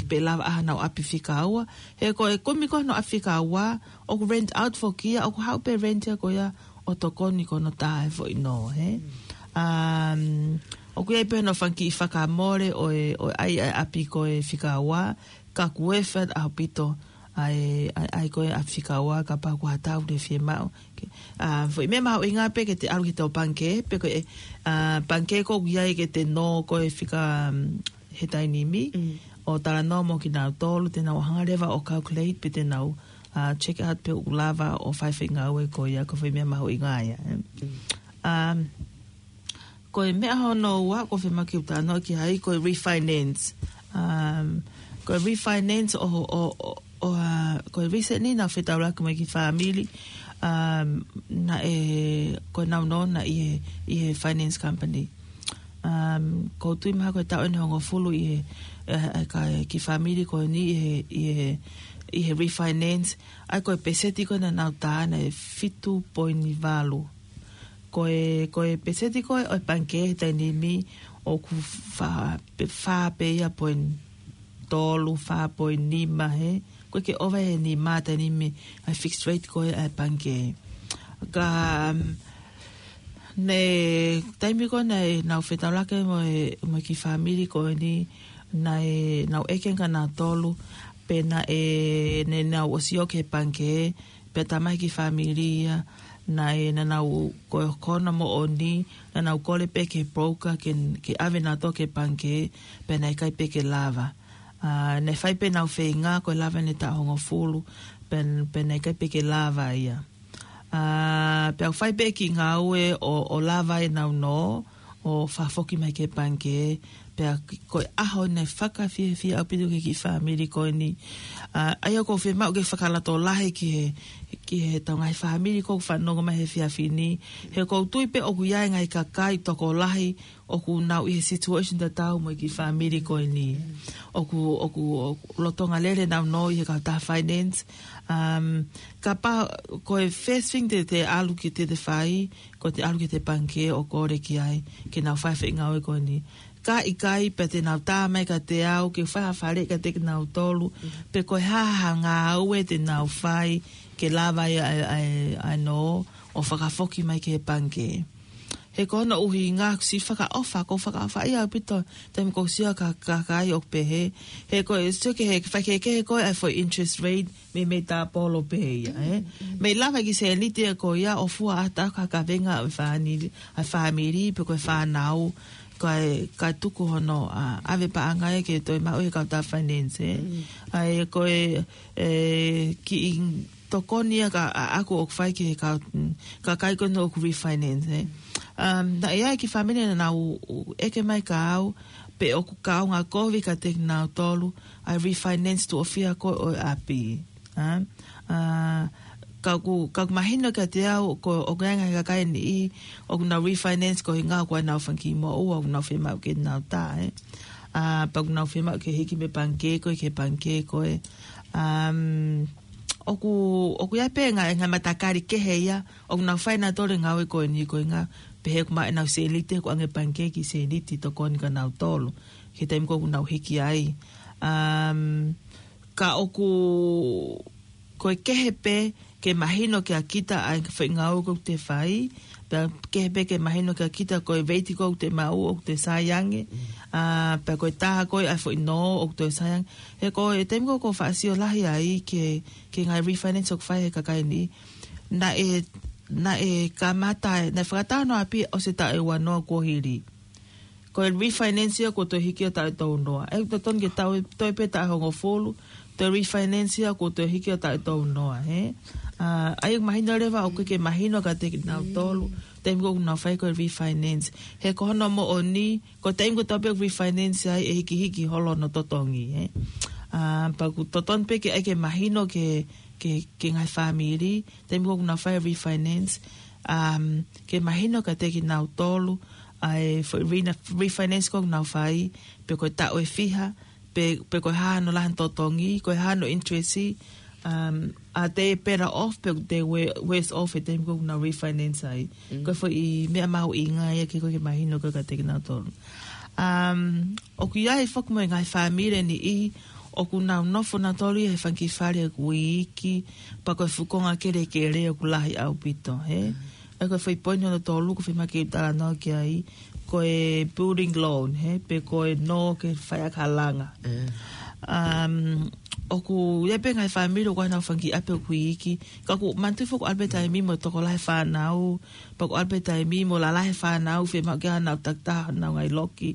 pe lava ʻa hanau ʻapi fika ua. He ko e kumi ko ē honau ʻapi fika ua, ʻoku rent out foki ia, ʻoku haʻu pē rent ia ko ia ʻo tokoni ki hono tā e foʻi nō, ē? Um, ʻoku ʻi ai pē hono fanga kiʻi fakamole ʻo e, ʻo e ʻai, ʻai ʻapi ko ē fika ua, ka ʻoku worth it ʻaupito ʻa e, ʻai, ʻai ko ē ʻapi fika ua, kapau ʻoku ʻi ai ha taha ʻoku fiemaʻu. Ke, ʻa, foʻi meʻa mahuʻinga pē ke te ʻalu ki he pangikē, pe ko e, ʻa, pangikē ko ē ʻoku ʻi ai ke te nō ko ē fika, um, he taimi ni. Mm. ʻO talanoa mo kinautolu, te nau hanga leva ʻo calculate, pe te nau, ʻa, check out pe ʻoku lava ʻo fai e foʻi ngāue ko ia, ko e foʻi meʻa mahuʻinga ia, ē. Mm. Um, Ko e meʻa hono ua ʻoku ou fiemaʻu ke u talanoa ki ai, ko e refinance. Um, ko e refinance ʻo, ʻo, ʻo, ʻo, ʻa, ko e recently naʻa ku fetaulaki mo e kiʻi fāmili, um, naʻe, ko ʻenau nō na ʻi he, ʻi he finance company. Um, ʻoku ou tui mahalo ko e taʻu ʻeni ʻe hongofulu ʻi he, ʻe, ʻe, ka, kiʻi fāmili ko eni ʻi he, ʻi he, ʻi he refinance. ʻA ia ko e peseti ko ē naʻa nau tā naʻe fitu poini valu. Ko e, ko e peseti ko ē ʻo e pangikē he taimi ni ʻoku fā, pe, fā pē ia poini tolu, fā poini nima, hē. ʻOku ʻikai ke ʻova he nima he taimi ni ʻa e fixed rate ko ē ʻa e pangikē. Ka, um, ne, taimi ko ē naʻa nau fetaulaki mo e, mo e kiʻi fāmili ko eni, naʻa nau ʻeke kia nautolu, pe naʻe, ne nau ʻosi ō ki he pangikē, pea tā mai e kiʻi fāmili ia, naʻe, naʻa nau ko e kona moʻoni, naʻa nau kole pē ki he broker, ke, ke ʻave nautolu ki he pangikē, pea naʻe ʻikai pē ke lava. ʻA, naʻe fai pē ʻenau feinga, ko e lava ʻene taʻu hongofulu, pea, pea naʻe ʻikai pē ke lava ia. ʻA, pea u fai pē e kiʻi ngāue ʻo, ʻo lava ʻenau nō, ʻo fakafoki mai ki he pangikē, pea ki-, ko e ʻaho naʻe fakafiefia ʻaupito ki he kiʻi fāmili ko eni. ʻA, ʻa ia ʻoku ou fiemaʻu ke fakalatolahi ki he, ki he tau ngaahi fāmili ʻoku fanongo mai he efiafi ni. He ʻoku ou tui pē ʻoku ʻi ai e ngaahi kakai tokolahi ʻoku nau ʻi he situation tatau mo e kiʻi fāmili ko eni. ʻOku, ʻoku, ʻoku lolotonga lele ʻenau nō ʻi he kautaha finance. Um, kapau ko e first thing te, te ʻalu ki ai, te, te fai, ko ʻete ʻalu ki he pangikē ʻo kole ki ai, ke nau fai e foʻi ngāue ko eni. Ka ʻikai, pea te nau tā mai kiate au, ke fai ha faleʻi kiate kinautolu, pe ko e hā ha ngāue te nau fai, ke lava ai ʻa e, ʻa e, ʻa e nō, ʻo fakafoki mai ki he pangikē. He ko hono ʻuhinga, ʻoku siʻi fakaʻofa, ʻoku fakaʻofaʻia ʻaupito, taimi ʻoku sio ki he kakai ʻoku pehē. He ko e sio ki he, fai kehekehe ko ē ʻa e foʻi interest rate, mei, mei tāpolo pē ia, ē? Mei lava e kiʻi sēniti ia ko ia ʻo fua ʻataʻatā ki he kavenga ʻa e fāmili, ʻa e fāmili, pe ko e fānau, kae, kae tuku hono, ʻa, ʻave paʻanga ia ke toe maʻu ʻe he kautaha finance, ē? ʻA ia ko e, e, kiʻi tokoni ia ka, ʻa, ʻaku ʻoku fai ki he kau, mm, kakai ko ena ʻoku refinance, ē? Um, naʻe ʻi ai e kiʻi fāmili naʻa nau ʻeke mai kia au, pe ʻoku kaunga kovi kiate kinautolu ʻa e refinance tuʻo fiha ko ē ʻo e ʻapi. ʻA, ʻa, ka ʻoku, ka ʻoku mahino kiate au, ko, ʻoku ʻi ai e ngaahi kakai ʻe niʻihi, ʻoku nau refinance ko e ʻuhinga ko ʻenau fanga kiʻi moʻua, ʻoku nau fiemaʻu ke nau tā, ē. ʻA, pea ʻoku nau fiemaʻu ke hiki mei he pangikē ko ē ki he pangikē ko ē. Um, ʻoku, ʻoku ʻi ai pē e ngaahi, ngaahi matakali kehe ia, ʻoku nau fai nautolu e ngāue ko eni ko e ʻuhinga, pehē ʻoku maʻu ʻenau sēniti, ʻoku ʻoange ʻe he pangikē e kiʻi sēniti tokoni kia nautolu, ki he taimi ko ē ʻoku nau hiki ai. Um, ka ʻoku, ko e kehe pē ke mahino kia kita ʻa e foʻi ngāue ʻoku te fai, pea kehe pē ke mahino kia kita ko e veiti ʻoku te maʻu ʻoku toe sai ange, ʻa, pea ko e taha ko ē ʻa e foʻi nō ʻoku toe sai ange. He ko e taimi ko ē ʻoku ou faʻa sio lahi ai ki he, ki he ngaahi refinance ʻoku fai ʻe he kakai ni, naʻe, naʻe kamata, naʻe fakatau hono ʻapi ʻosi e taʻu ʻe uanoa kuo hili. Ko e refinance ia kuo toe hiki ʻo taʻu ʻe tolunoa. ʻE totonu ke tau, toe pē taʻu ʻe hongofulu, Toe refinance ia kuo toe hiki ʻo taʻu ʻe tolu noa, hē? ʻA, ʻa ia ʻoku mahino leva ʻoku ʻikai ke mahino kiate kinautolu, taimi ko ē ʻoku nau fai ko ē refinance. He ko hono moʻoni, ko e taimi kotoa pē ʻoku refinance ai ʻe hikihiki holo hono totongi, hē? ʻA, pea ʻoku totonu pē ke ʻai ke mahino ke, ke, ke ngaahi fāmili, taimi ko ē ʻoku nau fai refinance, um, ke mahino kiate kinautolu, ʻa e foʻi rena-, refinance ko ē ʻoku nau fai, pe ko e taʻu ʻe fiha, pe, pe ko e hā hono lahi hono totongi, ko e hā hono interest, um, are they better off, pe are they we-, worse off, he taimi ko ē ʻoku nau refinance ai. Ko e foʻi meʻa mahuʻinga ia ke, ko e ke mahino ko ē kiate kinautolu. Um, ʻoku ʻi ai foki mo e ngaahi fāmili ʻe niʻihi, ʻoku nau nofo nautolu ia he fanga kiʻi fale ʻoku iiki, pea ko e fuʻu konga kelekele ʻoku lahi ʻaupito, hē? ʻA ia ko e foʻi poini hono tolu, ʻoku fiemaʻu ke u talanoa ki ai, ko e building loan, hē, pe ko e nō ke fai ʻaki ha langa. Um, ʻoku ʻi ai pē ngaahi fāmili ʻoku ʻi ai honau fanga kiʻi ʻapi ʻoku iiki, ka ʻoku manatuʻi foki ʻoku ʻalu pē taimi mo e tokolahi e fānau, pea ʻoku ʻalu pē taimi mo e lalahi e fānau, fiemaʻu ke ʻi ai honau takitaha honau ngaahi loki.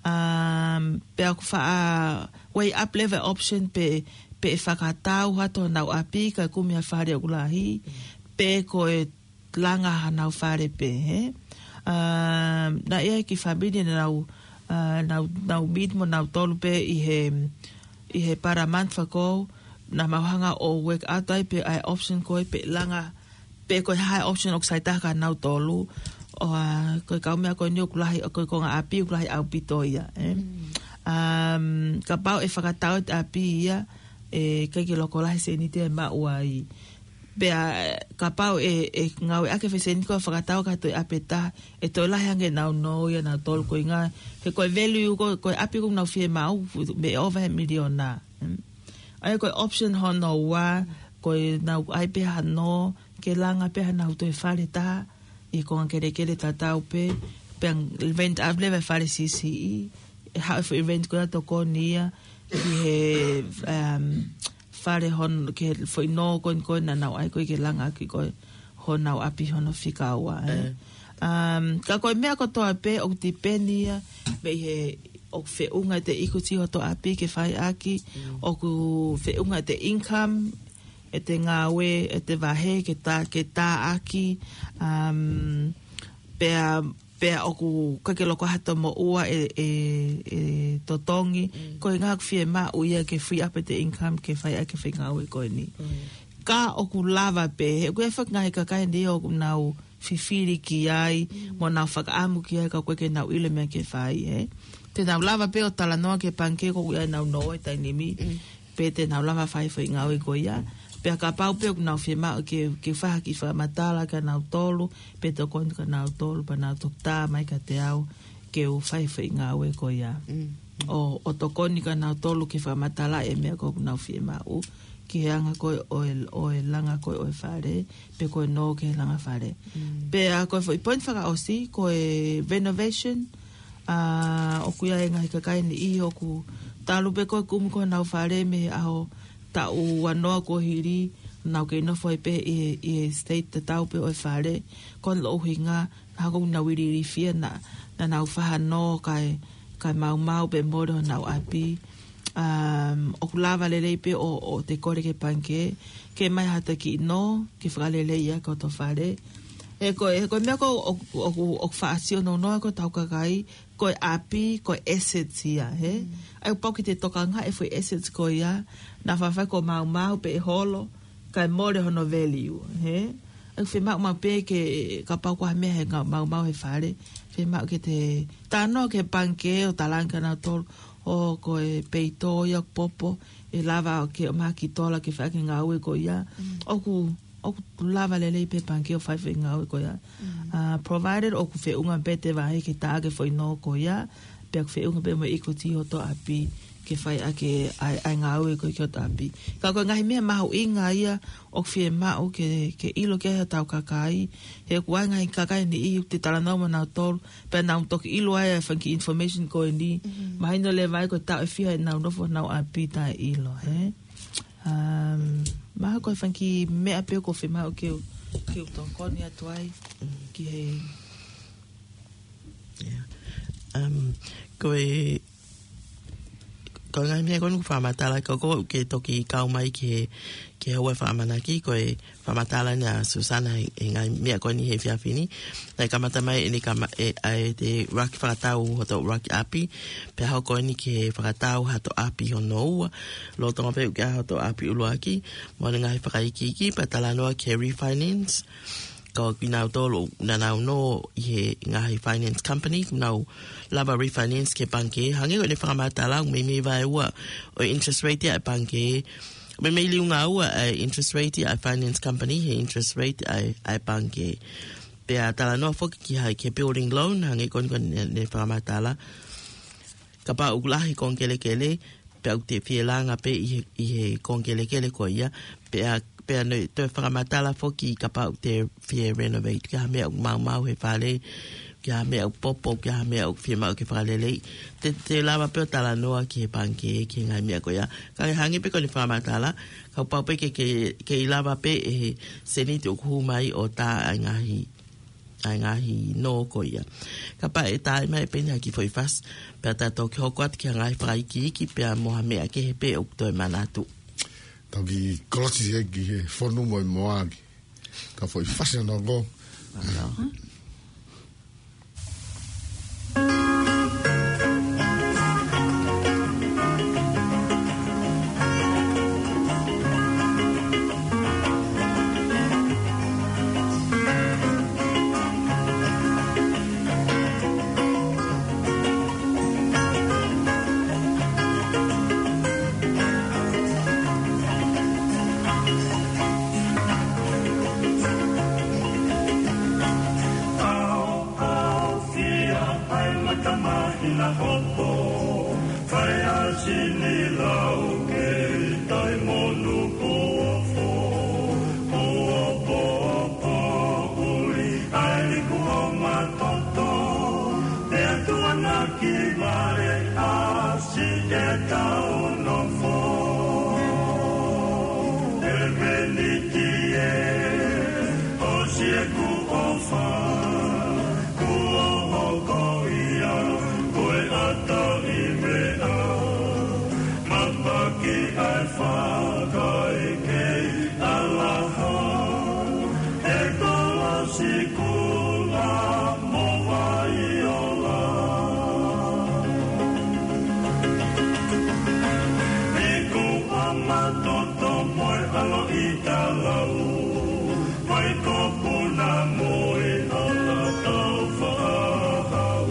Um, pea ʻoku faʻa weigh up leva e option pe, pe ʻe fakatau atu honau ʻapi kae kumi ha fale ʻoku lahi, pe ko e langa hanau fale pē, hē? Um, naʻe ʻi ai e kiʻi fāmili naʻa nau, uh, nau, nau meet mo nautolu pē ʻi he, ʻi he Parliament fakau, naʻa mau hanga ʻo work out ai pē ʻa e option ko ē pe langa, pe ko e hā e option ʻoku sai taha kia nautolu, ʻo, uh, ko e kaumeʻa ko eni ʻoku lahi, ko e konga ʻapi ʻoku lahi ʻaupito ia, hē? Um, kapau ʻe fakatau e ʻapi ia, ʻe ʻikai ke loko lahi e sēniti ʻe maʻu ai. Pea, eh, kapau ʻe, ʻe ngāueʻaki e foʻi sēniti ko ē ʻo fakatau ki ha toe ʻapi ʻe taha, ʻe toe lahi ange honau nō ia ʻanautolu ko e ʻuhinga, he ko e value ko, ko e ʻapi ʻoku nau fiemaʻu, mei he ʻova he miliona. Mm. ʻA ia ko e option hono ua, ko ʻenau ʻai pē ha nō, ke langa pē hanau toe fale ʻe taha, ʻi he konga kelekele tatau pē, pea rent out leva e fale siʻisiʻi, ʻe haʻu e foʻi rent ko ia ʻo tokoni ia, ki he, um, fale hono, ki he foʻi nō ko eni ko ē naʻa nau ʻai ko ē ke langa ʻaki ko ē honau ʻapi hono fika ua, ē. Um, ka ko e meʻa kotoa pē ʻoku tipeni ia, mei he ʻoku feʻunga ʻete equity hoto ʻapi ke fai ʻaki, ʻoku feʻunga ʻete income, ʻete ngāue, ʻete vahe, ke tā, ke tā ʻaki, um, pea, pea ʻoku ʻikai ke loko atu mo ua ʻe, ʻe, ʻe totongi, ko e ʻuhinga ʻoku fiemaʻu ia ke free up ʻete income ke fai ʻaki e foʻi ngāue ko eni. Ka ʻoku lava pē, he ʻoku ʻi ai foki e ngaahi kakai ʻe niʻihi ʻoku nau fifili ki ai, mo nau fakaʻamu ki ai ka ʻoku ʻikai ke nau ʻilo e meʻa ke fai, ē. Te nau lava pē ʻo talanoa ki he pangikē ko ē ʻoku ʻi ai ʻenau nō he taimi ni, pe te nau lava fai e foʻi ngāue ko ia. Pea kapau pē ʻoku nau fiemaʻu ke, ke fai ha kiʻi fakamatala kia nautolu, pe tokoni kia nautolu, pea nau toki tā mai kiate au, ke u fai e foʻi ngāue ko ia. ʻO, ʻo tokoni kia nautolu ke fakamatalaʻi e meʻa ko ē ʻoku nau fiemaʻu, ki he anga ko ē ʻo e, ʻo e langa ko ē ʻo e fale, pe ko e nō ki he langa fale. Pea ko e foʻi point fakaʻosi, ko e renovation, ʻa, ʻoku ʻi ai e ngaahi kakai ʻe niʻihi ʻoku talu pē ko ē kumi ko ē honau fale mei he ʻaho taʻu ua noa kuo hili, nau kei nofo ai pē ʻi he, ʻi he state tatau pē ʻo e fale, ko hono ʻuhinga, naʻa ko ē ʻoku nau ilifia naʻa, naʻa nau fai ha nō kae, kae maumau pe mole honau ʻapi. Um, ʻoku lava lelei pē ʻo, ʻo te kole ki he pangikē, ke ʻomai haʻata kiʻi nō, ke fakaleleiʻi ʻaki hoto fale. He ko e, he ko e meʻa ko ē ʻoku, ʻoku, ʻoku faʻa sio nounou ai ko ē hotau kakai, ko e ʻapi, ko e assets ia, hē? ʻA ia ʻoku pau ke te tokangaʻi e foʻi assets ko ia, naʻa faifai kuo maumau pe ʻe holo, kae mole hono value, hē? ʻOku fiemaʻu maʻu pē ke, kapau ko ha meʻa he ngā-, maumau he fale, fiemaʻu ke te talanoa ki he pangikē ʻo talaange kia nautolu, ʻo ko e peito ia ʻoku popo, ʻe lava ke ʻomai ha kiʻi tola ke fai ʻaki e ngāue ko ia. ʻOku, ʻoku lava lelei pē e pangikē ʻo fai e foʻi ngāue ko ia. Uh, provided ʻoku feʻunga pē ʻete vahe ke tā ʻaki e foʻi nō ko ia, pea ʻoku feʻunga pē mo e equity hoto ʻapi ke fai ʻaki e, ʻa e, ʻa e ngāue ko ē ki hoto ʻapi. Ka ko e ngaahi meʻa mahuʻinga ia ʻoku fiemaʻu ke, ke ʻilo ki ai hotau kakai, he ʻoku ʻi ai e ngaahi kakai ʻe niʻihi ʻoku te talanoa mo nautolu, pea nau toki ʻilo ai e fanga kiʻi information ko eni, mahino leva ai ko e taʻu ʻe fiha ʻenau nofo honau ʻapi taʻeʻilo, hē? Um, mahalo ko e fanga kiʻi meʻa pē ʻoku fiemaʻu ke u, ke u tokoni atu ai, ki he. Yeah. Um, ko e, ko e ngaahi meʻa ko eni ʻoku fakamatala, ka ʻoku ou ke toki kau mai ki he, ki he houa fakaʻamanaki, ko e fakamatala eni ʻa Susana he, he ngaahi meʻa ko eni he efiafi ni. Naʻe kamata mai eni kama e, ʻa e te ʻuluaki fakatau hoto ʻuluaki ʻapi, pea hoko eni ki he fakatau hoto ʻapi hono ua, lolotonga pē ʻoku ʻi ai hoto ʻapi ʻuluaki, mo ʻene ngaahi fakaikiiki, pea talanoa ki he refinance, ko kinautolu naʻa nau nō ʻi he ngaahi finance company, kuo nau lava refinance ki he pangikē, hangē ko ʻene fakamatala, ʻoku meimei vaeua ʻo e interest rate ʻa e pangikē, meimei liunga ua ʻa e interest rate ʻa e finance company, he interest rate ʻa e, ʻa e pangikē. Pea talanoa foki ki he, ki he building loan, hangē ko ʻene, ko ʻene fakamatala. Kapau ʻoku lahi e konga kelekele, pea ʻoku te fie langa pē ʻi he, ʻi he konga kelekele ko ia, pea, pea ne toe fakamatala foki kapau ʻoku te fie renovate, ki ha meʻa ʻoku maumau he fale, ki ha meʻa ʻoku popo, ki ha meʻa ʻoku fiemaʻu ke fakaleleiʻi. Te, te lava pē ʻo talanoa ki he pangikē, ki he ngaahi meʻa ko ia. Ka ʻoku hangē pē ko ʻene fakamatala, kapau pē ke, ke, ke ʻi lava pē ʻe he seniti ʻoku hū mai ʻo tā ʻa e ngaahi ʻa e ngaahi nō ko ia. Kapau ʻe tā mai pē eni ha kiʻi foʻi fasi, pea ta toki hoko atu ki he ngaahi fakaikiiki, pea mo ha meʻa kehe pē ʻoku toe manatu. Toki kolosi e ki he fonu mo e moa ki. Ka foʻi fasi ʻana ko. Mālō. ʻAofia ʻa e mata mahina hopo, fai ʻa sini lau ke tai monu puofo, puofo, puofo, ʻuli ʻa e liku ʻo matoto, pea tuʻanaki vale ʻa si e tau nofo. E peniti e, ʻosi ʻeku ʻofa, kuo hoko ia ko e ʻata ʻi meʻa, mapaki ʻa e fakaʻekeʻi ʻalaha, e kolosi kula mo Vaiola. Iku ʻa matoto mo e ʻalo ʻi talau, mai ko puna mo e ʻala tau faʻahau.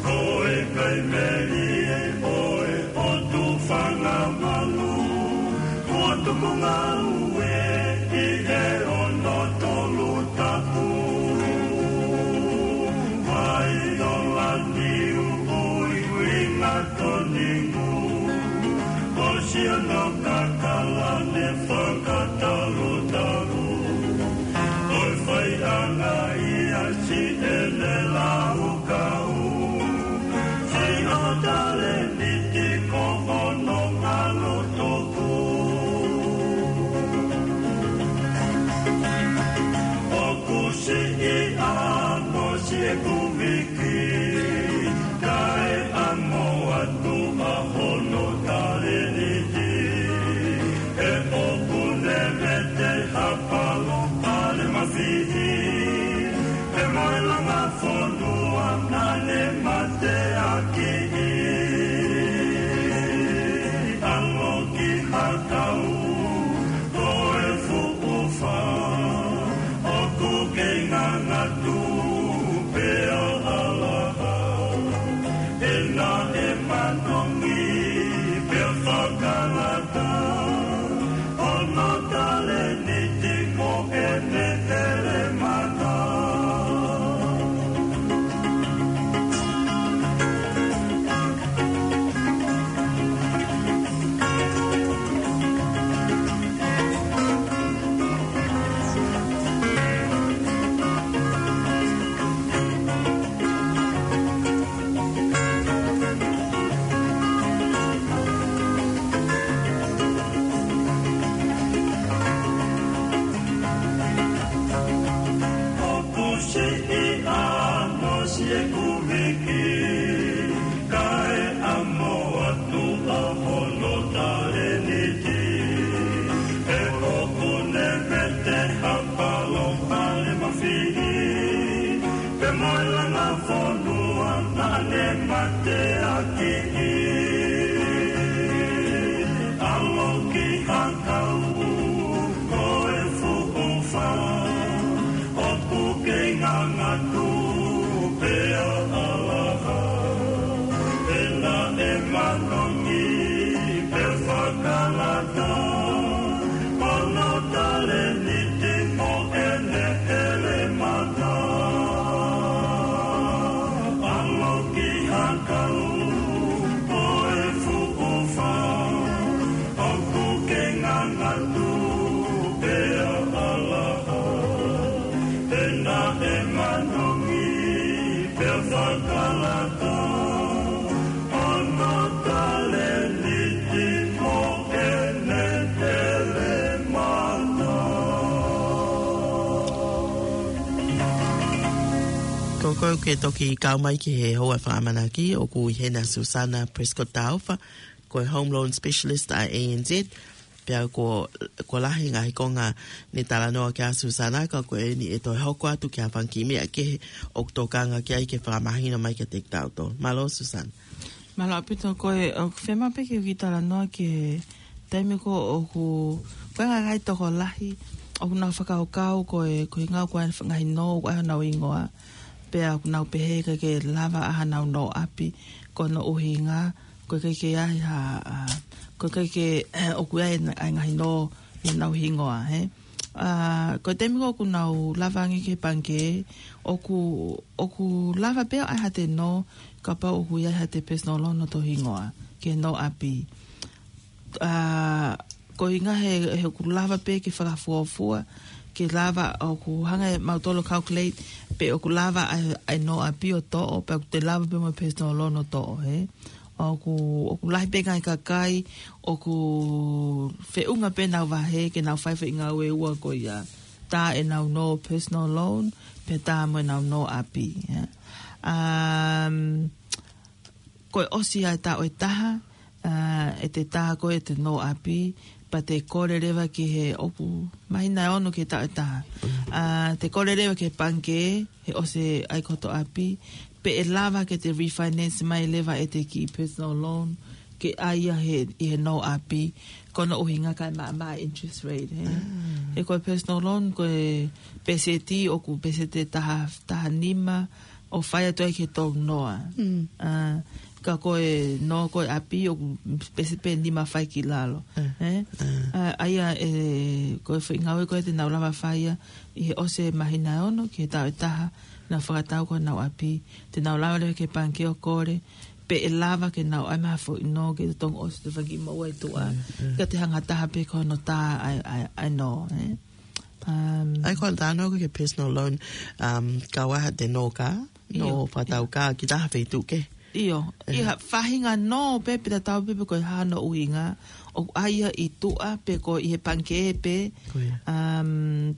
Ko e kai melie ʻo e ʻotu fanga malu, ʻotu ko ngāue ʻi he ono tolu tapu. Vaiola ni ui uinga tonimu, ʻosi ʻono kakala ne fakatalutalu. ʻOi fai ʻana ia si ʻene lau kau, si ʻo taleni ti ko hono ngalo toku. ʻOku siʻi ʻa mo si e kumi ki, kae ʻamo atu ʻa hono taleni ti. He ʻoku ne mete ha palo pale mafihi, he mo e langa fonua naʻa ne mateaki. ʻAlo ki ha kau, ko e fuʻu fā, ʻoku kei ngangatu pea ʻalaha. ʻE naʻe manongi pea fakalata, hono taleni ti mo ʻene ʻelemana. ʻOku siʻi ʻa mo si e kumi ki, kae ʻamo atu ʻa Ana fonua naʻe mateaki ʻi ʻAlo ki Hakau, ko e fuʻu fā ʻoku kei ngangatu pea ʻalaha. Pea naʻe manongi pea fakalata hono talēniti mo ʻene elemata. ʻAlo ki Hakau, ko e fuʻu fā ʻoku kei ngangatu pea ʻalaha. Pea naʻe manongi pea fakalata hono talēniti mo ʻene elemata. Ko koe ʻoku ke toki kau mai ki he houa fakaʻamanaki, ʻoku ʻi heni ʻa Susana Prescott Taufa, ko e Home Loan Specialist ʻa e A N Z, pea ko, ko e lahi e ngaahi konga ne talanoa ki ai ʻa Susana, ka ko eni ʻe toe hoko atu ki ha fanga kiʻi meʻa kehe ʻoku tokanga ki ai ke fakamahino mai kiate kitautolu. Mālō Susana. Mālō ʻaupito. Ko e, ʻoku fiemaʻu pē ke u kiʻi talanoa ki he taimi ko ē ʻoku, ko e ngaahi tokolahi ʻoku nau fakakaukau ko e, ko e ngaahi, ko e ngaahi nō ʻoku ʻai honau hingoa, pea ʻoku nau pehē ʻikai ke lava ʻa honau nō ʻapi, ko hono ʻuhinga ko e ʻikai ke ʻi ai ha, ʻa, ko e ʻikai ke, ʻoku ʻi ai e ngaahi nō ʻi honau hingoa, hē? ʻA, ko e taimi ko ē ʻoku nau lava ange ki he pangikē, ʻoku, ʻoku lava pē ʻo ʻai haʻate nō, kapau ʻoku ʻi ai haʻate personal loan ʻi hoto hingoa, ki he nō ʻapi. ʻA, ko e ʻuhinga he, he ʻoku lava pē ke fakafuofua, ke lava ʻoku hanga ʻe mautolu ʻo calculate pe ʻoku lava ʻa e, ʻa e nō ʻapi ʻo toʻo, pea ʻoku toe lava pē mo e personal loan ʻo toʻo, hē? ʻOku, ʻoku lahi pē ngaahi kakai ʻoku feʻunga pē ʻenau vahe ke nau fai e foʻi ngāue ʻe ua ko ia. Tā ʻenau nō personal loan, pea tā mo ʻenau nō ʻapi, ia. Um, ko e ʻosi ʻa e taʻu ʻe taha, ʻa, ʻete tā ko ē ʻete nō ʻapi, pea te kole leva ki he, ʻoku māhina ʻe ono ki he taʻu ʻe taha. ʻA, te kole leva ki he pangikē, he ʻosi ʻai ko hoto ʻapi, pe ʻe lava ke te refinance mai leva ʻete kiʻi personal loan, ke ʻai ia he, ʻi he nō ʻapi, ko hono ʻuhinga kae maʻamaʻa e interest rate, hē? He ko e personal loan, ko e pēseti, ʻoku pēseti ʻe taha, taha nima, ʻo fai atu ai ki he tolu noa. ʻA, ka ko e nō ko ē ʻapi ʻoku pēseti pē nima fai ki lalo. Hē? ʻA, ʻa ia ʻe, ko e foʻi ngāue ko ē te nau lava fai ia ʻi he ʻosi e māhina ʻe ono ki he taʻu ʻe taha, nau fakatau ko honau ʻapi, te nau lava leva ki he pangikē ʻo kole, pe ʻe lava ke nau ʻai mai ha foʻi nō ke totongi ʻosi ʻete fanga kiʻi moʻua ʻi tuʻa. Ka te hanga taha pē ko hono tā ʻa e, ʻa e, ʻa e nō, hē? Um, ʻai ko e talanoa ki he personal loan, um, kau ai haʻate nō kā, nō fakatau kā, ki ha feituʻu kehe. ʻIo, ʻi ha faʻahinga nō pē, pea tatau pē pe ko e hā hono ʻuhinga, ʻoku ʻai ia ʻi tuʻa, pe ko ē ʻi he pangikē pē, um,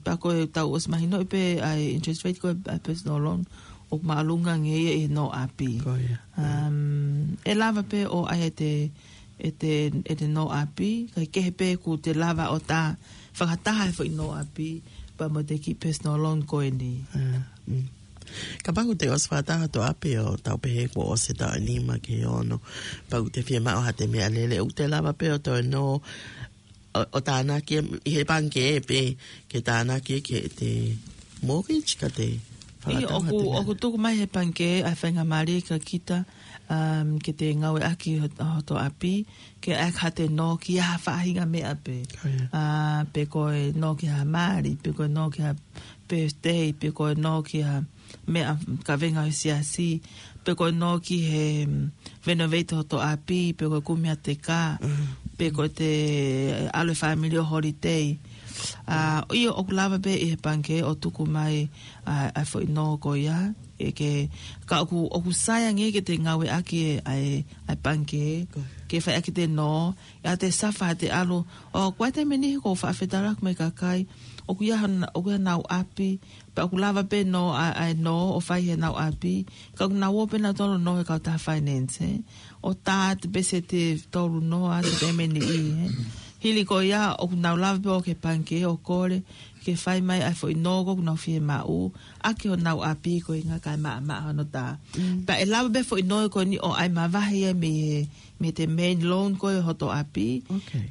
pea ko ʻetau ʻosi mahinoʻi pē ʻa e interest rate ko ē ʻa e personal loan, ʻoku māʻolunga ange ia ʻi he nō ʻapi. Um, ʻe lava pē ʻo ʻai ʻete, ʻete, ʻete nō ʻapi, kae kehe pē kuo te lava ʻo tā fakataha e foʻi nō ʻapi, pea mo ʻete kiʻi personal loan ko eni. Kapau ʻoku te ʻosi fakataha hoto ʻapi ʻo tau pehē kuo ʻosi e taʻu ʻe nima ki he ono, pea ʻoku te fiemaʻu haʻate meʻalele, ʻoku te lava pē ʻo toe nō ʻo, ʻo tānaki ʻi he pangikē pē, ke tānaki ki heʻete mortgage ka te fakataha ʻoku, ʻoku tuku mai he pangikē ʻa e faingamālie kia kita, um, ke te ngāueʻaki hot-, hoto ʻapi, ke ʻai haʻate nō ki ha faʻahinga meʻa pē. ʻA, pe ko e nō ki ha mali, pe ko e nō ki ha birthday, pe ko e nō ki ha meʻa kavenga ʻo e siasi, pe ko e nō ki he, mm, renovate hoto ʻapi, pe ko e kumi haʻate kā, pe ko ʻete ʻalu e family ʻo holiday. ʻA, ʻio ʻoku lava pē ʻi he pangikē ʻo tuku mai ʻa, ʻa e foʻi nō ko ia, ʻe ke, ka ʻoku, ʻoku sai ange ke te ngāueʻaki e, ʻa e, ʻa e pangikē, ke fai ʻaki ʻete nō, ʻi heʻete suffer haʻate ʻalu, ʻo ko e taimi ʻe niʻihi ʻoku ou faʻa fetaulaki mo e kakai, ʻoku ʻi ai hon-, ʻoku ʻi ai honau ʻapi, pea ʻoku lava pē nō ʻa, ʻa e nō ʻo fai heʻenau ʻapi, ka ʻoku nau ō pē nautolu ʻo nō he kautaha finance, hē? ʻO tā ʻete pēseti ʻe tolu noa ʻete pehē mo e niʻihi, hē? Hili ko ia, ʻoku nau lava pē ʻo ki he pangikē ʻo kole ke fai mai ʻa e foʻi nō ko ē ʻoku nau fiemaʻu ʻaki honau ʻapi, ko e ʻuhinga kae maʻamaʻa hono tā. Pea ʻe lava pē foʻi nō ko eni ʻo ʻai mavahe ia mei he, mei he main loan ko ē ʻo hoto ʻapi.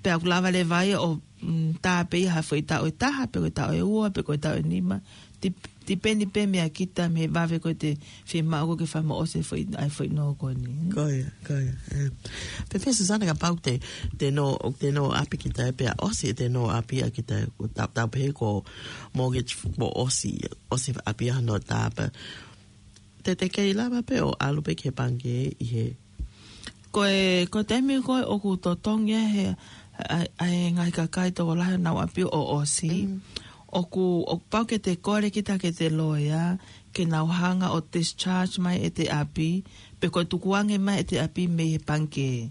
Pea ʻoku lava leva ia ʻo, mm, tā pē ia ha foʻi taʻu ʻe taha, pe ko e taʻu ʻe ua, pe ko e taʻu ʻe nima. Tip-, tipeni pē meia kita mei he vave ko ē te fiemaʻu ko ē ke fakamoʻosi e foʻi, ʻa e foʻi nō ko eni. Ko ia, ko ia, ē. Pea, pea Susana, kapau te, te nō, te nō ʻapi kita ē pea ʻosi, te nō ʻapi ʻa kita, ʻo tau, tau pehē ko e mortgage ʻoku ʻosi, ʻosi ʻapi ʻa hono tā pē. Te, te kei lava pē ʻo ʻalu pē ki he pangikē ʻi he Ko e, ko e taimi ko ē ʻoku totongi ai he, ʻa, ʻa e ngaahi kakai tokolahi honau ʻapi ʻo ʻosi. ʻOku, ʻoku pau ke te kole kita ki heʻete loea, ke nau hanga ʻo discharge mai ʻete ʻapi, pe ko e tukuange mai ʻete ʻapi mei he pangikē.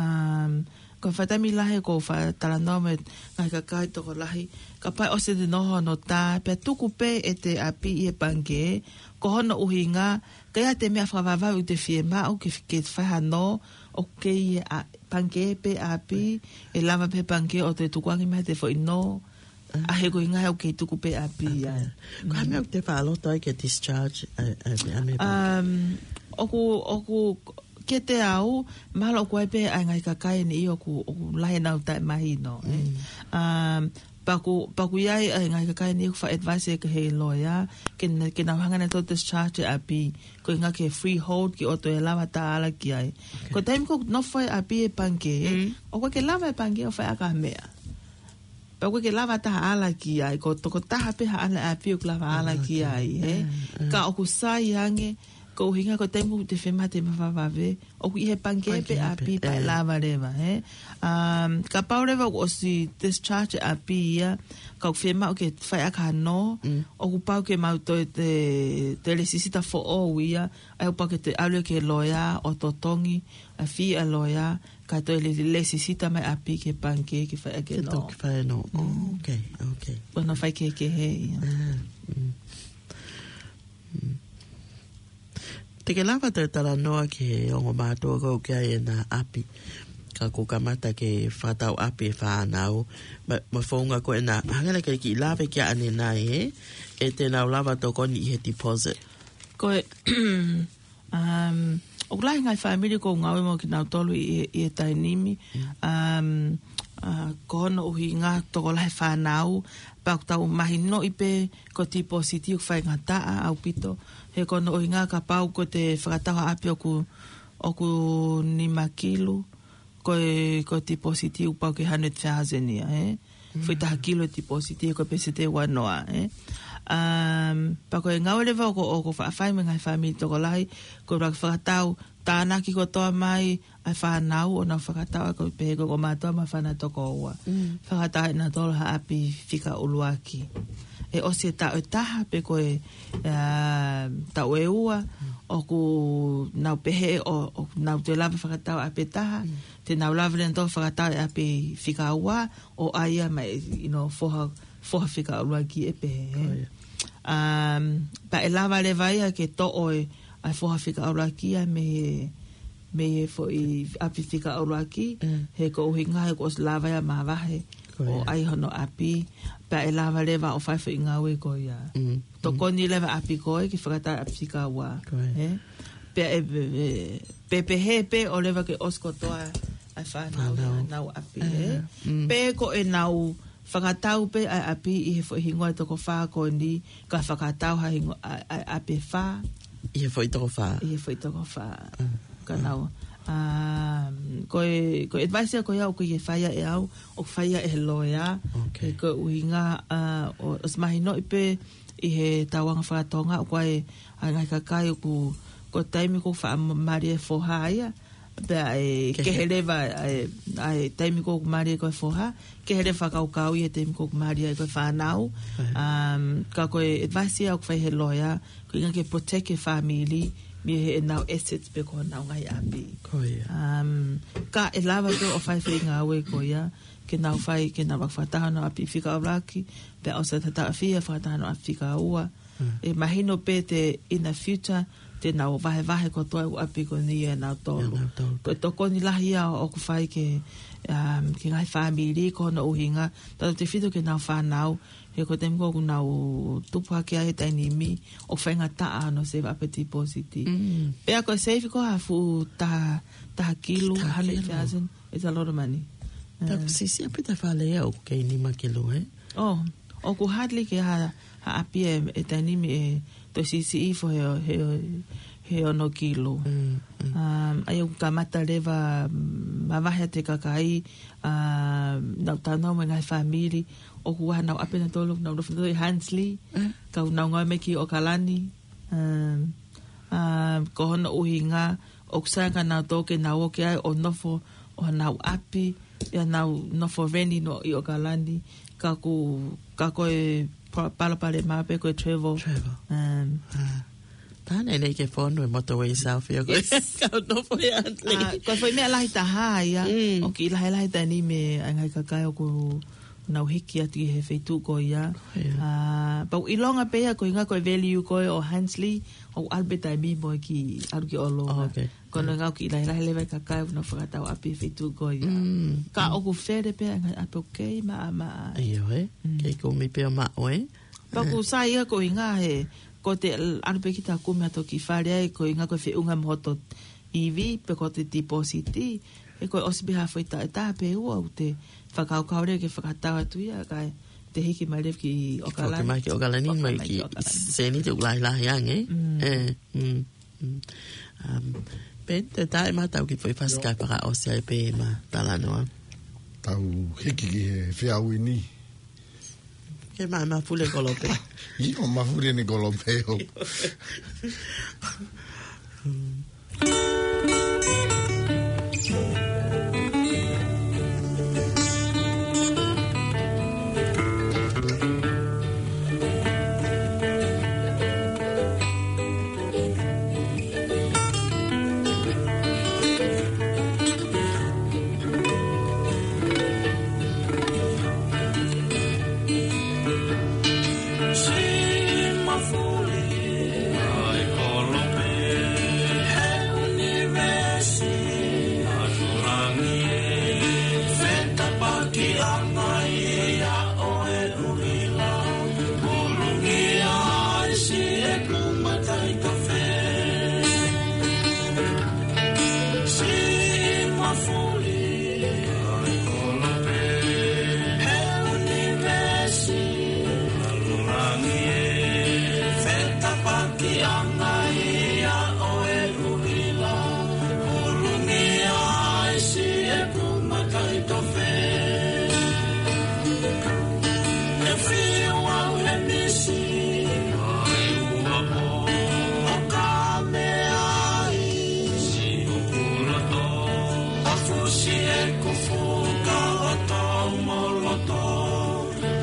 Um, ko e faʻa taimi lahi ʻoku ou faʻa talanoa mo e ngaahi kakai tokolahi, kapau ʻosi ʻete nō hono tā, pea tuku pē ʻete ʻapi ʻi he pangikē, ko hono ʻuhinga, ka ʻi ai ha meʻa fakavavevave ʻoku te fiemaʻu ke, ke fai ha nō, ʻoku kei ʻi he pangikē pē ʻapi, ʻe lava pē pangikē ʻo toe tukuange mai ʻete foʻi nō, ʻa ia ko e ʻuhinga he ʻoku kei tuku pē ʻapi ia. Ko e hā e meʻa ʻoku te faʻa loto ai ke discharge ʻa e, ʻa e, ʻa e meʻa pangikē? Um, ʻoku, ʻoku, kiate au, mahalo ʻoku ʻi ai pē ʻa e ngaahi kakai ʻe niʻihi ʻoku, ʻoku lahi ʻenau taʻemahino, ē. Um, pea ʻoku, pea ʻoku ʻi ai ʻa e ngaahi kakai ʻe niʻihi ʻoku faʻa advice ʻe he loea, ke na-, ke nau hanga ʻe nautolu ʻo discharge e ʻapi, ko e ʻuhinga ki he freehold ke ʻoua toe lava ha taha ʻo ala ki ai. Ko e taimi ko ē ʻoku nofo ai e ʻapi he pangikē, ʻoku ʻikai ke lava e pangikē ʻo fai ʻaki ha meʻa. Pea ʻoku ʻikai ke lava ha taha ʻo ala ki ai, ko e tokotaha pē haʻane ʻapi ʻoku lava ʻo ala ki ai, ē. Ka ʻoku sai ange, ko e ʻuhinga ko e taimi ʻoku te fiemaʻu ha meʻa fakavavevave, ʻoku ʻi he pangikē pē ʻapi pea ʻe lava leva, ē. Um, kapau leva ʻoku ʻosi discharge e ʻapi ia, ka ʻoku fiemaʻu ke fai ʻaki ha nō, ʻoku pau ke maʻu ʻe te, te lēsisita foʻou ia, ʻa ia ʻoku pau ke te ʻalu ki he loea ʻo totongi ʻa e fee ʻa e loea, kae toe le-, lēsisita mai ʻapi ki he pangikē ke fai ʻaki e nō. Ke toki fai e nō. Oh, okay, okay. Ko hono faikehekehe ia. Ah, mm. Mm. Te ke lava toe talanoa ki he ongo mātuʻa ko ē ʻoku ʻi ai ʻena ʻapi, ka kuo kamata ke fakatau ʻapi e fānau, mo e, mo e founga ko ē naʻa, hangē naʻa ke kiʻi lave ki ai ʻanenai, ē, ʻe te nau lava tokoni ʻi he deposit. Ko e, um, ʻoku lahi e ngaahi fāmili ʻoku ou ngāue mo kinautolu ʻi, ʻi he taimi ni. Um, uh, ko hono ʻuhinga tokolahi e fānau, pea ʻoku tau mahinoʻi pē ko e deposit ʻoku faingataʻa ʻaupito. He ko hono ʻuhinga kapau ʻoku te fakatau ha ʻapi ʻoku, ʻoku nima kilu, ko e, ko e deposit ʻoku pau ke hundred thousand ia, ē. Foʻi taha kilu e deposit ia ko e pēseti ʻe ua noa, ē. Um, pea ko e ngāue leva ʻoku, ʻoku faʻa fai mo e ngaahi fāmili tokolahi, ko e ʻuluaki fakatau, tānaki kotoa mai ʻa e fānau ʻo nau fakatau, ʻa ia ko e pehē ko e ongo mātuʻa mo e fānau toko ua. Fakatau ʻe nautolu ha ʻapi fika ʻuluaki. ʻE ʻosi e taʻu ʻe taha pe ko e, um, taʻu ʻe ua, ʻoku nau pehē ʻo, ʻoku nau toe lava fakatau ʻapi ʻe taha, te nau lava leva ʻo fakatau e ʻapi fika ua, ʻo ʻai ia mai, you know, foha, foha fika ʻuluaki ʻe pehē, ē. Um, pea ʻe lava leva ia ke toʻo e, ʻa e foha fika ʻuluaki ia mei he, mei he foʻi ʻapi fika ʻuluaki, he ko e ʻuhinga he kuo ʻosi lava ia ʻo mavahe, ʻo ʻai hono ʻapi, pea ʻe lava leva ʻo fai foʻi ngāue ko ia. Tokoni leva ʻapi ko ē ke fakatau ʻapi fika ua, ē? Pea ʻe, ʻe, ʻe, pe, pehē pē ʻo lava ke ʻosi kotoa ʻa e fānau ʻi heʻenau ʻapi, ē? Pe ko ʻenau fakatau pē ʻa e ʻapi ʻi he foʻi hingoa ʻo e toko fā ko eni, ka fakatau ha hingoa ʻa, ʻa e ʻapi ʻe fā. ʻI he foʻi toko fā. ʻI he foʻi toko fā. Ka nau. Um, ko e, ko e advice ko ia ʻoku ʻikai ke fai ia ʻe au, ʻoku fai ia ʻe he loea. He ko e ʻuhinga, uh, ʻo, ʻosi mahinoʻi pē ʻi he tauʻanga faka-Tonga ʻoku ʻi ai ʻa e ngaahi kakai ʻoku, ko e taimi ʻoku faʻa mālie e foha ia, pea ʻe kehe leva ʻa e, ʻa e taimi ʻoku mālie ko e foha, kehe leva fakakaukau ʻi he taimi ʻoku mālie ai ko e fānau. Um, ka ko e advice ia ʻoku fai ʻe he loea, ko e ʻuhinga ke protect e fāmili mei heʻenau assets pe ko honau ngaahi ʻapi. Um, ka ʻe lava pē ʻo fai foʻi ngāue ko ia, ke nau fai, ke nau fakatau honau ʻapi fika ʻuluaki, pea ʻosi e taʻu ʻe fiha fakatau honau ʻapi fika ua. ʻE mahino pē te in the future, te nau vahevahe kotoa e ʻapi ko eni ʻia nautolu. ko e tokoni lahi ia ʻoku fai ke, um, ke ngaahi fāmili, ko hono ʻuhinga, tautefito ki heʻenau fānau, he ko e taimi ko ē ʻoku nau tupu hake ai he taimi ni, ʻoku faingataʻa hono save ʻapi deposit. Mm. Pea ko e save ko ē ha fuʻu taha, taha kilu, Taha kilu. hundred thousand, it's a lot of money. Pea ʻoku Um, siʻisiʻi ʻapi ʻa e fale ia ʻoku kei nima kilu, ē? Oh, ʻoku hardly ke ha, ha ʻapi ʻe, ʻe taimi ni ʻe toe siʻisiʻi hifo he, he, he ono kilu. Mm, mm. Um, ʻa ia ʻoku kamata leva, mm, mavahe atu e kakai, um, nau tau nau mo e ngaahi fāmili, ʻoku ʻi ai haʻanau ʻapi ʻe taha ʻoku nau nofo ʻi Huntly, Mm. ka ʻoku nau ngāue mai ki ʻOkalani. Um, um, ko hono ʻuhinga, ʻoku sai ka nau toki nau ō ki ai ʻo nofo ʻi honau ʻapi, ʻi heʻenau nofo rent ʻi ʻOkalani, ka ʻoku, ka ko e pa-, palopalema pē ko e travel. Travel. Um, Ah. Taha ʻeni ke fonu e motorway south ia ko ē. Yes. Ka ʻoku nofo ʻi Huntly. Ah, ko e foʻi meʻa lahi taha ia, Mm. ʻoku kiʻi lahilahi taha ʻeni mei he ngaahi kakai ʻoku nau hiki atu ki he feituʻu ko ia. Ko ia. Ah, pea ʻoku ʻilonga pē ia ko e ʻuhinga ko e value ko ē ʻo Huntly, ʻoku ʻalu pē taimi mo e kiʻi ʻalu ki ʻolunga. Oh, okay. Ko hono ʻuhinga ʻoku kiʻi lahilahi leva e kakai ʻoku nau fakatau ʻapi he feituʻu ko ia. Mm, Ka mm. ʻoku fele pē ʻa e ngaahi ʻapi ʻoku kei maʻamaʻa. ʻIo, ē? Mm. Kei kumi pē ʻo maʻu, ē? Pea ʻoku sai ia ko e ʻuhinga he, ko ʻete ʻalu pē kita ʻo kumi hato kiʻi fale ai, ko e ʻuhinga ko e feʻunga mo hoto E V, pe ko ʻete deposit, he ko e ʻosi pē ha foʻi taʻu ʻe taha pe ua ʻoku te fakakaukau leva ke fakatau atu ia, kae te hiki mai leva ki ʻOkalani. Foki mai ki ʻOkalani, Foki mai mai ki ki ʻOkalani. Seniti ʻoku lahilahi ange. Mm. Ē, mm, mm. Um, Peni, te tai ma tau ki foʻi fasi Io. kae fakaʻosi ai pē ʻema talanoa. Tau hiki ki he feau ni. Ke ma, ma fule kolope. ʻIo, ma fule ni kolope ʻo.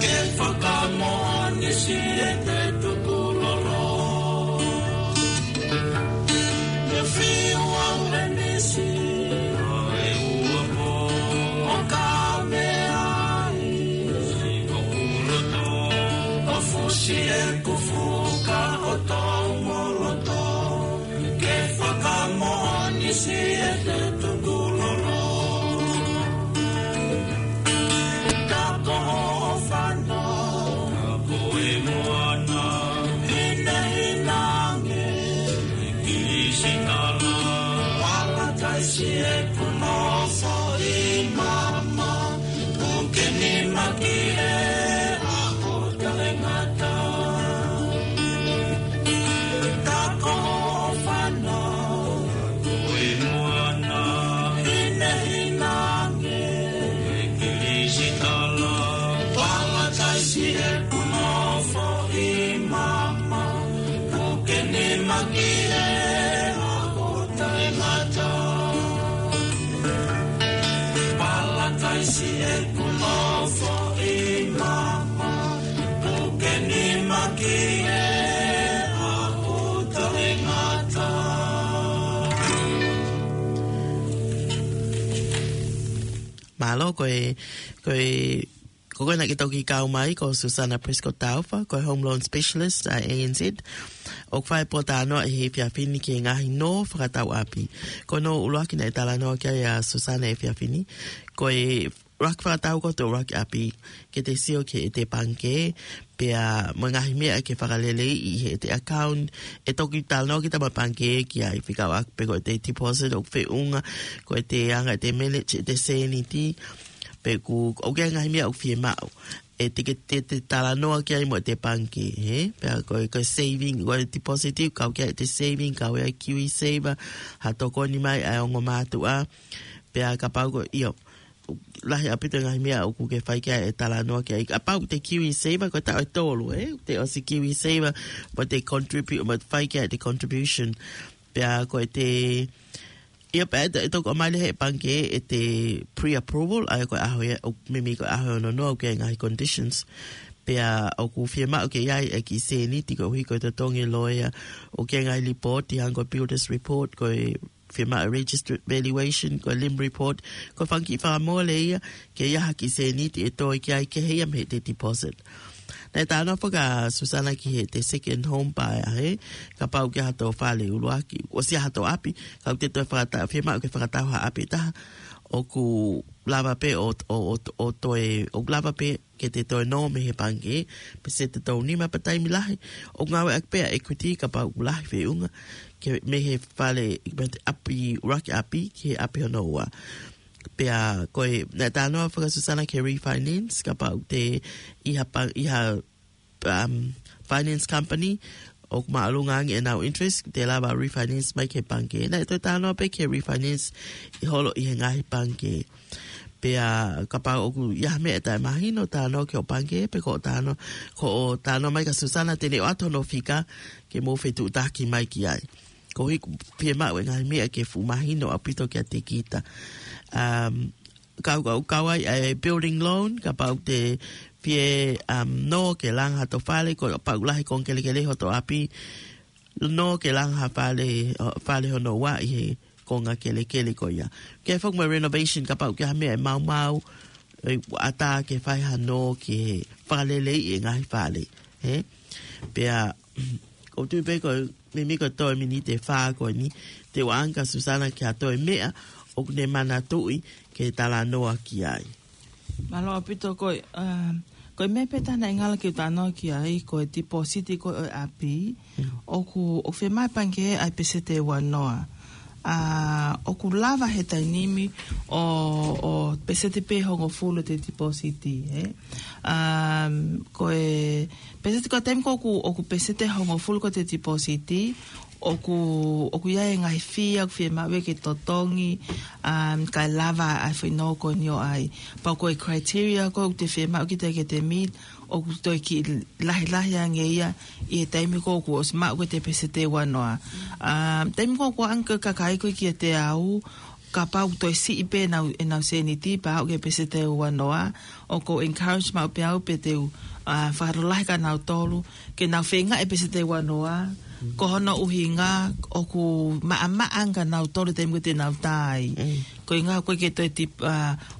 Ke fakamoʻoni siʻete tukulolo. Ke fiu au e misi. ʻO ka mea ai. ʻO fusi ʻeku fuka ʻo tau moloto. Ke fakamoʻoni siʻete tukulolo. Ka ko hoʻo fānau. Ka ko e moana. Hinehina ange. Kilisitala. Palataisi ʻeku nofo ʻi māmani. Puke nima ki he ʻaho taʻengata. Ka ko hoʻo fānau. Ko e moana. Hinehina ange. Kilisitala. Palataisi ʻeku nofo ʻi māmani. Puke nima ki he ʻaho taʻengata. Palataisi ʻeku nofo ʻi māmani. Puke nima ki he ʻaho taʻengata. Mālō, ko e, ko e Ko koe naʻa ke toki kau mai, ko Susana Prescott Taufa, ko e Home Loan Specialist ʻa e A N Z. ʻOku fai pē ʻa e talanoa ʻi he efiafi ni ki he ngaahi nō fakatau ʻapi. Ko e nō ʻuluaki naʻe talanoa ki ai ʻa Susana he efiafi ni, ko e ʻuluaki fakatau ko e ʻuluaki ʻapi, ke te sio ki heʻete pangikē, pea mo e ngaahi meʻa ke fakaleleiʻi ʻi heʻete account. ʻE toki talanoa kita mo e pangikē ki ai, fika ʻoku ʻi ai pē ko ʻete deposit ʻoku feʻunga, ko ʻete anga ʻete manage ʻete sēniti, pe ʻoku, ʻoku ʻi ai e ngaahi meʻa ʻoku fiemaʻu. ʻE te ke te, te talanoa ki ai mo ʻete pangikē, hē? Pea ko e, ko e saving, ko e deposit, kau ki ai ʻete saving, kau ai KiwiSaver, ha tokoni mai ʻa e ongo mātuʻa, pea kapau ko, ʻio, lahi ʻaupito e ngaahi meʻa ʻoku ke fai ki ai e talanoa ki ai. Kapau ʻoku te KiwiSaver, ko e taʻu ʻe tolu, ē? Te ʻosi KiwiSaver, mo te contribute, mo te fai ki ai ʻete contribution. Pea ko ʻete, ʻio pea ʻe to-, ʻe toki ʻomai leva ʻe he pangikē ʻete pre-approval, ʻa ia ko e ʻaho ia, ʻo meimei ko e ʻaho ʻe ono noa ʻoku ʻi ai e ngaahi conditions. Pea ʻoku fiemaʻu ke ʻi ai e kiʻi sēniti koeʻuhi ko e totongi e loea, ʻoku ʻi ai e ngaahi report, ʻi ai e ongo builder's report, ko e fiemaʻu e registered valuation, ko e lim report, ko e fanga kiʻi fakamole ia, ke ʻi ai ha kiʻi sēniti ʻe toe ki ai kehe ia mei heʻete deposit. Naʻe talanoa foki ʻa Susana ki heʻete second home buyer, hē? Kapau ʻoku ʻi ai hato fale ʻuluaki, ʻosi ʻi ai hato ʻapi, ka ʻoku te toe fakata-, fiemaʻu ke fakatau ha ʻapi ʻe taha, ʻoku lava pē ʻo, ʻo, ʻo, ʻo toe, ʻoku lava pē ke te toe nō mei he pangikē, peseti ʻe tolu nima pe taimi lahi. ʻOku ngāueʻaki pē ʻa e equity kapau ʻoku lahi e feʻunga, ke mei he fale, mei he ʻapi, ʻuluaki ʻapi, ki he ʻapi hono ua. Pea ko e, naʻe talanoa foki ʻa Susana ki he refinance, kapau ʻoku te ʻi ha pa-, ʻi ha, um, finance company, ʻoku māʻolunga ange ʻenau interest, te lava refinance mai ki he pangikē. Naʻe toe talanoa pē ki he refinance ʻi holo ʻi he ngaahi pangikē. Pea kapau ʻoku ʻi ai ha meʻa ʻe taʻemahino, talanoa ki hoʻo pangikē, pe ko hoʻo talanoa, ko hoʻo talanoa mai kia Susana te ne ʻoatu hono fika, ke mou fetuʻutaki mai ki ai. Koeʻuhi ʻoku fiemaʻu e ngaahi meʻa ke fuʻu mahino ʻaupito kiate kita. Um, kau, kau, kau ai ʻa e building loan, kapau ʻoku te fie, um, nō ke langa hato fale, ko e kapau ʻoku lahi e konga kelekele hoto ʻapi, nō ke langa ha fale, ʻo, fale hono ua ʻi he konga kelekele ko ia. Ke foki mo e renovation, kapau ʻoku ʻi ai ha meʻa ʻe maumau, ʻe ʻatā ke fai ha nō ke fakaleleiʻi e ngaahi fale, hē? Pea, ʻoku ou tui pē ko e, meimei ko e toe miniti ʻe fā ko eni, te u ʻoange kia Susana ki ha toe meʻa ʻoku ne manatuʻi ke talanoa ki ai. Mālō ʻaupito ko e, um, ko e meʻa pē ʻe taha naʻe ngalo ke u talanoa ki ai, ko e deposit ko ē ʻo e ʻapi, ʻoku, ʻoku fiemaʻu ʻe he pangikē ʻa e peseti ʻe ua noa. ʻA, ʻoku lava he taimi ni ʻo, ʻo peseti pē ʻe hongofulu ʻete deposit, ē? Um, ko e, peseti ko e taimi ko ē ʻoku, ʻoku peseti ʻe hongofulu ko ē ʻete deposit, ʻoku, ʻoku ʻi ai e ngaahi fee ʻoku fiemaʻu ke totongi, um, kae lava ʻa e foʻi nō ko eni ʻo ʻai. Pea ko e criteria ko ē ʻoku te fiemaʻu kita ke te meet, ʻoku toe kiʻi lahilahi ange ia ʻi he taimi ko ē ʻoku ʻosi maʻu ko ē ʻete peseti ʻe ua noa. Um, taimi ko ē ʻoku ʻoange ko ē ʻe he kakai ko ē kiate au, kapau ʻoku toe siʻi pē ʻenau, ʻenau sēniti, pea aʻu ki he peseti ʻe ua noa, ʻoku ou encourage maʻu pē au pea te u, ʻa, fakalotolahi kia nautolu, ke nau feinga e peseti ʻe ua noa, ko hono ʻuhinga, ʻoku maʻamaʻa ange kia nautolu he taimi ko ē te nau tā ai. Ko e ʻuhinga ʻoku ʻikai ke toe tip-, ʻa,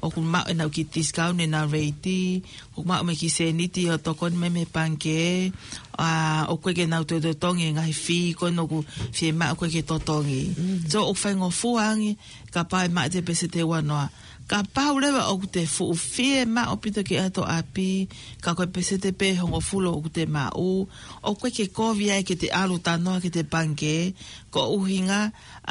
ʻoku maʻu ʻenau kiʻi discount ʻenau rate, ʻoku maʻu mo e kiʻi sēniti ʻo tokoni mai mei he pangikē, ʻa, ʻoku ʻikai ke nau toe totongi e ngaahi fee ko ē ʻoku fiemaʻu ko ē ke totongi. So, ʻoku faingofua ange, kapau ʻe maʻu ʻete peseti ʻe ua noa. Kapau leva ʻoku te fuʻu fiemaʻu ʻaupito ke ʻai hato ʻapi, ka ko e peseti pē ʻe hongofulu ʻoku te maʻu, ʻoku ʻikai ke kovi ai ke te ʻalu ʻo talanoa ki heʻete pangikē, ko e ʻuhinga,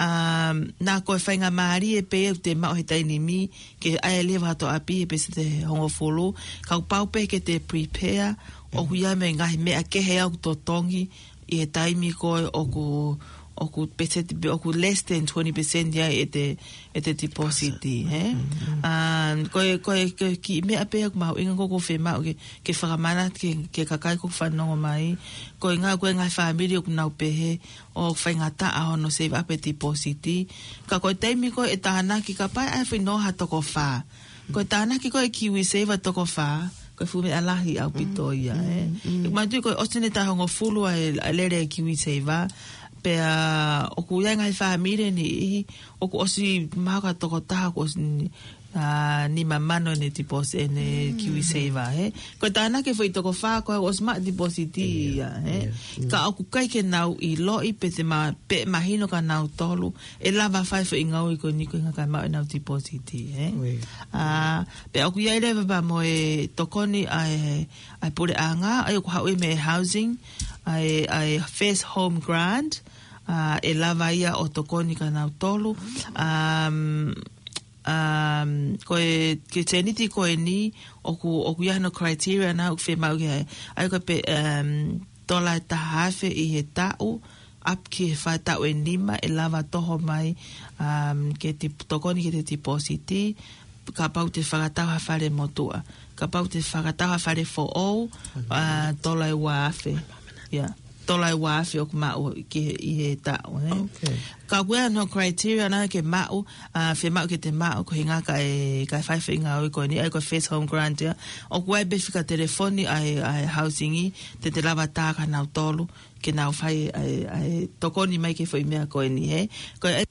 um, naʻa ko e faingamālie pē ʻoku te maʻu he taimi ni, ke ʻai leva hato ʻapi he peseti ʻe hongofulu, kapau pē ke te prepare, ʻoku ʻi ai mo e ngaahi meʻa kehe ʻoku totongi, ʻi he taimi ko ē ʻoku, ʻoku peseti pē, ʻoku less than twenty percent ia ʻete, ʻete deposit, hē? Um, ko e, ko e, ko e kiʻi meʻa pē ʻoku mahuʻinga ko ē ʻoku ou fiemaʻu ke, ke fakamanatu ki he, ki he kakai ʻoku fanongo mai. Ko e ʻuhinga, ko e ngaahi fāmili ʻoku nau pehē, ʻoku faingataʻa hono save up e deposit. Ka ko e taimi ko ē ʻe tānaki kapau ʻe ʻai e foʻi nō ha toko fā. Ko e tānaki ko ē ʻe KiwiSaver toko fā, ko e fuʻu meʻa lahi ʻaupito ia, ē. ʻOku mātuʻaki ko e ʻosi ʻene taʻu ʻe hongofulu ʻa e, ʻa e lele ʻa e KiwiSaver, pea ʻoku ʻi ai e ngaahi fāmili ʻe niʻihi, ʻoku ʻosi maʻu ha toko taha, ʻoku ʻosi ni, ʻa, nima mano ʻene deposit, ʻene KiwiSaver, he. Ko e tānaki e foʻi toko fā ko ē ʻosi maʻu deposit ia, he. Ka ʻoku ʻikai ke nau ʻiloʻi pe te ma-, pe mahino kia nautolu ʻe lava fai foʻi ngāue ko eni ko e ʻuhinga kae maʻu ʻenau deposit, he. ʻA, pea ʻoku ʻi ai leva pea mo e tokoni ʻa e, ʻa e puleʻanga, ʻa ia ʻoku haʻu ia mei he housing, ʻa e, ʻa e first home grant, ʻa, ʻe lava ia ʻo tokoni kia nautolu. Um, um, ko e, ki he tēniti ko eni, ʻoku, ʻoku ʻi ai hano criteria naʻa ʻoku fiemaʻu ke, ʻa ia ko e pe, um, tola ʻe taha afe ʻi he taʻu, up ki he fā taʻu ʻe nima, ʻe lava toho mai, um, ke te tokoni ki he deposit, kapau te fakatau ha fale motuʻa, kapau te fakatau ha fale foʻou, ʻa, tola ʻe ua afe. Ia, tola ʻe ua afe ʻoku maʻu ki he, ʻi he taʻu, he. Ka ʻoku ʻi ai hano criteria naʻa ke maʻu, ʻa, fiemaʻu ke te maʻu, ko e ʻuhinga kae, kae fai foʻi ngāue ko eni, ʻa ia ko e first home grant ia. ʻOku ʻi ai pē fika telefoni ʻa e, ʻa e housing, te te lava tā kia nautolu ke nau fai, ʻa e, ʻa e tokoni mai ki he foʻi meʻa ko eni, he. Ko e